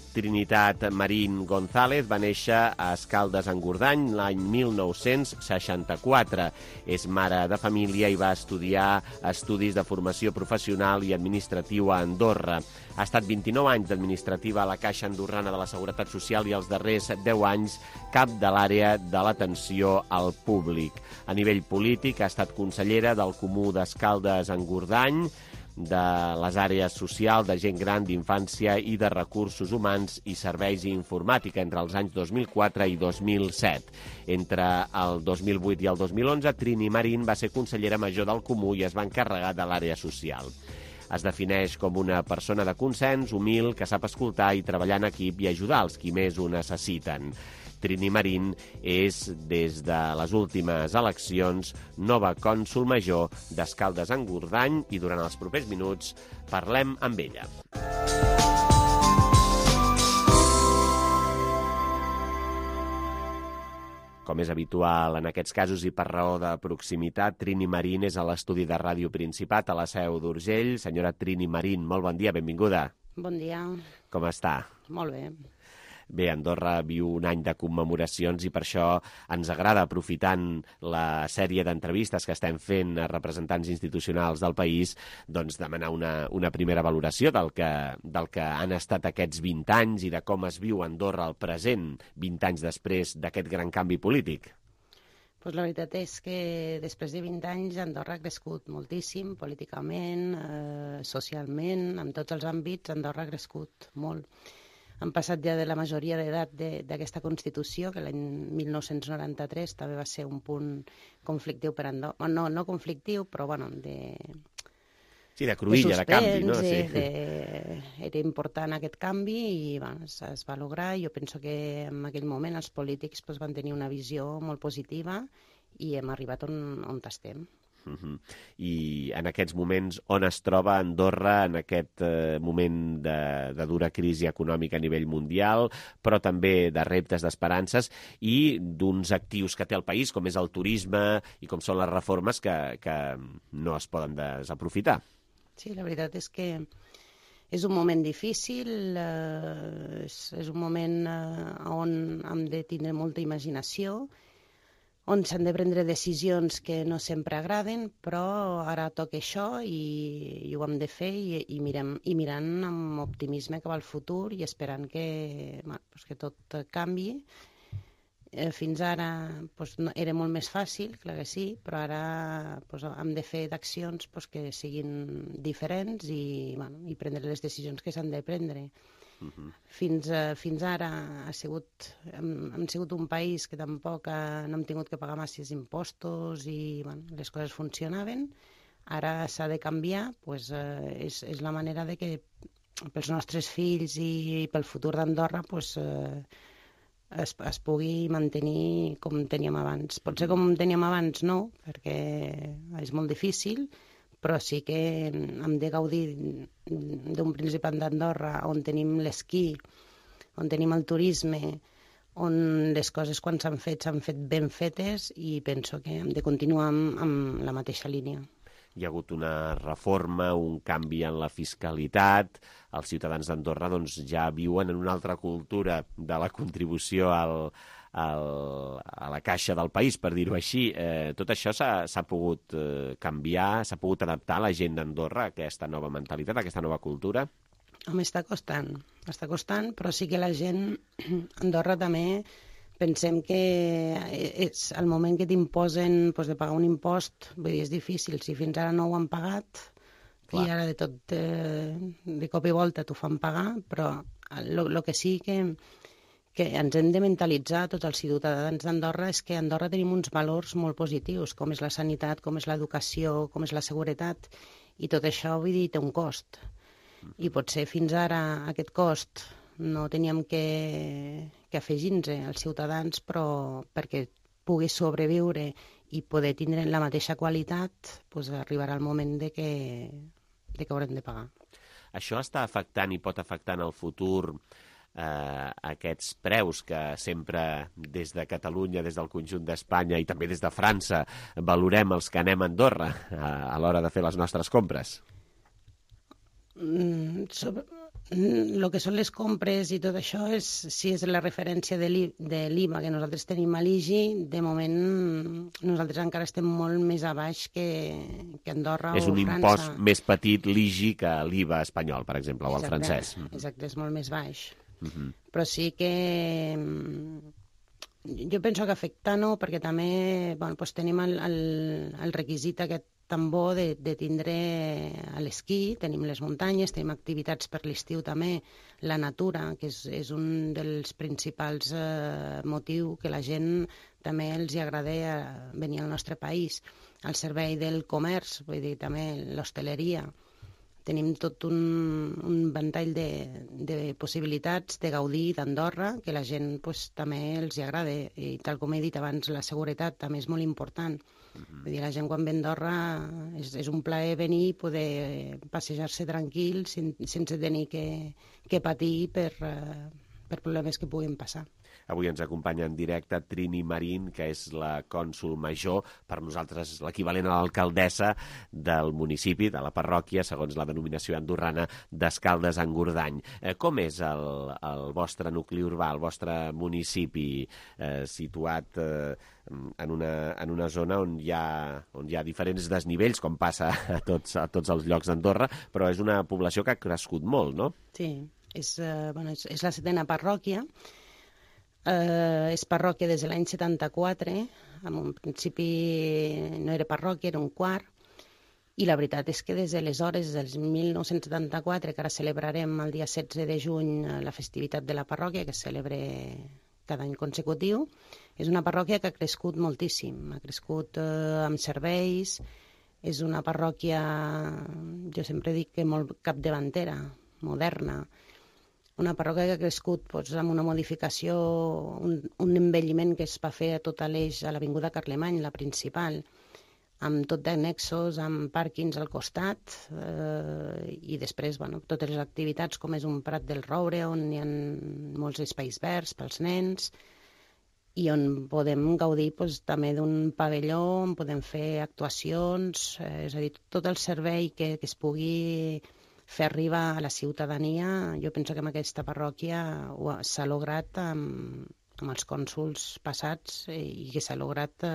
Trinitat Marín González va néixer a Escaldes-Engordany l'any 1964. És mare de família i va estudiar estudis de formació professional i administratiu a Andorra. Ha estat 29 anys d'administrativa a la Caixa Andorrana de la Seguretat Social i els darrers 10 anys cap de l'àrea de l'atenció al públic. A nivell polític ha estat consellera del Comú d'Escaldes-Engordany, de les àrees social, de gent gran, d'infància i de recursos humans i serveis i informàtica entre els anys 2004 i 2007. Entre el 2008 i el 2011, Trini Marín va ser consellera major del Comú i es va encarregar de l'àrea social. Es defineix com una persona de consens, humil, que sap escoltar i treballar en equip i ajudar els qui més ho necessiten. Trini Marín és, des de les últimes eleccions, nova cònsol major d'Escaldes-Engordany i durant els propers minuts parlem amb ella. Com és habitual en aquests casos i per raó de proximitat, Trini Marín és a l'estudi de Ràdio Principat, a la Seu d'Urgell. Senyora Trini Marín, molt bon dia, benvinguda. Bon dia. Com està? Molt bé. Bé, Andorra viu un any de commemoracions i per això ens agrada, aprofitant la sèrie d'entrevistes que estem fent a representants institucionals del país, doncs demanar una primera valoració del que han estat aquests 20 anys i de com es viu Andorra al present, 20 anys després d'aquest gran canvi polític. Pues la veritat és que després de 20 anys Andorra ha crescut moltíssim, políticament, socialment, en tots els àmbits Andorra ha crescut molt. Han passat ja de la majoria d'edat d'aquesta Constitució, que l'any 1993 també va ser un punt conflictiu per Andorra. No conflictiu, però bueno, Sí, de cruïlla, de canvi, no? Sí. Era important aquest canvi i bueno, es va lograr. Jo penso que en aquell moment els polítics van tenir una visió molt positiva i hem arribat on estem. I en aquests moments, on es troba Andorra en aquest moment de dura crisi econòmica a nivell mundial, però també de reptes, d'esperances i d'uns actius que té el país, com és el turisme i com són les reformes que no es poden desaprofitar. Sí, la veritat és que és un moment difícil, és un moment on hem de tindre molta imaginació, on s'han de prendre decisions que no sempre agraden, però ara toca això i ho hem de fer i mirant amb optimisme cap al futur i esperant que tot canvi. Fins ara era molt més fàcil, clar que sí, però ara hem de fer d'accions que siguin diferents i prendre les decisions que s'han de prendre. Fins ara hem sigut un país que tampoc no hem tingut que pagar masses impostos i les coses funcionaven. Ara s'ha de canviar, és la manera de que pels nostres fills i pel futur d'Andorra es pugui mantenir com teníem abans. Potser com teníem abans no, perquè és molt difícil, però sí que hem de gaudir d'un Principat d'Andorra on tenim l'esquí, on tenim el turisme, on les coses quan s'han fet ben fetes i penso que hem de continuar amb la mateixa línia. Hi ha hagut una reforma, un canvi en la fiscalitat. Els ciutadans d'Andorra ja viuen en una altra cultura de la contribució a la caixa del país, per dir-ho així. Tot això s'ha pogut canviar, s'ha pogut adaptar a la gent d'Andorra a aquesta nova mentalitat, a aquesta nova cultura? Home, està costant, però sí que la gent Andorra també pensem que és el moment que t'imposen de pagar un impost, vull dir, és difícil. Si fins ara no ho han pagat, i ara de cop i volta t'ho fan pagar, però el que sí que ens hem de mentalitzar tots els ciutadans d'Andorra és que a Andorra tenim uns valors molt positius, com és la sanitat, com és l'educació, com és la seguretat, i tot això, vull dir, té un cost. I potser fins ara aquest cost no teníem que afegir-nos als ciutadans, però perquè pugui sobreviure i poder tindre la mateixa qualitat, arribarà el moment de que haurem de pagar. Això està afectant i pot afectar en el futur aquests preus que sempre des de Catalunya, des del conjunt d'Espanya i també des de França valorem els que anem a Andorra a l'hora de fer les nostres compres? El que són les compres i tot això, si és la referència de l'IVA que nosaltres tenim a l'IGI, de moment nosaltres encara estem molt més a baix que Andorra o França. És un impost més petit l'IGI que l'IVA espanyol, per exemple, o el francès. Exacte, és molt més baix. Però sí que jo penso que afecta no, perquè també tenim el requisit aquest tan bo de tindre l'esquí, tenim les muntanyes, tenim activitats per l'estiu també, la natura, que és un dels principals motius que la gent també els agrada venir al nostre país. El servei del comerç, vull dir, també l'hostaleria. Tenim tot un ventall de possibilitats de gaudir d'Andorra, que la gent també els agrada. I tal com he dit abans, la seguretat també és molt important. Vull dir, la gent quan ve a Andorra és un plaer venir i poder passejar-se tranquil sense tenir que patir per per problemes que puguin passar. Avui ens acompanya en directe Trini Marín, que és la cònsol major, per nosaltres l'equivalent a l'alcaldessa del municipi, de la parròquia, segons la denominació andorrana, d'Escaldes-Engordany. Com és el vostre nucli urbà, el vostre municipi, situat en una zona on hi ha diferents desnivells, com passa a tots els llocs d'Andorra, però és una població que ha crescut molt, no? Sí, és la 7ª parròquia. És parròquia des de l'any 74, en un principi no era parròquia, era un quart, i la veritat és que des d'aleshores, des del 1974, que ara celebrarem el dia 16 de juny la festivitat de la parròquia, que es celebra cada any consecutiu, és una parròquia que ha crescut moltíssim, ha crescut amb serveis, és una parròquia, jo sempre dic que molt capdavantera, moderna, una parròquia que ha crescut amb una modificació, un envelliment que es va fer a tot l'eix a l'Avinguda Carlemany, la principal, amb tot d'annexos, amb pàrquings al costat, i després totes les activitats, com és un Prat del Roure, on hi ha molts espais verds pels nens, i on podem gaudir també d'un pavelló, on podem fer actuacions, és a dir, tot el servei que es pugui fer arribar a la ciutadania. Jo penso que en aquesta parròquia s'ha lograt amb els cònsols passats i que s'ha lograt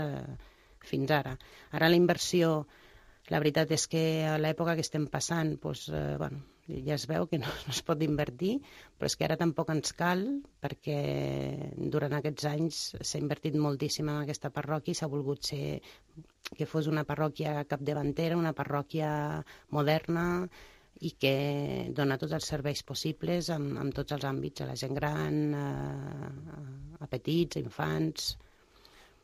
fins ara. Ara la inversió, la veritat és que a l'època que estem passant, ja es veu que no es pot invertir, però és que ara tampoc ens cal, perquè durant aquests anys s'ha invertit moltíssim en aquesta parròquia i s'ha volgut ser que fos una parròquia capdavantera, una parròquia moderna, i que dona tots els serveis possibles en tots els àmbits, a la gent gran, a petits, a infants.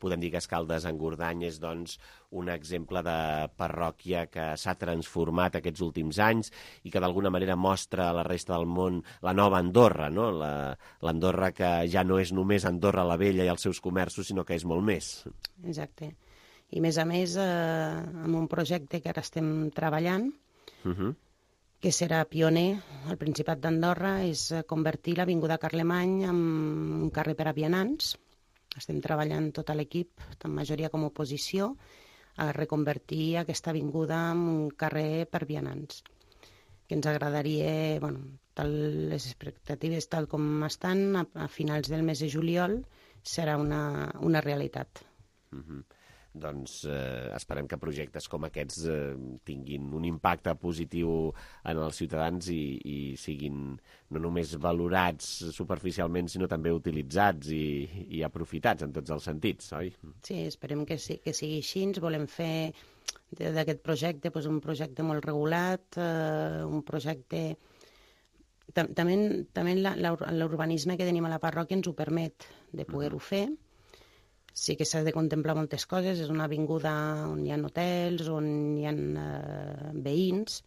Podem dir que Escaldes-Engordany és, doncs, un exemple de parròquia que s'ha transformat aquests últims anys i que d'alguna manera mostra a la resta del món la nova Andorra, no? L'Andorra que ja no és només Andorra la Vella i els seus comerços, sinó que és molt més. Exacte. I a més, amb un projecte que ara estem treballant, que serà pioner al Principat d'Andorra, és convertir l'Avinguda Carlemany en un carrer per a vianants. Estem treballant tot l'equip, tant majoria com oposició, a reconvertir aquesta avinguda en un carrer per vianants. Que ens agradaria, les expectatives tal com estan, a finals del mes de juliol serà una realitat. Doncs esperem que projectes com aquests tinguin un impacte positiu en els ciutadans i siguin no només valorats superficialment, sinó també utilitzats i aprofitats en tots els sentits, oi? Sí, esperem que sigui així. Volem fer d'aquest projecte un projecte molt regulat, un projecte... També l'urbanisme que tenim a la parròquia ens ho permet de poder-ho fer. Sí que s'ha de contemplar moltes coses, és una avinguda on hi ha hotels, on hi ha veïns,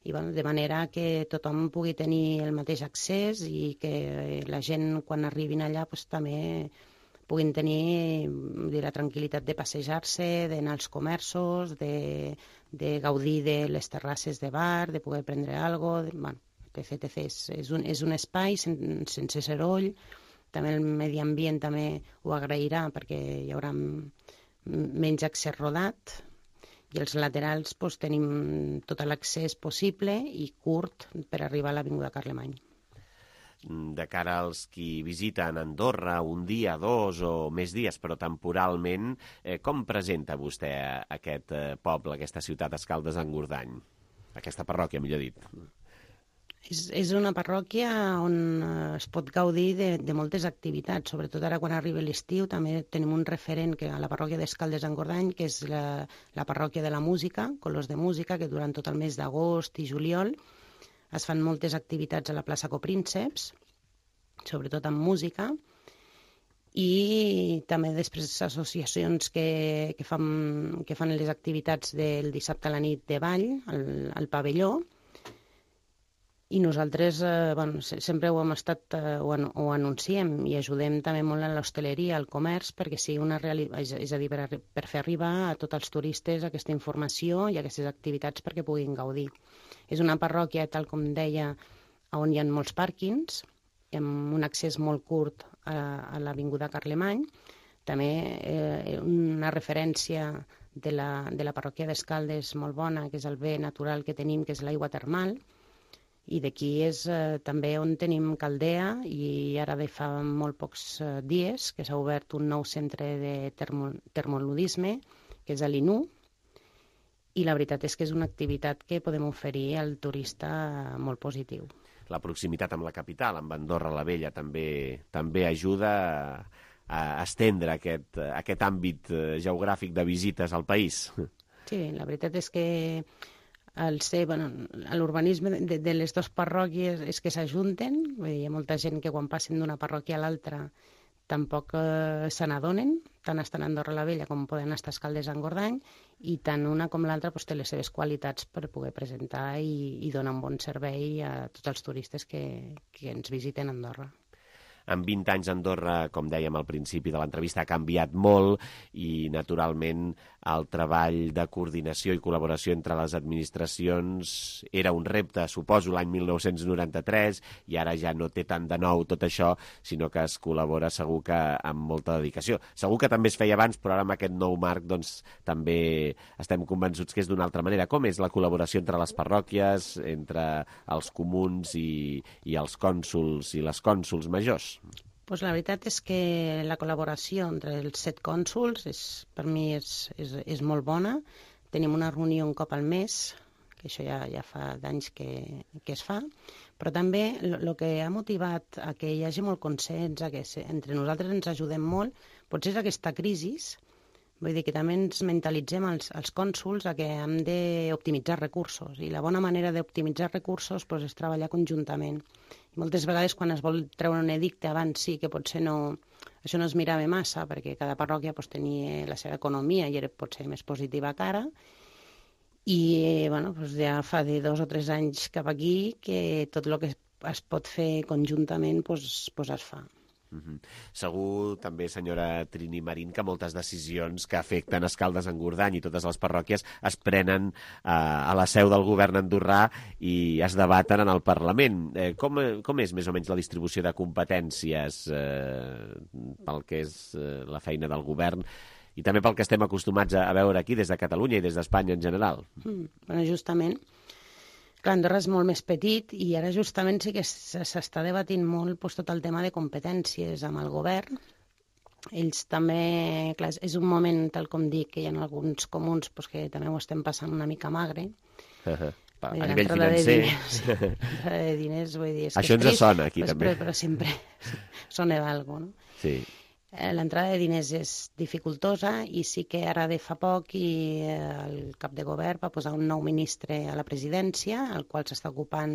i de manera que tothom pugui tenir el mateix accés i que la gent, quan arribin allà, també puguin tenir la tranquil·litat de passejar-se, d'anar als comerços, de gaudir de les terrasses de bar, de poder prendre alguna cosa, etc. És un espai sense soroll. També el medi ambient també ho agrairà, perquè hi haurà menys accés rodat, i als laterals tenim tot l'accés possible i curt per arribar a l'Avinguda Carlemany. De cara als qui visiten Andorra un dia, 2 o més dies, però temporalment, com presenta vostè aquest poble, aquesta ciutat, Escaldes-Engordany? Aquesta parròquia, millor dit. És una parròquia on es pot gaudir de moltes activitats, sobretot ara quan arriba l'estiu. També tenim un referent a la parròquia d'Escaldes-Engordany, que és la parròquia de la música, Colors de Música, que durant tot el mes d'agost i juliol es fan moltes activitats a la plaça Coprínceps, sobretot amb música, i també després associacions que fan les activitats del dissabte a la nit de ball al pavelló. I nosaltres sempre ho hem estat, ho anunciem i ajudem també molt a l'hostaleria, al comerç, perquè sigui una realitat, és a dir, per fer arribar a tots els turistes aquesta informació i aquestes activitats perquè puguin gaudir. És una parròquia, tal com deia, on hi ha molts pàrquings, amb un accés molt curt a l'Avinguda Carlemany. També una referència de la parròquia d'Escaldes molt bona, que és el bé natural que tenim, que és l'aigua termal, i d'aquí és també on tenim Caldea, i ara de fa molt pocs dies que s'ha obert un nou centre de termoludisme, que és a l'INU, i la veritat és que és una activitat que podem oferir al turista molt positiu. La proximitat amb la capital, amb Andorra la Vella, també ajuda a estendre aquest àmbit geogràfic de visites al país. Sí, la veritat és que l'urbanisme de les dues parròquies és que s'ajunten. Hi ha molta gent que quan passen d'una parròquia a l'altra tampoc se n'adonen, tant estan a Andorra la Vella com poden estar a Escaldes en Gordany, i tant una com l'altra té les seves qualitats per poder presentar i donar un bon servei a tots els turistes que ens visiten a Andorra. En 20 anys Andorra, com dèiem al principi de l'entrevista, ha canviat molt i, naturalment, el treball de coordinació i col·laboració entre les administracions era un repte, suposo, l'any 1993, i ara ja no té tant de nou tot això, sinó que es col·labora segur que amb molta dedicació. Segur que també es feia abans, però ara amb aquest nou marc doncs, també estem convençuts que és d'una altra manera. Com és la col·laboració entre les parròquies, entre els comuns i els cònsols i les cònsols majors? Pues la veritat és que la col·laboració entre els 7 cònsols per mi és molt bona. Tenim una reunió un cop al mes, que això ja fa d'anys que es fa, però també el que ha motivat a que hi hagi molt consens, a que entre nosaltres ens ajudem molt, potser és aquesta crisi. Vull dir que també ens mentalitzem els cònsols a que hem d'optimitzar recursos, i la bona manera d'optimitzar recursos és treballar conjuntament. I moltes vegades quan es vol treure un edicte abans sí que potser això no es mirava massa, perquè cada parròquia tenia la seva economia i era potser més positiva que ara, i ja fa de 2 o 3 anys cap aquí que tot el que es pot fer conjuntament es fa. Segur també, senyora Trini Marín, que moltes decisions que afecten Escaldes en Gordany i totes les parròquies es prenen a la seu del govern andorrà i es debaten en el Parlament. Com és més o menys la distribució de competències pel que és la feina del govern i també pel que estem acostumats a veure aquí des de Catalunya i des d'Espanya en general? Justament. Clar, Andorra és molt més petit i ara justament sí que s'està debatint molt tot el tema de competències amb el govern. Ells també, clar, és un moment, tal com dic, que hi ha alguns comuns que també ho estem passant una mica magre. A nivell financer. De diners, vull dir... Això ens sona aquí també. Però sempre sona d'algú, no? Sí. L'entrada de diners és dificultosa i sí que ara de fa poc el cap de govern va posar un nou ministre a la presidència, el qual s'està ocupant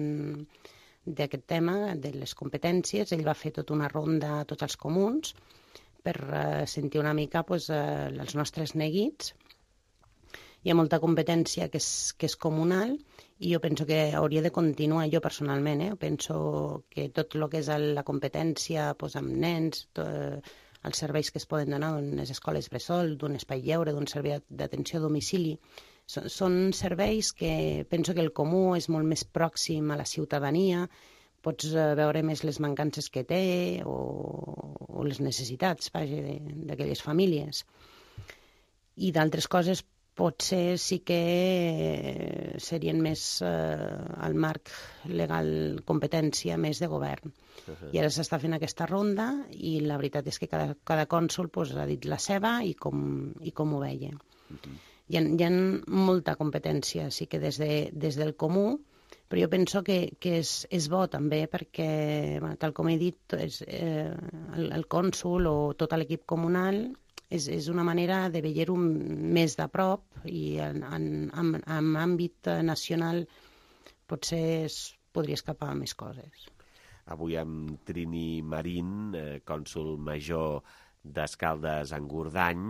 d'aquest tema, de les competències. Ell va fer tota una ronda a tots els comuns per sentir una mica els nostres neguits. Hi ha molta competència que és comunal i jo penso que hauria de continuar, jo personalment, penso que tot el que és la competència amb nens, els serveis que es poden donar d'unes escoles bressol, d'un espai lleure, d'un servei d'atenció a domicili, són serveis que penso que el comú és molt més pròxim a la ciutadania, pots veure més les mancances que té o les necessitats d'aquelles famílies. I d'altres coses potser sí que serien més al marc legal, competència més de govern. I ara s'està fent aquesta ronda i la veritat és que cada cònsol ha dit la seva i com ho veia. Hi ha molta competència, sí que des del comú, però jo penso que és bo també perquè, tal com he dit, el cònsol o tot l'equip comunal és una manera de veure-ho més de prop i en àmbit nacional potser es podria escapar més coses. Avui amb Trini Marín, cònsol major d'Escaldes en Gordany,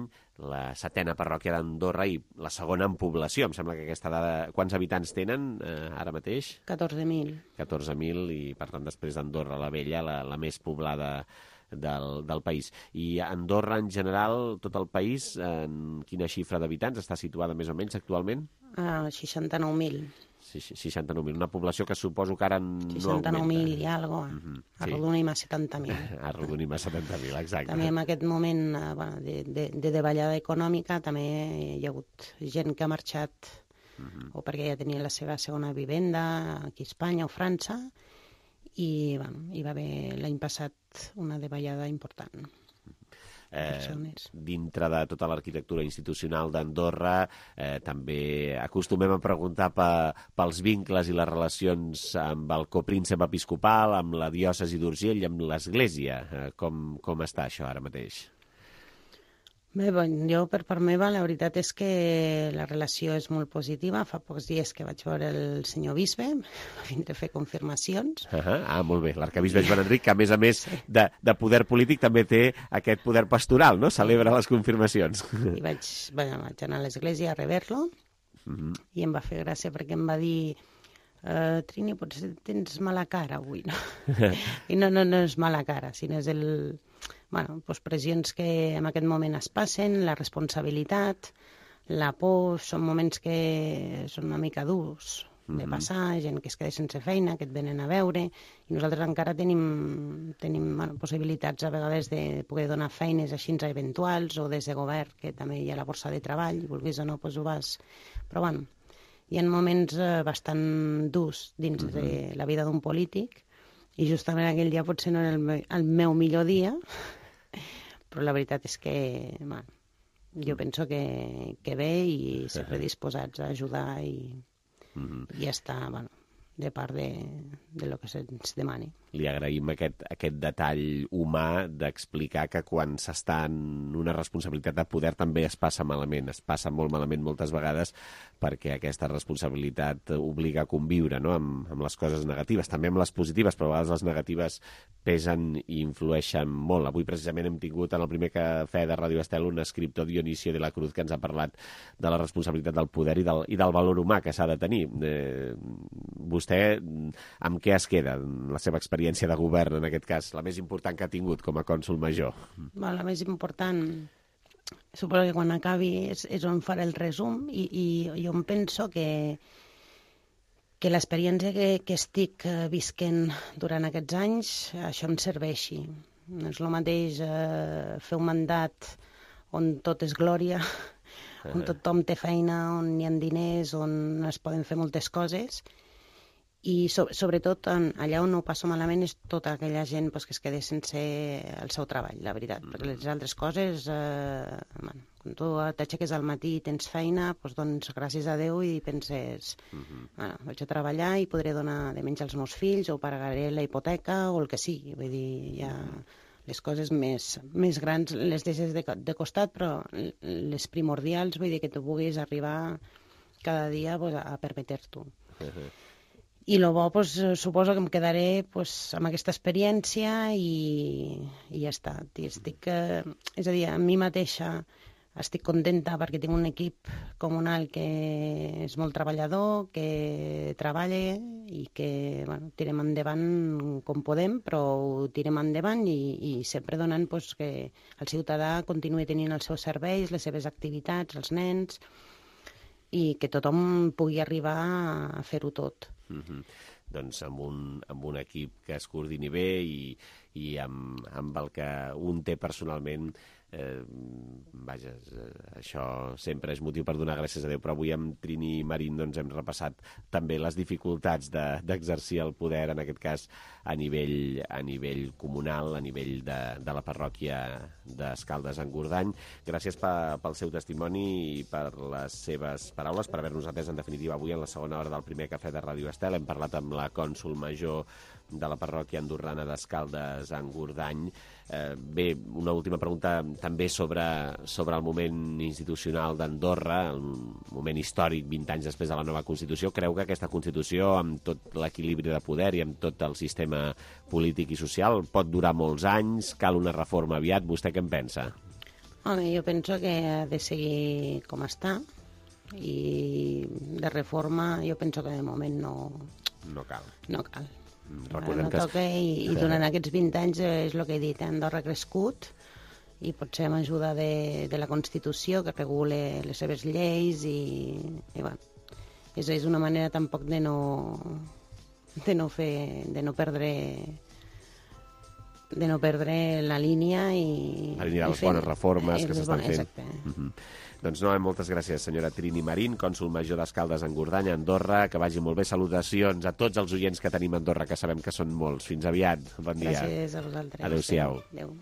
la 7a parròquia d'Andorra i la segona en població. Em sembla que aquesta dada... Quants habitants tenen ara mateix? 14.000. 14.000 i, per tant, després d'Andorra la Vella, la més poblada del país. I Andorra, en general, tot el país, en quina xifra d'habitants està situada més o menys actualment? 69.000. 69.000. Una població que suposo que ara no 69.000 i algo. Arrodonim a 70.000. Arrodonim a 70.000, exacte. També en aquest moment de davallada econòmica també hi ha hagut gent que ha marxat o perquè ja tenia la seva segona vivenda aquí a Espanya o França i hi va haver l'any passat una davallada important. Dintre de tota l'arquitectura institucional d'Andorra també acostumem a preguntar pels vincles i les relacions amb el copríncep episcopal, amb la diòcesi d'Urgell i amb l'Església. Com està això ara mateix? Bé, jo per part meva la veritat és que la relació és molt positiva. Fa pocs dies que vaig veure el senyor bisbe, va vindre a fer confirmacions. Molt bé, l'arcabisbe Joan Enric, que a més de poder polític també té aquest poder pastoral, no? Celebra les confirmacions. I vaig anar a l'església a rebre-lo i em va fer gràcia perquè em va dir Trini, potser tens mala cara avui, no? I no és mala cara, sinó és pressions que en aquest moment es passen, la responsabilitat, la por, són moments que són una mica durs de passar, gent que es queda sense feina, que et venen a veure, i nosaltres encara tenim possibilitats a vegades de poder donar feines així eventuals o des de govern, que també hi ha la borsa de treball, vulguis o no, ho vas... Però hi ha moments bastant durs dins de la vida d'un polític i justament aquell dia potser no era el meu millor dia, però la veritat és que jo penso que bé i sempre disposats a ajudar i estar de part de lo que se'ns demani. Li agraïm aquest detall humà d'explicar que quan s'està en una responsabilitat de poder també es passa malament, es passa molt malament moltes vegades perquè aquesta responsabilitat obliga a conviure, no? amb les coses negatives, també amb les positives, però a vegades les negatives pesen i influeixen molt. Avui precisament hem tingut en el primer cafè de Ràdio Estel un escriptor, Dionisio de la Cruz, que ens ha parlat de la responsabilitat del poder i del valor humà que s'ha de tenir. Vostè amb què es queda la seva experiència de govern, en aquest cas, la més important que ha tingut com a cònsol major? La més important, suposo que quan acabi és on faré el resum i jo em penso que l'experiència que estic visquent durant aquests anys, això em serveixi. No és el mateix fer un mandat on tot és glòria, on tothom té feina, on hi ha diners, on es poden fer moltes coses, i sobretot allà on ho passo malament és tota aquella gent que es queda sense el seu treball, la veritat, perquè les altres coses, quan tu t'aixeques al matí i tens feina, doncs gràcies a Déu i penses, vaig a treballar i podré donar de menjar als meus fills o pagaré la hipoteca o el que sigui, vull dir, ja les coses més grans les deixes de costat, però les primordials, vull dir, que tu puguis arribar cada dia a permetre-t'ho. I el bo, suposo que em quedaré amb aquesta experiència i ja està. És a dir, a mi mateixa estic contenta perquè tinc un equip comunal que és molt treballador, que treballa i que tirem endavant com podem, però ho tirem endavant i sempre donant que el ciutadà continuï tenint els seus serveis, les seves activitats, els nens, i que tothom pugui arribar a fer-ho tot. Doncs amb un equip que es coordini bé i amb el que un té personalment, vaja, això sempre és motiu per donar gràcies a Déu, però avui amb Trini Marín hem repassat també les dificultats d'exercir el poder, en aquest cas a nivell comunal, a nivell de la parròquia d'Escaldes-Engordany. Gràcies pel seu testimoni i per les seves paraules, per haver-nos atès en definitiva avui en la segona hora del primer cafè de Ràdio Estel. Hem parlat amb la cònsol major de la parròquia andorrana d'Escaldes-Engordany. Bé, una última pregunta també sobre el moment institucional d'Andorra, el moment històric 20 anys després de la nova Constitució. Creu que aquesta Constitució, amb tot l'equilibri de poder i amb tot el sistema polític i social, pot durar molts anys? Cal una reforma aviat? Vostè què en pensa? Home, jo penso que ha de seguir com està i de reforma jo penso que de moment no cal. No cal. Recordem no toca i durant aquests 20 anys és el que he dit, Andorra ha crescut i potser amb ajuda de la Constitució que regule les seves lleis i és una manera tampoc de no perdre la línia i... La línia de les bones reformes que s'estan fent. Exacte. Doncs no, moltes gràcies, senyora Trini Marín, cònsol major d'Escaldes en Gordany, Andorra. Que vagi molt bé. Salutacions a tots els oients que tenim a Andorra, que sabem que són molts. Fins aviat. Bon dia. Gràcies a vosaltres. Adéu-siau. Adéu.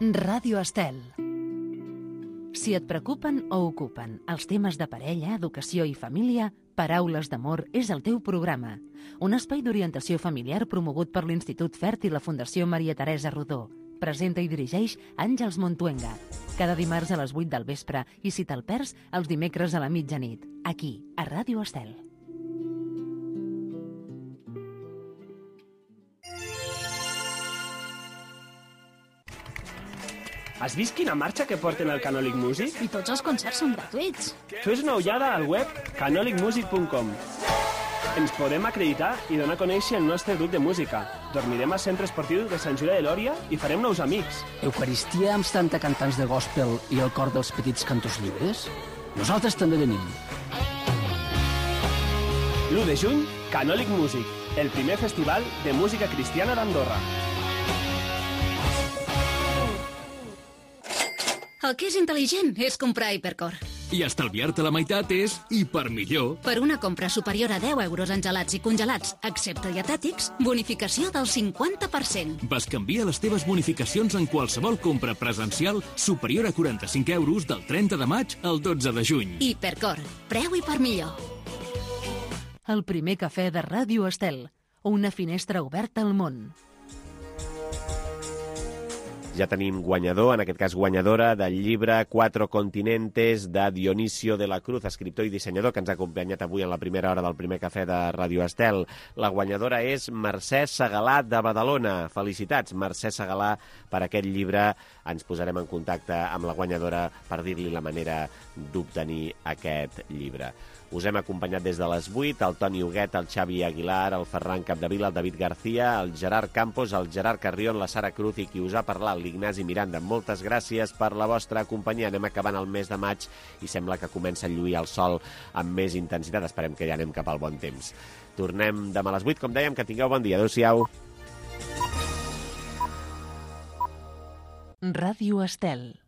Ràdio Estel. Si et preocupen o ocupen els temes de parella, educació i família, Paraules d'Amor és el teu programa. Un espai d'orientació familiar promogut per l'Institut Fert i la Fundació Maria Teresa Rodó. Presenta i dirigeix Àngels Montuenga. Cada dimarts a les 8 del vespre i si te'l perds, els dimecres a la mitjanit. Aquí, a Ràdio Estel. Has vist quina marxa que porten al Canòlic Music? I tots els concerts són gratuïts. Fes una ullada al web canolicmusic.com. Ens podem acreditar i donar a conèixer el nostre grup de música. Dormirem al Centre Esportiu de Sant Julià de Lòria i farem nous amics. Eucaristia amb 70 cantants de gospel i el cor dels petits cantors llibres? Nosaltres també venim. L'1 de juny, Canòlic Music, el primer festival de música cristiana d'Andorra. El que és intel·ligent és comprar Hipercor. I estalviar-te la meitat és hipermillor. Per una compra superior a 10 euros en gelats i congelats, excepte dietètics, bonificació del 50%. Bescanvia les teves bonificacions en qualsevol compra presencial superior a 45 euros del 30 de maig al 12 de juny. Hipercor. Preu hipermillor. El primer cafè de Ràdio Estel. Una finestra oberta al món. Ja tenim guanyador, en aquest cas guanyadora, del llibre Cuatro Continentes de Dionisio de la Cruz, escriptor i dissenyador, que ens ha acompanyat avui en la primera hora del primer cafè de Ràdio Estel. La guanyadora és Mercè Segalà de Badalona. Felicitats, Mercè Segalà, per aquest llibre. Ens posarem en contacte amb la guanyadora per dir-li la manera d'obtenir aquest llibre. Us hem acompanyat des de les 8, el Toni Huguet, el Xavi Aguilar, el Ferran Capdevila, el David García, el Gerard Campos, el Gerard Carrión, la Sara Cruz i qui us ha parlat, l'Ignasi Miranda. Moltes gràcies per la vostra companyia. Anem acabant el mes de maig i sembla que comença a lluir el sol amb més intensitat. Esperem que ja anem cap al bon temps. Tornem demà a les 8, com dèiem, que tingueu bon dia. Adéu-siau. Ràdio Estel.